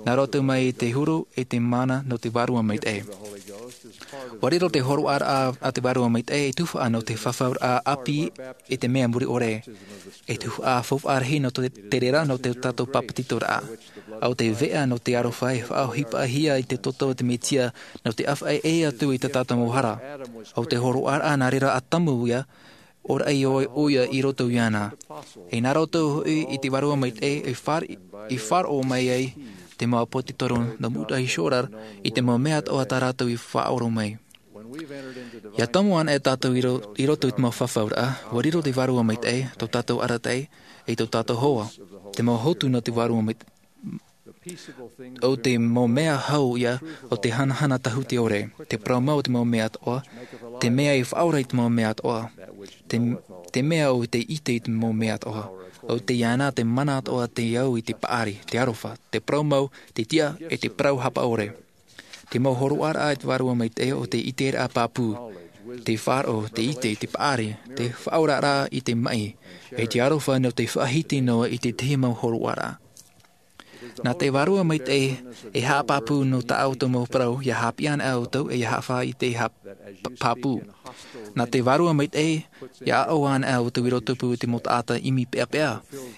nā roto mai te huru e te mana nō te Vārua Maitaʻi. ʻUa riro te hōroʻaraʻa a te Vārua Maitaʻi e tuhaʻa nō te fafauraʻa ʻāpī i te mea mure ʻore. E tuhaʻa faufaʻa rahi nō te, te reira nō te tātou pāpetitoraʻa. ʻO te veʻa nō te aroha e faʻaʻohipahia i te toto o te Mesia nō te ʻāfaʻi ʻē atu i tā tātou mau hara. ʻO te hōroʻaraʻa nā reira ʻa Tamu ïa, ʻoia ʻoia i roto iāna. E nā roto hoʻi i te Vārua Maitaʻi e far-, i faʻaroʻo mai ai te mau ʻāpōsetolo nō mua iho ra i te mau mea atoʻa tā rātou i faʻaroʻo mai. ʻIa tomo ana e tātou i ro-, i roto i te mau fafauraʻa, ʻua riro te Vārua Maitaʻi, tō tātou arataʻi, e tō tātou hoa, te mau hotu nō te Vārua Maitaʻi. ʻO te mau mea hau ïa, ʻo te hanahana tāhuti ʻore, te parau mau o te mau mea atoʻa, te mea e faʻaora i te mau mea atoʻa, te, te mea ʻo te ʻite i te mau mea atoʻa, ʻo tē iāna te mana atoʻa te au i te paʻari, te aroha, te parau mau, te tiʻa, e te parau hapaʻore. Te mau hōroʻaraʻa a te Vārua Maitaʻi ʻo te ʻiteraʻa pāpū, te faʻaroʻo, te ʻite, te paʻari, te faʻaoraraʻa i te maʻi, e te aroha nō te faʻahiti noa i te tahi mau hōroʻaraʻa. Nā te Vārua Maitaʻi e haʻapāpū nō tā ʻoutou mau parau, ʻia haʻapiʻi ana ʻoutou, e ʻia haʻafaʻaʻite ha-, p-, pāpū. Nā te Vārua Maitaʻi, ʻia aʻo ana ʻoutou i rotopū i te mau taʻata ʻimi peʻapeʻa,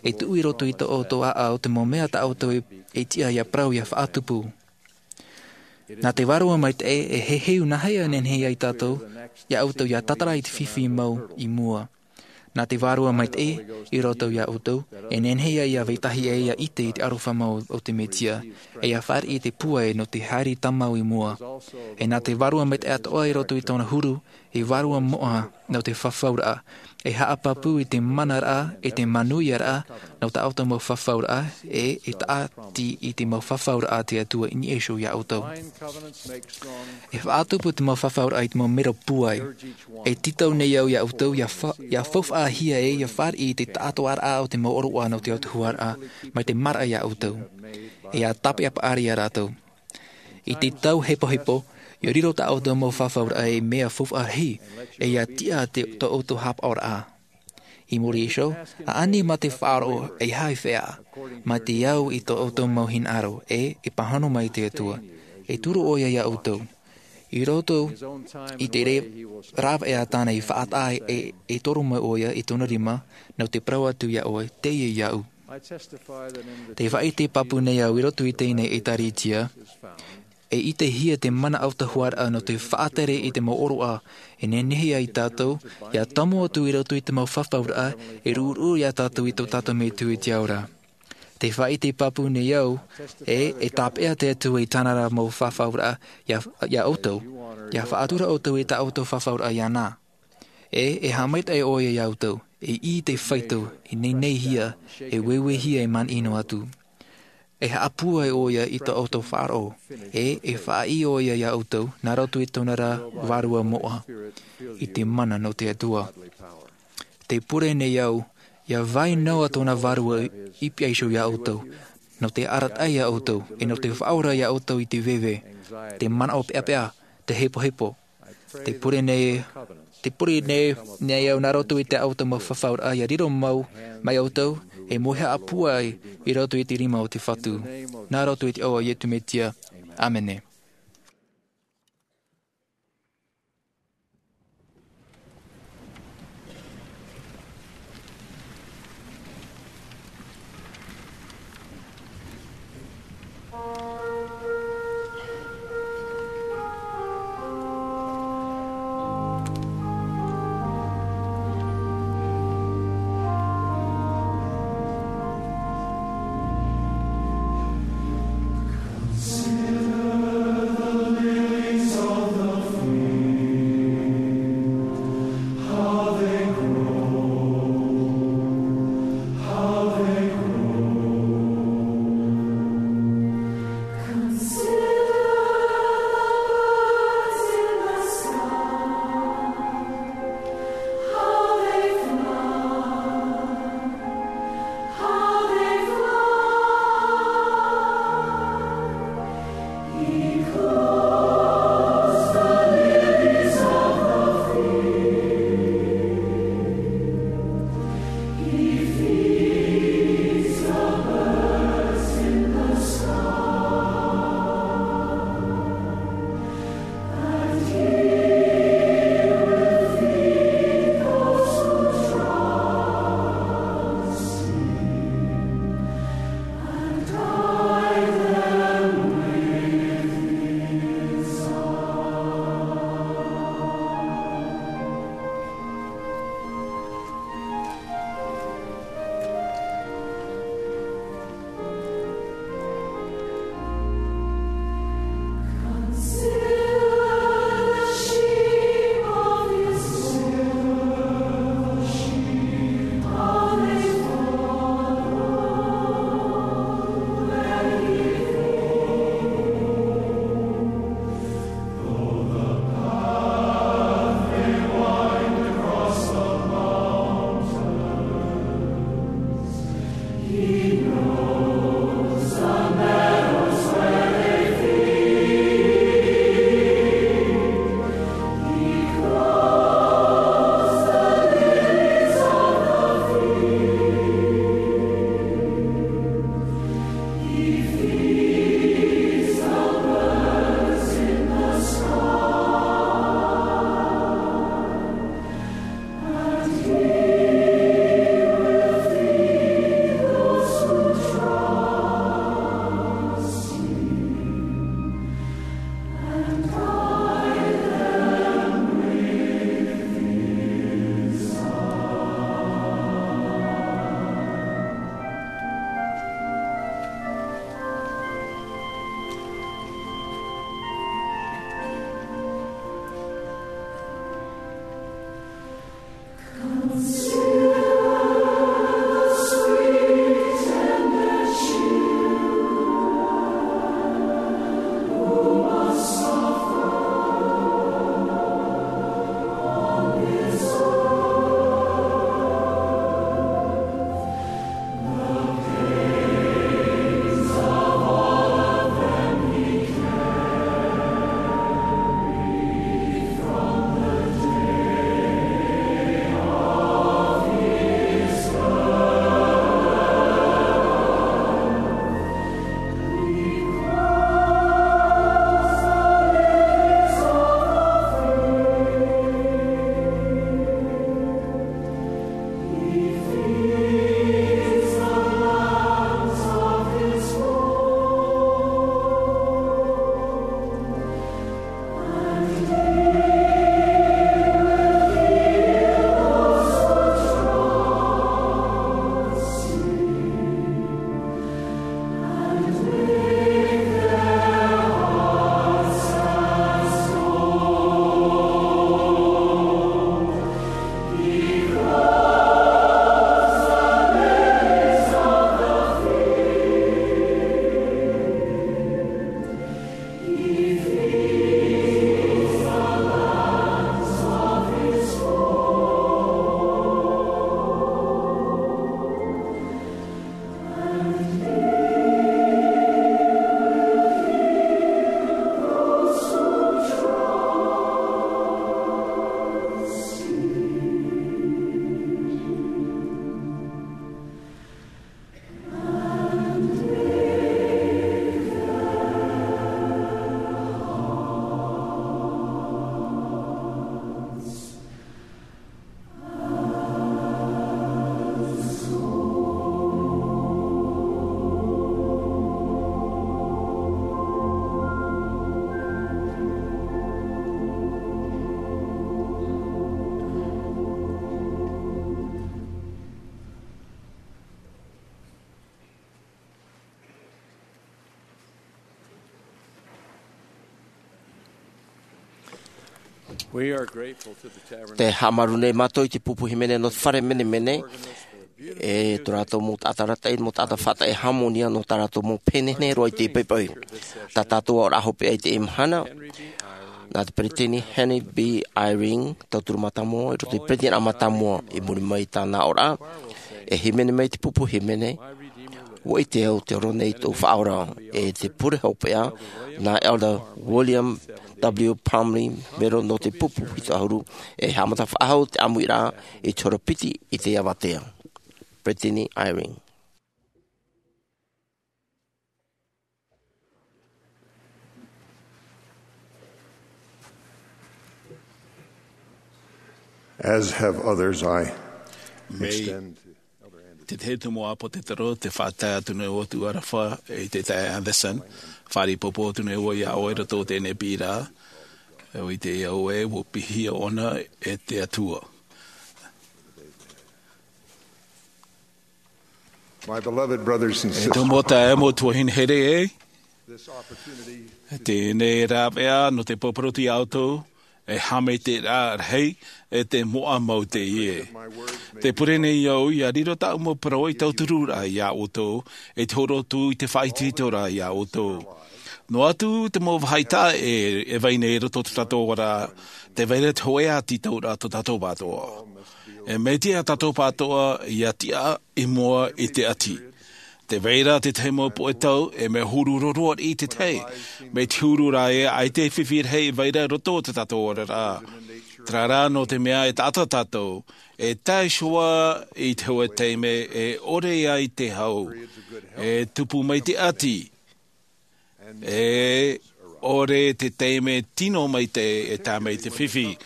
e tuʻu i roto i tō ʻoutou ʻāʻau te mau mea tā ʻoutou e, e tiʻa ʻia parau ʻia faʻatupu. Nā te Vārua Maitaʻi e heheu nāhea nehenehe ai tātou, iā ʻoutou ʻia tātara i te fifi mau i mua. Nā te Vārua Maitaʻi i roto iā ʻoutou, e nehenehe ia vetahi ʻē ia ʻite i te aroha mau o te Mesia, e ia fāriʻi i te pūai nō te haere tāmau i mua. E nā te Vārua Maitaʻi atoʻa i roto i tōna huru, e vārua moʻa nō te fafauraʻa, e haʻapāpū i te manaraʻa, e te manuiaraʻa, nō tā ʻoutou mau fafauraʻa, e, e tāʻati i te mau fafauraʻa a te Atua i niʻa iho iā ʻoutou. E faʻatupu te mau fafauraʻa i te mau mero pūai. E tītau nei au iā ʻoutou, ia fa-, ia faufaʻahia ē, ia fāriʻi i te taʻatoʻaraʻa o te mau ʻōroʻa nō te autahuʻaraʻa, mai te maraʻa iā ʻoutou. E ia tāpeʻa paʻari iā rātou. I te tau hepohepo, ia riro tā ʻoutou mau fafauraʻa ei mea faufaʻa rahi, e ia tiʻa te, tō ʻoutou haʻapaʻoraʻa. I muri iho, ʻaʻani mā te faʻaroʻo ei haʻafeʻa, mā te au i tō ʻoutou mau hinaʻaro, e, e pāhono mai te Atua. E turu ʻoia iā ʻoutou. I roto i te re-, rāveʻa tāna i faʻataʻa e, e toro mai ʻoia i tōna rima, nō te parau atu iā ʻoe, teie iāʻu. Tē faʻaʻite pāpū nei au i roto i teie nei ʻētārētia, e ʻitehia te mana autahuʻaraʻa nō te faʻatere i te mau ʻōroʻa, e nehenehe ai tātou, ia tomo atu i roto i te mau fafauraʻa, e ruʻuruʻu iā tātou i tō tātou Metua i te ao ra. Tē faʻaʻite pāpū nei au, e, e tāpeʻa te Atua i tāna ra mau fafauraʻa, iā, iā ʻoutou, ia faʻatura ʻoutou i tā ʻoutou fafauraʻa iāna. E, e haʻamaitaʻi ʻoia iā ʻoutou, e ʻī te faito, e neneihia, e ueuehia e mana ʻino atu. E haʻapūai ʻoia i tō ʻoutou faʻaroʻo, e, e faʻaʻī ʻoia iā ʻoutou, nā roto i tōna ra vārua moʻa, i te mana nō te Atua. Tē pure nei au, ia vai noa tōna vārua i pihaʻi iho iā ʻoutou, nō te arataʻi iā ʻoutou, e nō te faʻaora iā ʻoutou i te veve, te manaʻo peʻapeʻa, te hepohepo, Tē pure nei, tē pure nei, nei au nā roto i tā ʻoutou mau fafauraʻa ia riro mau, mai ʻoutou, e mōhia pūai i roto i te rima o te Fatu. Nā roto i te iʻoa o Iesu Mesia. ʻĀmene. Te haʻamāuruuru nei mātou i te pupu hīmene nō te fare menemene, e tō rātou mau taʻata arataʻi, mau taʻata faʻataʻa e hāmōnia nō tā rātou mau pēneineine roa i te paipai. Tā tātou aʻoraʻa hopeʻa i teie mahana, nā te peresideni Henry B. Eyring, tauturu mātāmua i roto i te peresideni mātāmua. I muri mai i tāna aʻoraʻa, e hīmene mai te pupu hīmene, ʻua ʻite au te ora nei tōʻu Faʻaora, e te pure hopeʻa, nā Elder William W. Parmley, mero nō te pupu hitu ʻahuru, e haʻamata faʻahou te ʻāmuiraʻa i te hora piti i te avatea. Peresideni Eyring. As have others, I extend to Elder Andrew. Te tahi atu mau ʻāpōsetolo, te faʻatae atu nei ʻoutou aroha i te taeaʻe Andersen, fāriʻi pāpū atu nei au iā ʻoe i roto i teie nei piʻiraʻa, e ʻite au ē, ʻua piʻihia ʻōna e te Atua. My beloved brothers and E sisters, tō mau taeaʻe, mau tuahine here ē, this opportunity teie nei rāveʻa nō te poroʻi iā ʻoutou, e haʻamaitaʻiraʻa rahi, e te moʻa mau teie. Te pure nei au, ʻia riro tāʻu mau parau i tauturu ra iā ʻoutou, e te hōroʻa atu i te faʻaitoitoraʻa iā ʻoutou. Noa atu te mau vāhi taʻa ʻē e vai nei i roto i tō tātou oraraʻa, tē vai ra te hōʻē tītauraʻa tō tātou atoʻa. E mea tiʻa tātou atoʻa ʻia tiʻa i mua i te ʻati. Tē vai ra te tahi mau poʻe tau, e mea huru roa riʻi te tahi. Mai te huru ra ē, ʻaita e fifi rahi e vai ra i roto i tō tātou oraraʻa. Terā rā, nō te mea e taʻata tātou, e tae iho ā i te hōʻē taime e ʻore ai te hau, e tupu mai te ʻati, e ʻore te taime tino maitaʻi e tae mai te fifi.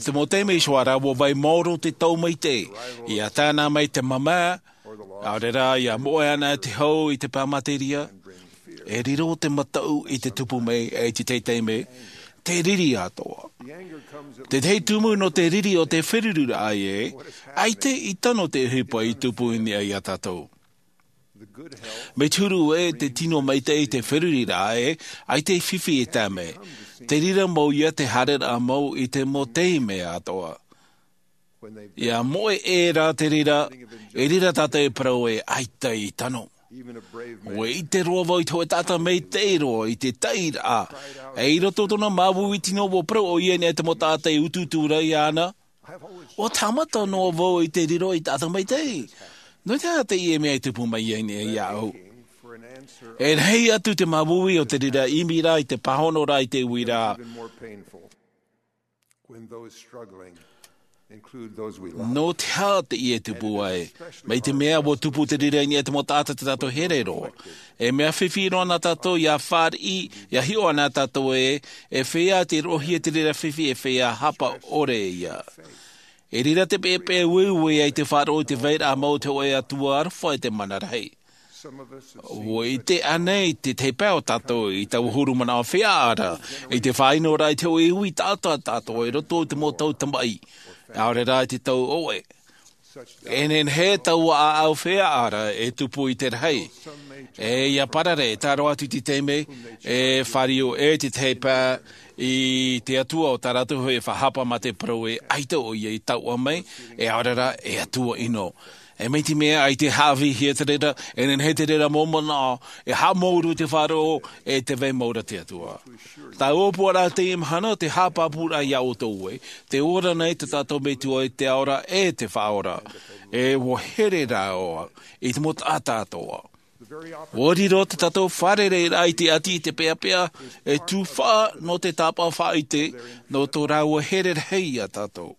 Te mau taime iho ā rā, ʻua vai maoro te tau maitaʻi, ʻia tae anaʻe mai te māmā, ʻaore rā, ʻia moʻe anaʻe te hau i te pae materia, e riro te mataʻu i te tupu mai, e i te tahi taime, te riri atoʻa. Te tahi tumu nō te riri o te feruriraʻa ē, ʻaita i tano te ʻohipa i tupu i niʻa iā tātou. Mai te huru ē, te tino maitaʻi i te feruriraʻa ē, ʻaita e fifi e tae mai. Te reira mau ïa te haereraʻa mau i te mau taime atoʻa. ʻIa moʻe ʻē rā te reira, e reira tātou e parau ē, ʻaita i tano. ʻUa ʻite roa vau i te hōʻē taʻata maitaʻi roa i te taʻiraʻa. E i roto i tōna māuiui tino, ʻua parau ʻoia i niʻa i te mau taʻata e utuutu ra iāna. ʻUa haʻamata noa vau i te riro i te taʻata maitaʻi. Nō te aha teie mea i tupu mai ai nei iāʻu? E rahi atu te māuiui o te reira ʻimiraʻa i te pāhonoraʻa i te uiraʻa. Nō te aha teie e tupu ai? Mai te mea ʻua tupu te reira i niʻa i te mau taʻata tā tātou e here roa. E mea fifi roa nā tātou ʻia fāriʻi, ʻia hiʻo anaʻe tātou ē, e feiā te roʻohia te reira fifi, e feiā hapa ʻore ïa. E reira te peʻapeʻa ueue ai te faʻaroʻo i te vairaʻa mau o te hōʻē Atua aroha e te mana rahi. ʻUa ʻite ānei te tahi pae o tātou i taua huru manaʻo feiā ra, i te faʻaʻino ra i te hōʻē ui taʻata tātou i roto i te mau tau tamaʻi, ʻaore rā i te tau ʻoʻe. E nehenehe taua ʻāʻau feiā ra e tupu i te rahi. E ʻia parare, e tae roa atu i te taime, e fāriu ʻē te tahi pae i te Atua o tā rātou hōʻē faʻahapa mā te parau ē, ʻaita ʻoia i taoʻa mai, e ʻaore rā, e Atua ʻino. E mai te mea ʻaita e haʻavīhia te reira, e nehenehe te reira mau manaʻo, e haʻamāuruuru te faʻaroʻo, e tē vai mau ra te Atua. Taua ʻōpuaraʻa i teie mahana, te haʻapāpūraʻa iā ʻoutou ē, tē ora nei tā tātou Metua i te ao ra e te Faʻaora. E ʻua here rāua i te mau taʻata atoʻa. ʻUa riro tā tātou fārereiraʻa i te ʻati i te peʻapeʻa, e tuhaʻa nō te tāpaʻo faʻaʻite, nō tō rāua here rahi iā tātou.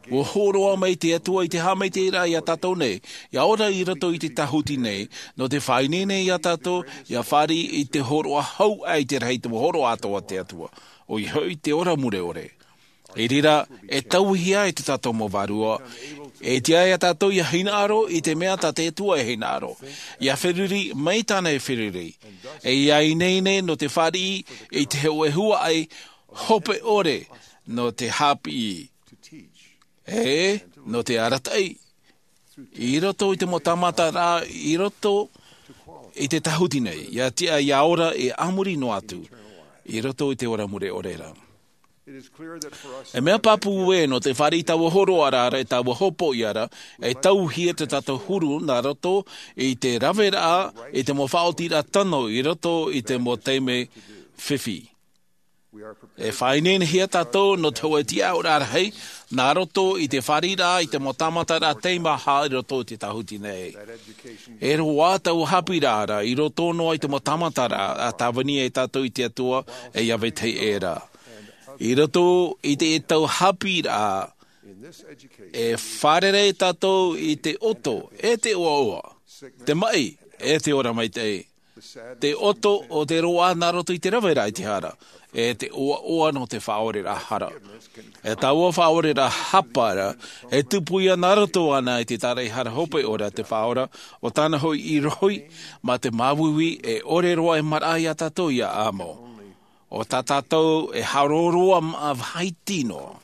ʻUa hōroʻa mai te Atua i te haʻamaitaʻiraʻa iā tātou nei, ʻia ora i roto i te tāhuti nei, nō te faʻaineine iā tātou, ʻia fāriʻi i te hōroʻa hau aʻe i te rahi, te hōroʻa atoʻa a te Atua. ʻOia hoʻi te ora mure ʻore. I reira, e tauihi ai tō tātou mau vārua. E tiʻa iā tātou ʻia hinaʻaro i te mea tā te Atua e hinaʻaro. ʻIa feruri mai tāna e feruri. E ʻia ineine nō te fāriʻi i te hōʻē huaʻai hope ʻore nō te haʻapiʻi. E nō te arataʻi. I roto i te mau tāmata rā, i roto i te tāhuti nei, ʻia tiʻa ʻia ora e a muri noa atu, i roto i te ora mure ʻore ra. E mea pāpū ē nō te fāriʻi i taua hōroʻaraʻa, i taua hopoiʻa ra, e tauhia tā tātou huru nā roto i te raveraʻa, i te mau faʻaotiraʻa tano i roto i te mau taime fifi. E faʻaineinehia tātou nō te hōʻē tiʻaʻoraʻa rahi nā roto i te fāriʻiraʻa i te mau tāmataraʻa teimaha i roto i te tāhuti nei. E roaʻa taua haʻapiʻiraʻa ra i roto noa i te mau tāmataraʻa a tāvini ai tātou i te Atua, e ia vetahi ʻē ra. I roto i te tau haʻapiʻiraʻa, e fārerei tātou i te ʻoto, e te ʻoaʻoa, te maʻi, e te ora maitaʻi. Te ʻoto o te roaʻa nā roto i te raveraʻa i te hara, e te ʻoaʻoa nō te faʻaoreraʻa hara. E taua faʻaoreraʻa hapa ra, e tupu ia nā roto āna i te tāraʻehara hope ʻore a te Faʻaora, ʻo tāna hoʻi ʻīrohi, mā te māuiui e ʻore roa e maraʻa ia tātou ia amo. ʻO tā tātou e haʻaroaroa maʻa vāhi tino.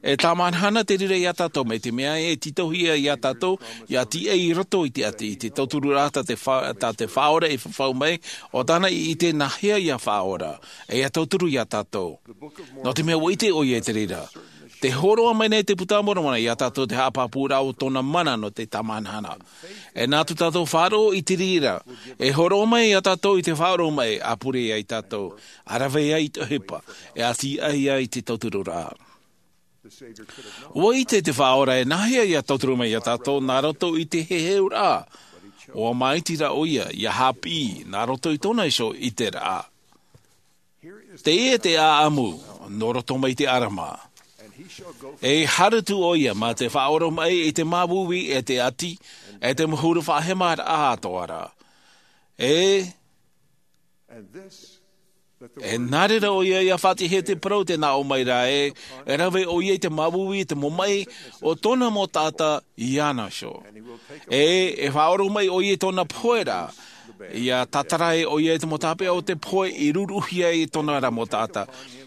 E tāmahanahana te reira ia tātou, mai te mea e tītauhia ia tātou ia tīaʻi i roto i te ʻati, i te tautururaʻa tā te fa-, tā te Faʻaora e fafau mai, ʻo tāna i ʻite nāhea ia faʻaora, e ia tauturu ia tātou. Nō te mea ʻua ʻite ʻoia i te reira. Tē hōroʻa mai nei te Puta a Moromona ia tātou te haʻapāpūraʻa o tōna mana nō te tāmahanahana. E nā tō tātou faʻaroʻo i te reira, e hōroʻa mai ia tātou i te faʻaoromaʻi, ʻa pure ai tātou, ʻa rave ai i te ʻohipa, e ʻati ai i te tautururaʻa. ʻUa ʻite te Faʻaora e nāhea ia tauturu mai ia tātou nā roto i te heheuraʻa. ʻUa māiti rā ʻoia ia haʻapiʻi nā roto i tōna iho ʻiteraʻa. Teie te ʻāʻamu nō roto mai te ʻarama. E harutu ʻoia mā te faʻaoromaʻi i te māuiui e te ʻati, e te mau huru faʻahemaraʻa atoʻa ra. E, e nā reira ʻoia ia faʻatiʻahia te parau tē nā ʻō mai ra ē, e rave ʻoia i te māuiui, i te mau maʻi o tōna mau taʻata iāna iho. E, e faʻaoromaʻi ʻoia i tōna pohe ra, ia tātara ai ʻoia i te mau tāpeʻa o te pohe i ruruhia ai tōna ra mau taʻata.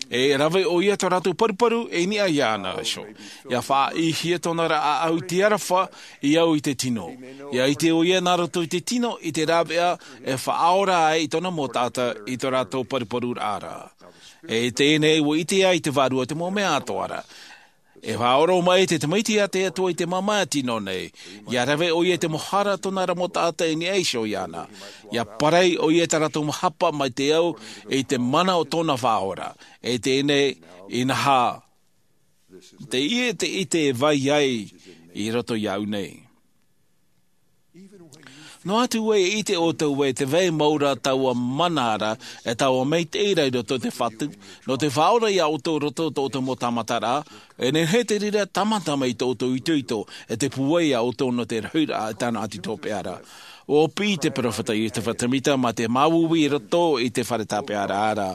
E rave ʻoia tō rātou paruparu e niʻa iāna iho. Ia faʻaʻīhia tōna ra ʻāʻau i te aroha, i au i te tino. Ia ʻite ʻoia nā roto i te tino, i te rāveʻa, e faʻaora ai i tōna mau taʻata i tō rātou paruparuraʻa ra. E teie nei ʻua ʻite ai te Vārua te mau mea atoʻa ra. E faʻaoromaʻi te tamaiti a te Atua i te māmā tino nei. Ia rave ʻoia i te mau hara tōna ra mau taʻata i niʻa iho iāna. Ia parau ʻoia i tā rātou mau hapa mai te au i te mana o tōna Faʻaora. E teie nei, inaha, teie te ʻite e vai ai i roto iāʻu nei. Noa atu ē e ʻite ʻoutou ē tē vai mau ra taua mana ra, e taua maitaʻi ra i roto i te Fatu, nō te Faʻaora ia ʻoutou i roto i tō ʻoutou mau tāmataraʻa, e nehenehe te reira e tāmata mai tō ʻoutou itoito, e te pūai ia ʻoutou nō te rahiraʻa i tāna ʻati hopeʻa ra. ʻUa piʻi te peropheta Iosefa Semita mā te māuiui i roto i te fare tāpeʻaraʻa ra.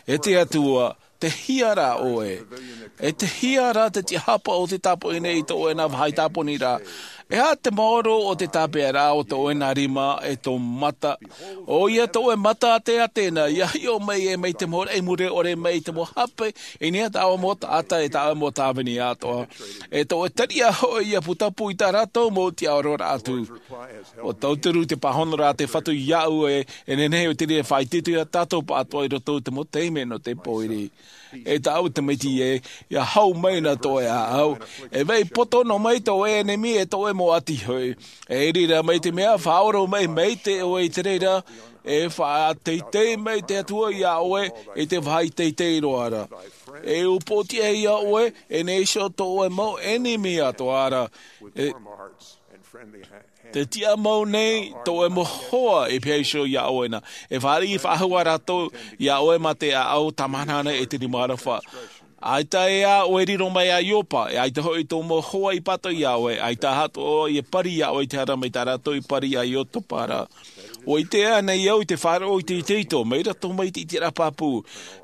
E te Atua, tei hea rā ʻoe? E tei hea rā te tiʻahapa o te tāpoʻi nei i tō ʻoe nā vāhi tāponiraʻa? E aha te maoro o te tāpeʻaraʻa o tō ʻoe nā rima e tō mata? ʻOia tō ʻoe mata a te Ateana, ia hiʻo mai ē mai te mau raʻi mure ʻore mai i te mau hape, i niʻa i taua mau taʻata e taua mau tāvini atoʻa. E tō ʻoe tariʻa hoʻi ia putapū i tā rātou mau tiʻaororaʻa atu. ʻUa tauturu te pāhonoraʻa a te Fatu iāʻu ē, e nehenehe ʻo te reira e faʻaitoito ia tātou pāʻatoʻa i roto i te mau taime nō te pōiri. E tāʻu tamaiti ē, ia hau mai na tō ʻoe ʻāʻau. E vai poto noa mai tō ʻoe ʻenemi e tō ʻoe mau ʻati hoʻi. E reira mai te mea faʻaoromaʻi maitaʻi ʻoe i te reira, e faʻateitei mai te Atua iā ʻoe i te vāhi teitei roa ra. E upoʻotiʻa iā ʻoe, e nehenehe iho tō ʻoe mau ʻenemi atoʻa ra. E, tē tiʻa mau nei tō ʻoe mau hoa e pīhaʻi iho iā ʻoe na. E fāriʻi faʻahou ā rātou iā ʻoe mā te ʻāʻau tāmahanahana e te rima aroha. ʻAita ē ā ʻoe e riro mai i Iopa, e ʻaita hoʻi tō mau hoa i pātoʻi iā ʻoe, ʻaita atoʻa ia pari iā ʻoe i te hara mai tā rātou i pari iā Iosefa ra. ʻUa ʻite ānei au i te faʻaroʻo i te itoito, mai roto mai i te ʻiteraʻa pāpū.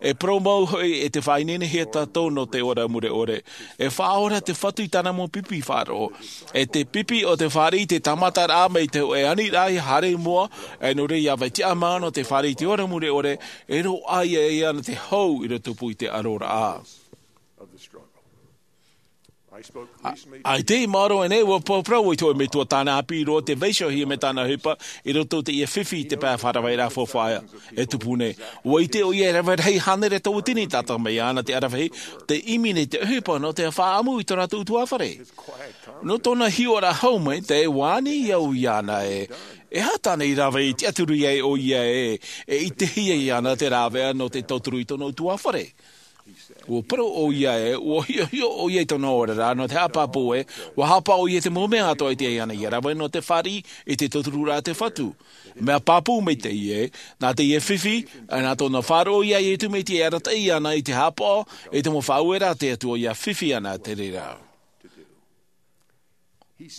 E parau mau hoʻi e te faʻaineinehia tātou nō te ora mure ʻore. E faʻaora te Fatu i tāna mau pipi faʻaroʻo. E te pipi o te fāriʻi te tāmataraʻa mai te hōʻē aniraʻa ia haere i mua, e nō reira ia vai tiʻa mau nō te fāriʻi i te ora mure ʻore, e roaʻa ia ʻoia nō te hau i roto pū i te ʻaroraʻa. ʻAita i maoro aʻenei ua parau i te hōʻē metua tāna ʻāpī roa te vaiihohia mai tāna ʻohipa i roto i teie fifi i te pae faʻaravaʻiraʻa faufaʻa e tupu nei. Ua ʻite ʻoia e rave rahi hānere tauatini tātaʻi mai iāna te ʻaravihi, te ʻimi nei te ʻohipa nō te faʻaʻamu i tō rātou ʻutuāfare. Nō tōna hiʻoraʻa hau mai te ʻua ani au iāna e, e aha tāna i rave i tiʻaturi ai ʻoia e, e ʻitehia iāna te rāveʻa nō te tauturu i tōna ʻutuāfare. Ua parau ʻoia e ua hiʻohiʻo ʻoia i tōna oraraʻa nō te haʻapāpū e, ua haʻapaʻo ʻoia i te mau mea atoʻa i te ʻai ana ia rave nō te fāriʻi i te tautururaʻa te fatu. Mea pāpū mai teie, nā teie fifi, nā tōna faʻaroʻo iā iesu mesia e arataʻi ana i te haʻapaʻo i te mau faʻaueraʻa a te atua ia fifi ana te reira.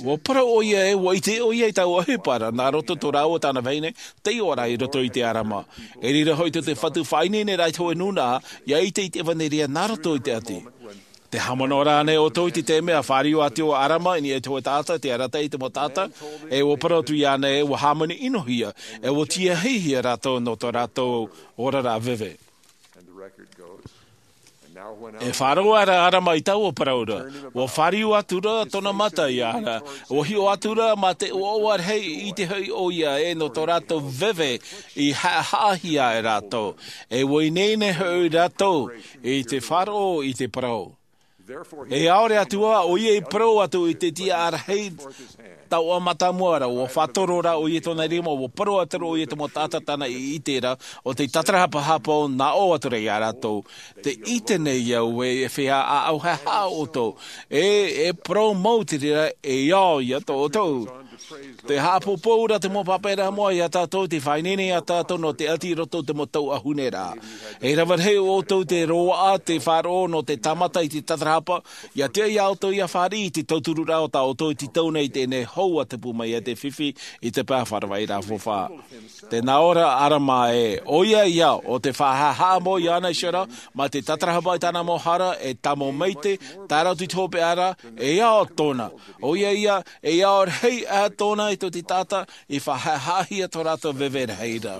Ua parau ʻoia e ua ʻite ʻoia i taua ʻohipa ra nā roto tō rāua tāna vahine, tei ora i roto i te ʻarama. I reira hoʻi tō te fatu faʻaineineraʻa i te hōʻē nūnaʻa ia ʻite i te ʻevanelia nā roto i te ʻati. Te haʻamanaʻo rānei ʻoutou i te taime a fāriu atu ʻo ʻarama i niʻa i te hōʻē taʻata te arataʻi i te mau taʻata, e ua parau atu iāna e ua hāmani ʻinohia, e ua tiahihia rātou nō tō rātou oraraʻa veve. E faʻaroʻo ra ʻarama i taua parau ra, ua fāriu atu ra tōna mata iāna, ua hiʻo atu ra mā te ʻoaʻoa rahi i te hoʻi ʻoia e nō tō rātou veve i haʻahaʻahia e rātou, e ua ineine hoʻi rātou i te faʻaroʻo i te parau. E ʻaore atu ā ʻoia i parau atu i te tiʻaraʻa rahi, taua mātāmua ra ua faʻatoro ra ʻoia i tōna rima, ua parau atu ra ʻoia i te mau taʻata tāna i ʻite ra, ʻo te tatarahapa hāpaʻo nā ʻō atu ra iā rātou, te ʻite nei au e e fea ʻaʻau haʻahaʻa ʻoutou, e e parau mau te reira e ao ia tō ʻoutou. Te haʻapōpō ra te mau pāpaʻiraʻa moʻa iā tātou te faʻaineine iā tātou nō te ʻati i roto i te mau tau ʻahune ra. E rave rahi ʻoutou te roaʻa te faʻaroʻo nō te tāmata i te tatarahapa, ia tiʻa iā ʻoutou ia fāriʻi i te tautururaʻa o tā ʻoutou i te tau nei i teie nei hau a tupu mai ai te fifi i te pae faʻaravaʻiraʻa faufaʻa. Tē nā ʻō ra ʻarama e ʻoia ia ʻo te faʻahaʻahaʻa mau iāna i sera mā te tatarahapa i tāna mau hara e tāmau maite, tae roa atu i te hopeʻa ra, e ao tōna. ʻOia ia e ao rahi ʻā tōna i tō te taʻata i faʻahaʻahaʻahia tō rātou veve rahi ra.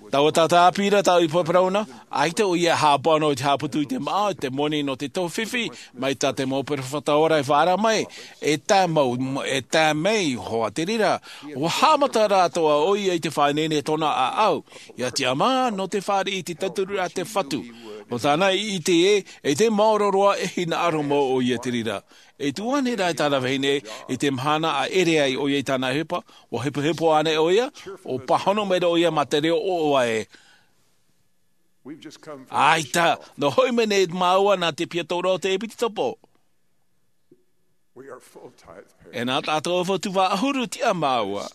Taua taʻata ʻāpī ra tāʻu i parau na, ʻaita ʻoia e haʻapaʻo noa i te haʻaputu i te māʻa i te moni nō te tau fifi, mai tā te mau peropheta ora i faʻaara mai, e tae mau e tae mai hoa te reira. Ua haʻamata rātou ʻoia i te faʻaineine tōna ʻaʻau, ia tiʻamā nō te fāriʻi i te tauturu a te fatu. ʻO tāna i ʻite e e te maoro roa e hinaʻaro mau ʻoia te reira. E tuʻu ānei rā i tāna vahine i te mahana a ʻere ai ʻoia i tāna ʻohipa, ua hepohepo ānei ʻoia? Ua pāhono mai ra ʻoia mā te reo ʻoʻoa e, ʻaita, nō hoʻi mai nei māua nā te piha tauraʻa o te ʻepitopo. E nā tātou ʻaufaʻa tumu ʻahuru tiʻa māua.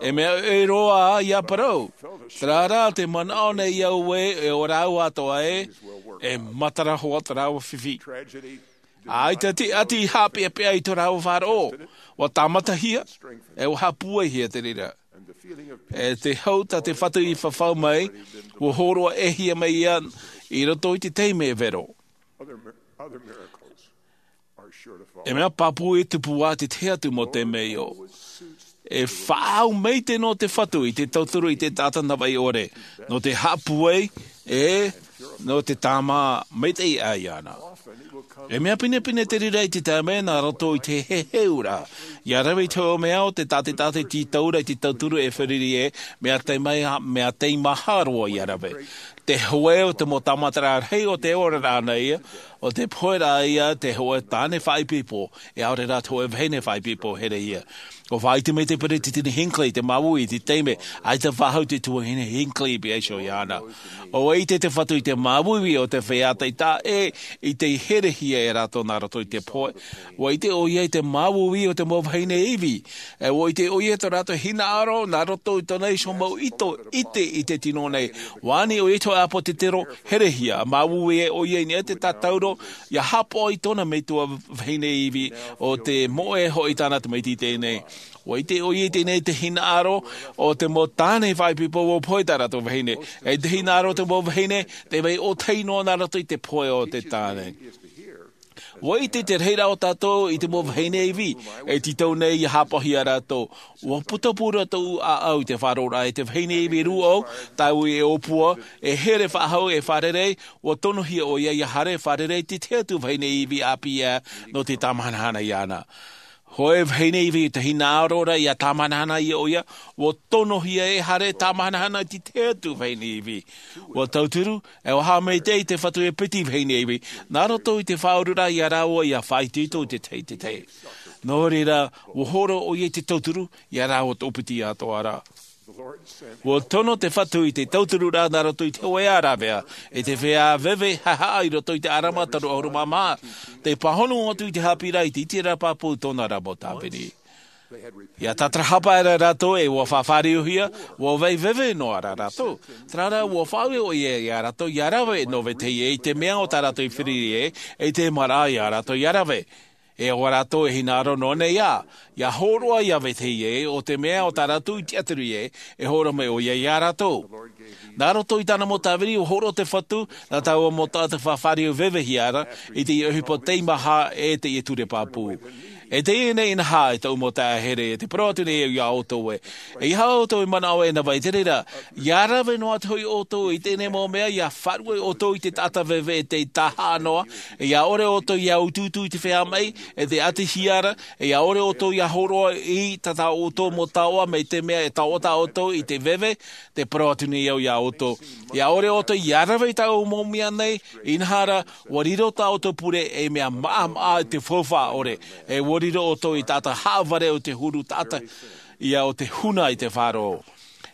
E mea ʻoʻe roa ia parau, terā rā te manaʻo nei au e e ʻo rāua atoʻa e, e matara hoa tō rāua fifi. ʻAita te ʻati i haʻapeʻapeʻa i tō rāua faʻaroʻo, ua tāmatahia, e ua haʻapūaihia te reira. E te hau tā te fatu i fafau mai, ua hōroʻa ʻēhia mai ia i roto i te taime e vero. E mea pāpū e tupu ā te tahi atu mau temeio. E faʻaau maite nō te fatu i te tauturu i te taʻata navaʻi ʻore, nō te haʻapūai, e nō te tāmā maitaʻi ʻā iāna. E mea pinepine te reira i te taime nā roto i te heheuraʻa, ia rave i te hōʻē mea o te tātaʻitaʻi tītauraʻa i te tauturu e fārerei e, mea tei mai mea tei maha roa ia rave. Te hōʻē o te mau tāmataraʻa rahi o te oraraʻa nei ia, o te pohe rā ia te hōʻē tāne faʻaipoipo, e ʻaore rā te hōʻē vahine faʻaipoipo here ia. Ua faʻaʻite mai te peresideni Hinckley te māuiui i te taime, ʻaita faʻahou te tuahine Hinckley i pīhaʻi iho iāna. ʻUa ʻite te fatu i te māuiui o te feiā taʻata e i te herehia e rātou nā roto i te pohe. ʻUa ʻite ʻoia i te māuiui o te mau vahine ivi. E ʻua ʻite ʻoia i tō rātou hinaʻaro nā roto i tōna iho mau ʻite i te tino nei. ʻUa ani ʻoia i te hōʻē ʻāpōsetolo herehia, māuiui e ʻoia i niʻa i te tātauro, ia haʻapaʻo i tōna metua vahine ivi, ʻo te moʻe hoʻi tāna tamaiti i teie nei. ʻUa ʻite ʻoia i teie nei te hinaʻaro o te mau tāne faʻaipoipo ua pohe tā rātou vahine. E te hinaʻaro o te mau vahine, tē vai ʻōtahi noa nā roto i te pohe o te tāne. Ua ʻite te rahiraʻa o tātou i te mau vahine ivi e tītau nei ia hāpaʻohia rātou. Ua putapū rātou ʻāʻau i te faʻaroʻoraʻa i te vahine ivi rūʻau, tāua e ʻōpua, e here faʻahou e fārerei. Ua tonohia ʻo ia ia haere fārerei i te tahi atu vahine ivi ʻāpī ʻā nō te tāmahanahana iāna. Hōʻē vahine ivi i te hinaʻaro ra ia tāmahanahana ia ʻo ia. Ua tonohia e haere tāmahanahana i te tahi atu vahine ivi. Ua tauturu, e ua haʻamaitaʻi te fatu e piti vahine ivi nā roto i te faʻaururaʻa iā rāua ia faʻaitoito i te tahi i te tahi. Nō reira, ua hōroʻa ʻo ia i te tauturu iā rāua tōpiti atoʻa ra. Ua tono te fatu i te tautururaʻa nā roto i te hoʻē ʻāravea, i te feiā veve haʻehaʻa i roto i te ʻarama toru ʻahuru mā maha, te pāhono atu i te haʻapiʻiraʻa i te ʻiteraʻa pāpū tōna ra mau tāvini. Ia tātarahapa aʻera rātou e ua faʻafāriohia, ua vai veve noa rā rātou. Terā rā, ua faʻaue ʻo ia iā rātou ia rave nō vetahi ʻē i te mea o tā rātou i feruri ai, e te maraʻa iā rātou ia rave. E ʻo rātou e hinaʻaro noa nei ā, ia hōroʻa ia vetahi ʻē o te mea o tā rātou i tiʻaturi ai, e hōroʻa mai ʻo ia iā rātou. Nā roto i tāna mau tāvini ua hōroʻa te fatu, nā taua mau taʻata faʻafāriu vevehia ra i teie ʻohipa teimaha e teie ture pāpū. E teie nei inaha e tōʻu mau taeaʻe here, e te parau atu nei au iā ʻoutou ē, ʻeiaha ʻoutou e manaʻo e nava i te reira, ia rave noa atu hoʻi ʻoutou i teie nei mau mea, ia faʻaruʻe ʻoutou i te taʻata veve e te taʻata haʻa noa, ia ʻore ʻoutou ia utuutu i te feiā maʻi, e te ʻatihia ra, ia ʻore ʻoutou ia hōroʻa i tā ʻoutou mau taoʻa mai te mea e taoʻa tā ʻoutou i te veve, te parau atu nei au iā ʻoutou. Ia ʻore ʻoutou ia rave i tāʻu mau mea nei, inaha rā, ua riro tā ʻoutou pure ei mea maʻamaʻa i te faufaʻa ʻore, e ua riro ʻoutou ei taʻata haʻavare o te huru taʻata, ia o te huna i te faʻaroʻo.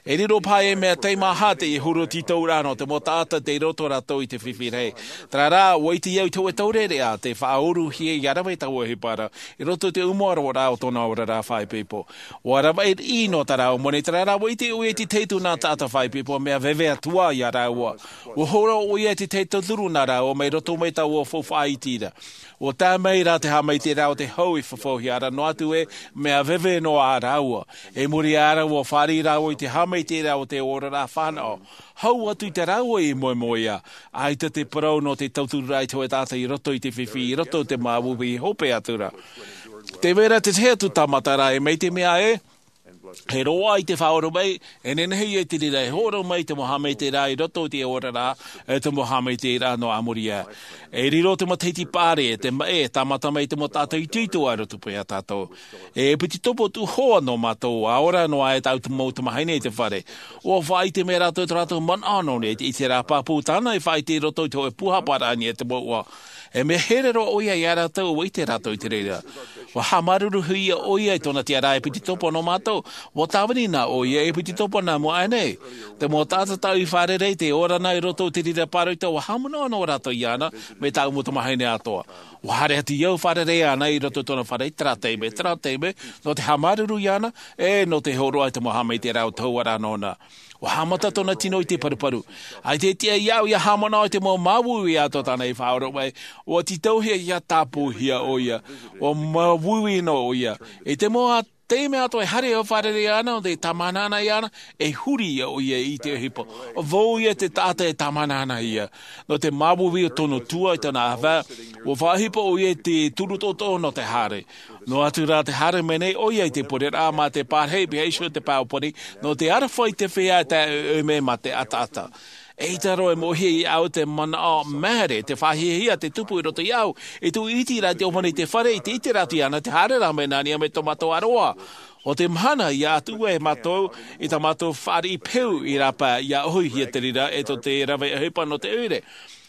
E riro paha ei mea teimaha teie huru tītauraʻa nō te mau taʻata tei roto rātou i te fifi rahi. Terā rā, ua ʻite au i te hōʻē taureʻareʻa te faʻauruhia ia rave i taua ʻohipa ra, i roto i te ʻumaʻaroraʻa o tōna oraraʻa faʻaipoipo. Ua ravaʻi riʻi noa tā rāua moni, terā rā, ua ʻite ʻoia i te tahi atu nā taʻata faʻaipoipo mea veve atu ā iā rāua. Ua hōroʻa ʻoia i te tahi tauturu nā rāua mai roto mai taua faufaʻa iti ra. Ua tae mai rā te haʻamaitaʻiraʻa o te hau i fafauhia ra noa atu ē, mea veve noa ā rāua. I muri aʻe ra ua fāriʻi rāua i te haʻamaitaʻiraʻa o te oraraʻa fānaʻo. Hau atu i tā rāua i moemoeā, ʻaita te parau nō te tautururaʻa i te hōʻē taʻata i roto i te fifi, i roto i te māuiui hope atu ra. Tē vai ra te tahi atu tāmata rā, e mai te mea ē, e roaʻa i te faʻaora mai, e nehenehe ia i te reira e hōroʻa mai te mau haʻamaitaʻiraʻa i roto i te oraraʻa, e te mau haʻamaitaʻiraʻa nō a muri aʻe. E riro te matahiti paʻari, e te maʻi, e tāmata mai te mau taʻata itoito i roto paʻi iā tātou. E piti topo tuʻuhōʻē nō mātou, ʻa ora noa e tāʻu mau tamahine i te fare. Ua faʻaʻite mai rātou i tō rātou manaʻo nō niʻa i te ʻiteraʻa pāpū tāna i faʻaʻite i roto i te hōʻē pūhaparaʻa i niʻa i te mouʻa. E mea here roa ʻoia iā rātou, ua ʻite rātou i te reira. Ua haʻamāuruuruhia ʻoia i tōna tiʻaraʻa e piti topo nō mātou. Ua tāvini na ʻoia e piti topo nā mua aʻe nei. Te mau taʻata tāʻu i fārerei, tē ora na i roto i te reira pāroita, ua haʻamanaʻo noa rātou iāna, mai tāʻu mau tamahine atoʻa. Ua haere atu au fārerei iāna i roto i tōna fare i terā taime, terā taime, nō te haʻamāuruuru iāna, e nō te hōroʻa i te mau haʻamaitaʻiraʻa o te hauaraʻa nōna. Ua haʻamata tōna tino i te paruparu. ʻAita e tiʻa iāʻu ia haʻamanaʻo i te mau māuiui atoʻa tāna i faʻaora mai, ua tītauhia ia tāpūhia ʻoia. Ua māuiui noa ʻoia. I te mau taime atoʻa e haere au fārerei iāna, nō te tāmahanahana iāna, e huri ia ʻoia i te ʻohipa. Vau ia te taʻata e tāmahanahanahia. Nō te māuiui o tōna tuā i tōna ʻāvae, ua faʻaʻohipa ʻoia i te turu toʻotoʻo nō te haere. Noa atu rā te haere mai nei ʻoia i te pureraʻa mā te pārahi, pīhaʻi iho te pae ʻōpani, nō te aroha i te feiā e taeʻaeʻa mai mā te ʻataʻata. ʻEita roa e moʻehia iāʻu te manaʻo maere, te faʻahiahia, te tupu i roto iāʻu, i tōʻu iti ra i te ʻōpani i te fare, i te ʻiteraʻa atu iāna, te haere rā mai nā niʻa mai tō mātou ʻaroha. ʻO te mahana, ʻia atu ai mātou i tā mātou fāriʻi peu i rāpae, ʻia ʻohihia te reira e tō te rave ʻohipa nō te ʻoire.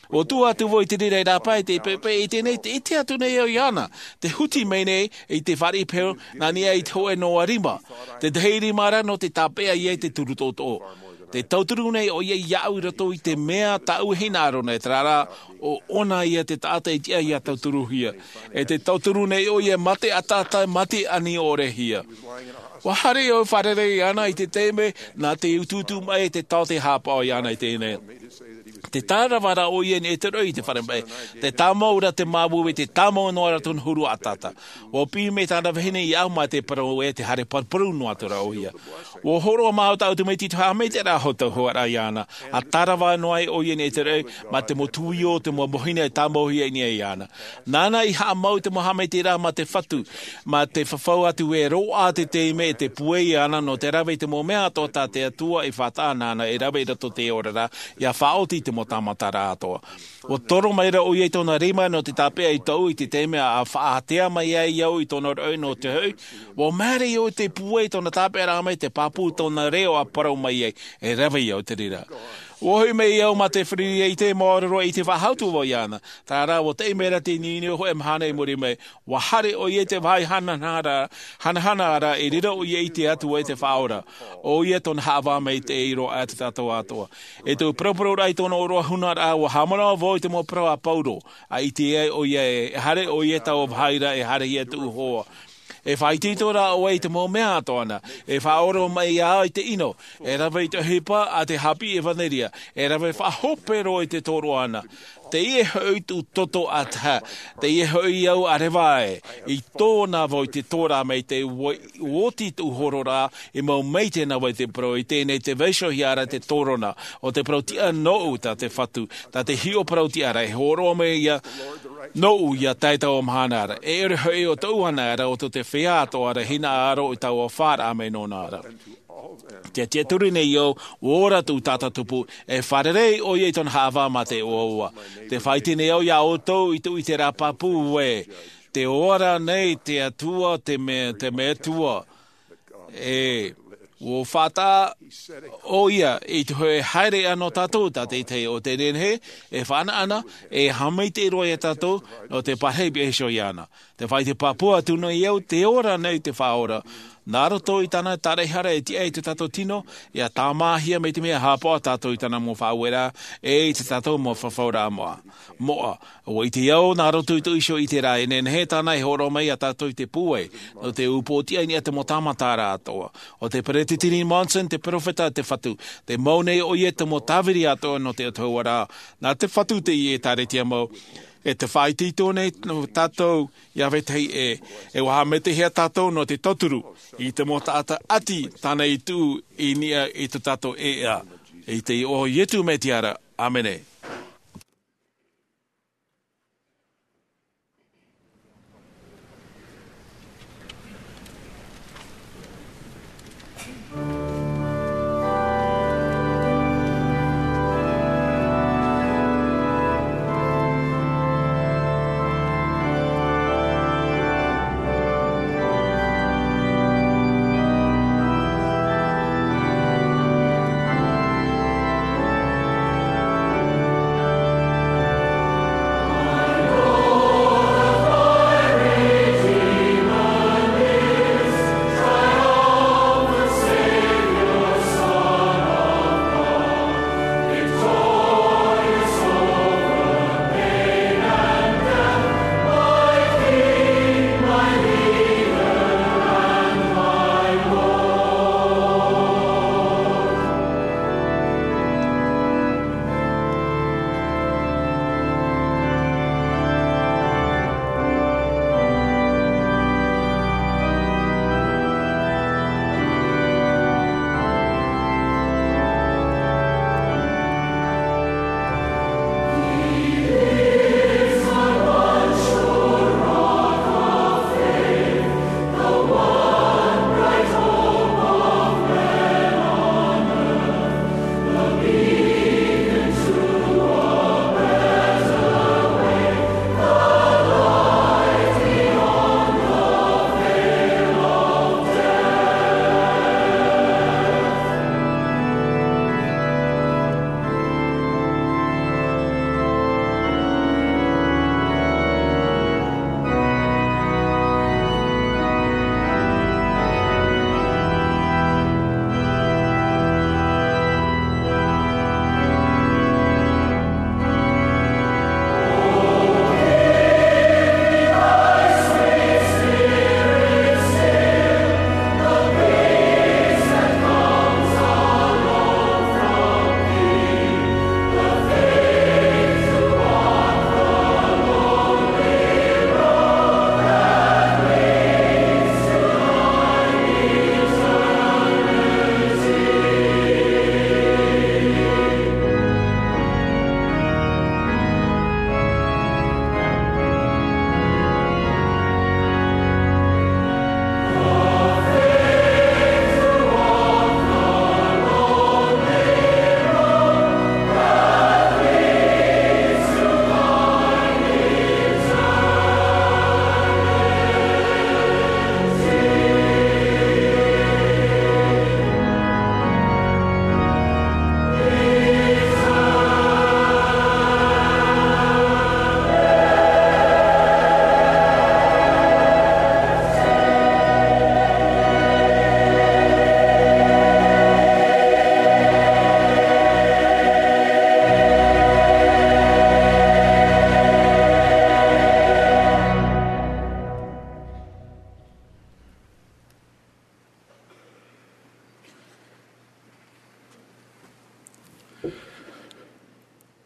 ʻUa tuʻu atu vau i te reira i rāpae i te pepe, i teie nei, tē ʻite atu nei au iāna, tē huti mai nei i te fāriʻi peu, nā niʻa i te hōʻē noa rima. Te tahi rima ra nō te tāpeʻa ia i te turu toʻotoʻo. Tē tauturu nei ʻoia iāʻu i roto i te mea tāʻu e hinaʻaro nei, terā rā, ʻo ʻōna ia te taʻata e tiʻa ia tauturuhia. E tē tauturu nei ʻoia mā te ʻataʻata, mā te ani ʻorehia. ʻUa haere au fārerei iāna i te taime, nā te utuutu mai te taote haʻapaʻo iāna i teie nei. Te tārava rā ʻoia i niʻa i te roʻi i te fare maʻi. Te tāmau rā te māuiui, te tāmau noa rā tōna huru ʻataʻata. ʻUa piʻi mai tāna vahine iāʻu mā te parau ē, te haere paruparu noa atu rā ʻoia. ʻUa hōroʻa māua tāʻu tamaiti i te haʻamaitaʻiraʻa a hōʻē tauhoaraʻa iāna. ʻA tārava noa ai ʻoia i niʻa i te roʻi, mā te mau tuio, te mau mahina e tāmauhia i niʻa iāna. Nāna i haʻamau i te mau haʻamaitaʻiraʻa mā te Fatu, mā te fafau atu e roaʻa te taime e te pūai iāna nō te rave i te mau mea atoʻa tā te Atua i faʻataʻa nāna e rave i roto i te oraraʻa, ʻia faʻaoti i te mau tāmataraʻa atoʻa. ʻUa toro mai rā ʻoia i tōna rima nō te tāpeʻa i tōʻu i te taime ʻa faʻaātea mai ai au i tōna roʻi nō te hoʻi. ʻUa māere iāʻu i te pūai i tōna tāpeʻaraʻa mai, te pāpū i tōna reo ʻa parau mai ai, e rave iāʻu i te reira. ʻUa hoʻi mai au mā te fāriʻi i te māuruuru i te faʻahou atu vau iāna. Terā rā, ʻua taʻi mai rā te niuniu hōʻē mahana i muri mai. ʻUa haere ʻoia i te vāhi hanahana ra, hanahana ra, i reira ʻoia i ʻite atu ai te Faʻaora. ʻOia tōna haʻavā maitaʻi roa atu iā tātou atoʻa. I tōʻu paraparau ra i tōna ʻōroʻa huna ra, ʻua haʻamanaʻo vau i te mau parau a Pauro. ʻA ʻite ai ʻoia ē, e haere ʻoia i taua vāhi ra, e haerehia tōʻu hoa. E faʻaitoito rā ʻoe i te mau mea atoʻa na. E faʻaora mai iāʻu i te ʻino. E rave i te ʻohipa ʻa te haʻapiʻi ʻevanelia. E rave faʻahope roa i te tōroʻa na. Teie hoʻi tōʻu toto ʻātaʻa. Teie hoʻi au ʻa reva ai. I tōna vau i te tōrā mai te ua-, oti tōʻu horo ra, i mau maitaʻi na vau i te parau, i teie nei te vaiihohia ra te tōrona, ʻo te parau tiʻa nōʻu tā te Fatu, tā te hiʻo parau tiʻa ra, e hōroʻa mai ïa nōʻu ʻia tae i taua mahana ra. E ʻere hoʻi ʻo tōʻu anaʻe ra, ʻo tō te feiā atoʻa ra, hinaʻaro i taua fāraʻa mai nōna ra. Te tiʻaturi nei au, ʻua ora tōʻu taʻata tupu, e fārerei ʻoia i tōna haʻavā mā te ʻoaʻoa. Te faʻaʻite nei au iā ʻoutou i tōʻu ʻiteraʻa pāpū ē, tē ora nei te Atua, te me-, te Metua. E, ʻua faʻataʻa ʻoia i te hōʻē haereʻa nō tātou, tā te tahi o te nehenehe, e faʻanaʻana, e haʻamaitaʻi roa iā tātou, nō te pārahi piha iho iāna. Te faʻaʻite pāpū atu nei au, tē ora nei te Faʻaora. Nā roto i tāna tāraʻehara e tiʻa i tō tātou tino, ʻia tāmāhia mai te mea haʻapaʻo tātou i tāna mau faʻaueraʻa, e i tā tātou mau fafauraʻa moʻa. Moʻa, ʻua ʻite au, nā roto i tōʻu iho ʻiteraʻa e nehenehe tāna e hōroʻa mai iā tātou i te pūai, nō te upootiʻa i niʻa i te mau tāmataraʻa atoʻa. ʻO te Peretiteni Monson, te perofeta a te Fatu, tē mau nei ʻoia i te mau tāviri atoʻa nō te Atua ra. Nā te Fatu teie e tāretia mau, e te faʻaitoito nei nō tātou iā vetahi ʻē, e ʻua haʻamaitaʻihia tātou nō te tauturu i te mau taʻata ʻati tāna i tuʻu i niʻa i tō tātou ʻēʻa. I te iʻoa o Ietu Metia ra, ʻāmene.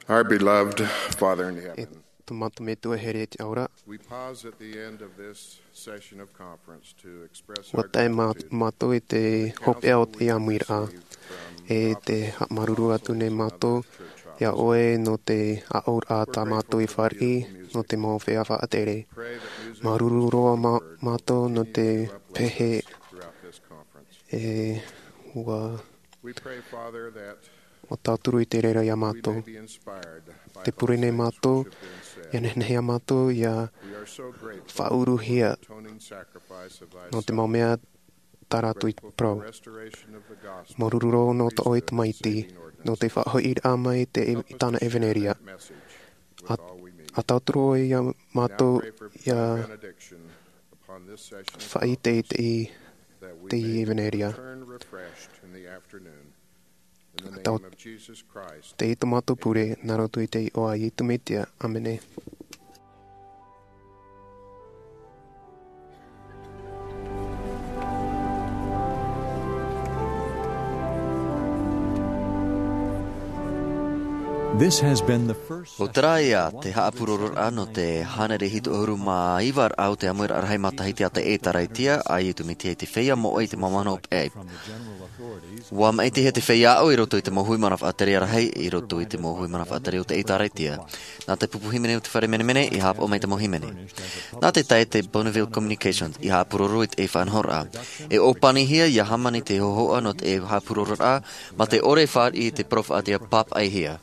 Our beloved Father in heaven, e tō mātou Metua here i te ao ra, we pause at the end of this session of conference to express ua our tae mā- gratitude mātou i te hopeʻa o te ʻāmuiraʻa. E te haʻamāuruuru atu nei mātou iā ʻoe nō te aʻoraʻa tā mātou i fāriʻi nō te mau feiā faʻatere. Māuruuru roa mā- mātou nō te pehe e ua ua tauturu i te reira iā mātou. Te pure nei mātou ia nehenehe iā mātou ia faʻauruhia nō te mau mea tā rātou i parau. Māuruuru roa nō tō ʻoe tamaiti nō te faʻahoʻiraʻa mai i tāna ʻevaneria. A tauturu ʻoe iā mātou ia faʻaite i te i te i ʻevaneria. Tau te i tō mātou pure nā roto i te iʻoa a iesu mesia, ʻāmene. This has been the first ʻO terā ia te haʻapurororaʻa nō te hānere hitu ʻahuru mā iva raʻa o te ʻāmuiraʻa rahi matahiti a te ʻēkālesia a iesu mesia i te feiā moʻa i te mau mahana hopeʻa. Ua maʻitihia te feiā aʻo i roto i te mau hui mana faʻatere rahi i roto i te mau hui mana faʻatere o te ʻēkālesia. Nā te pupu hīmene o te fare menemene i haʻapaʻo mai te mau hīmene. Nā te tae te Bonneville Communications i haʻapuroro i te faʻanahoraʻa e ʻōpanihia ia hāmani te hōhoʻa nō te haʻapurororaʻa ma te ʻore e fāriʻi i te peropheta ia pāpaʻihia.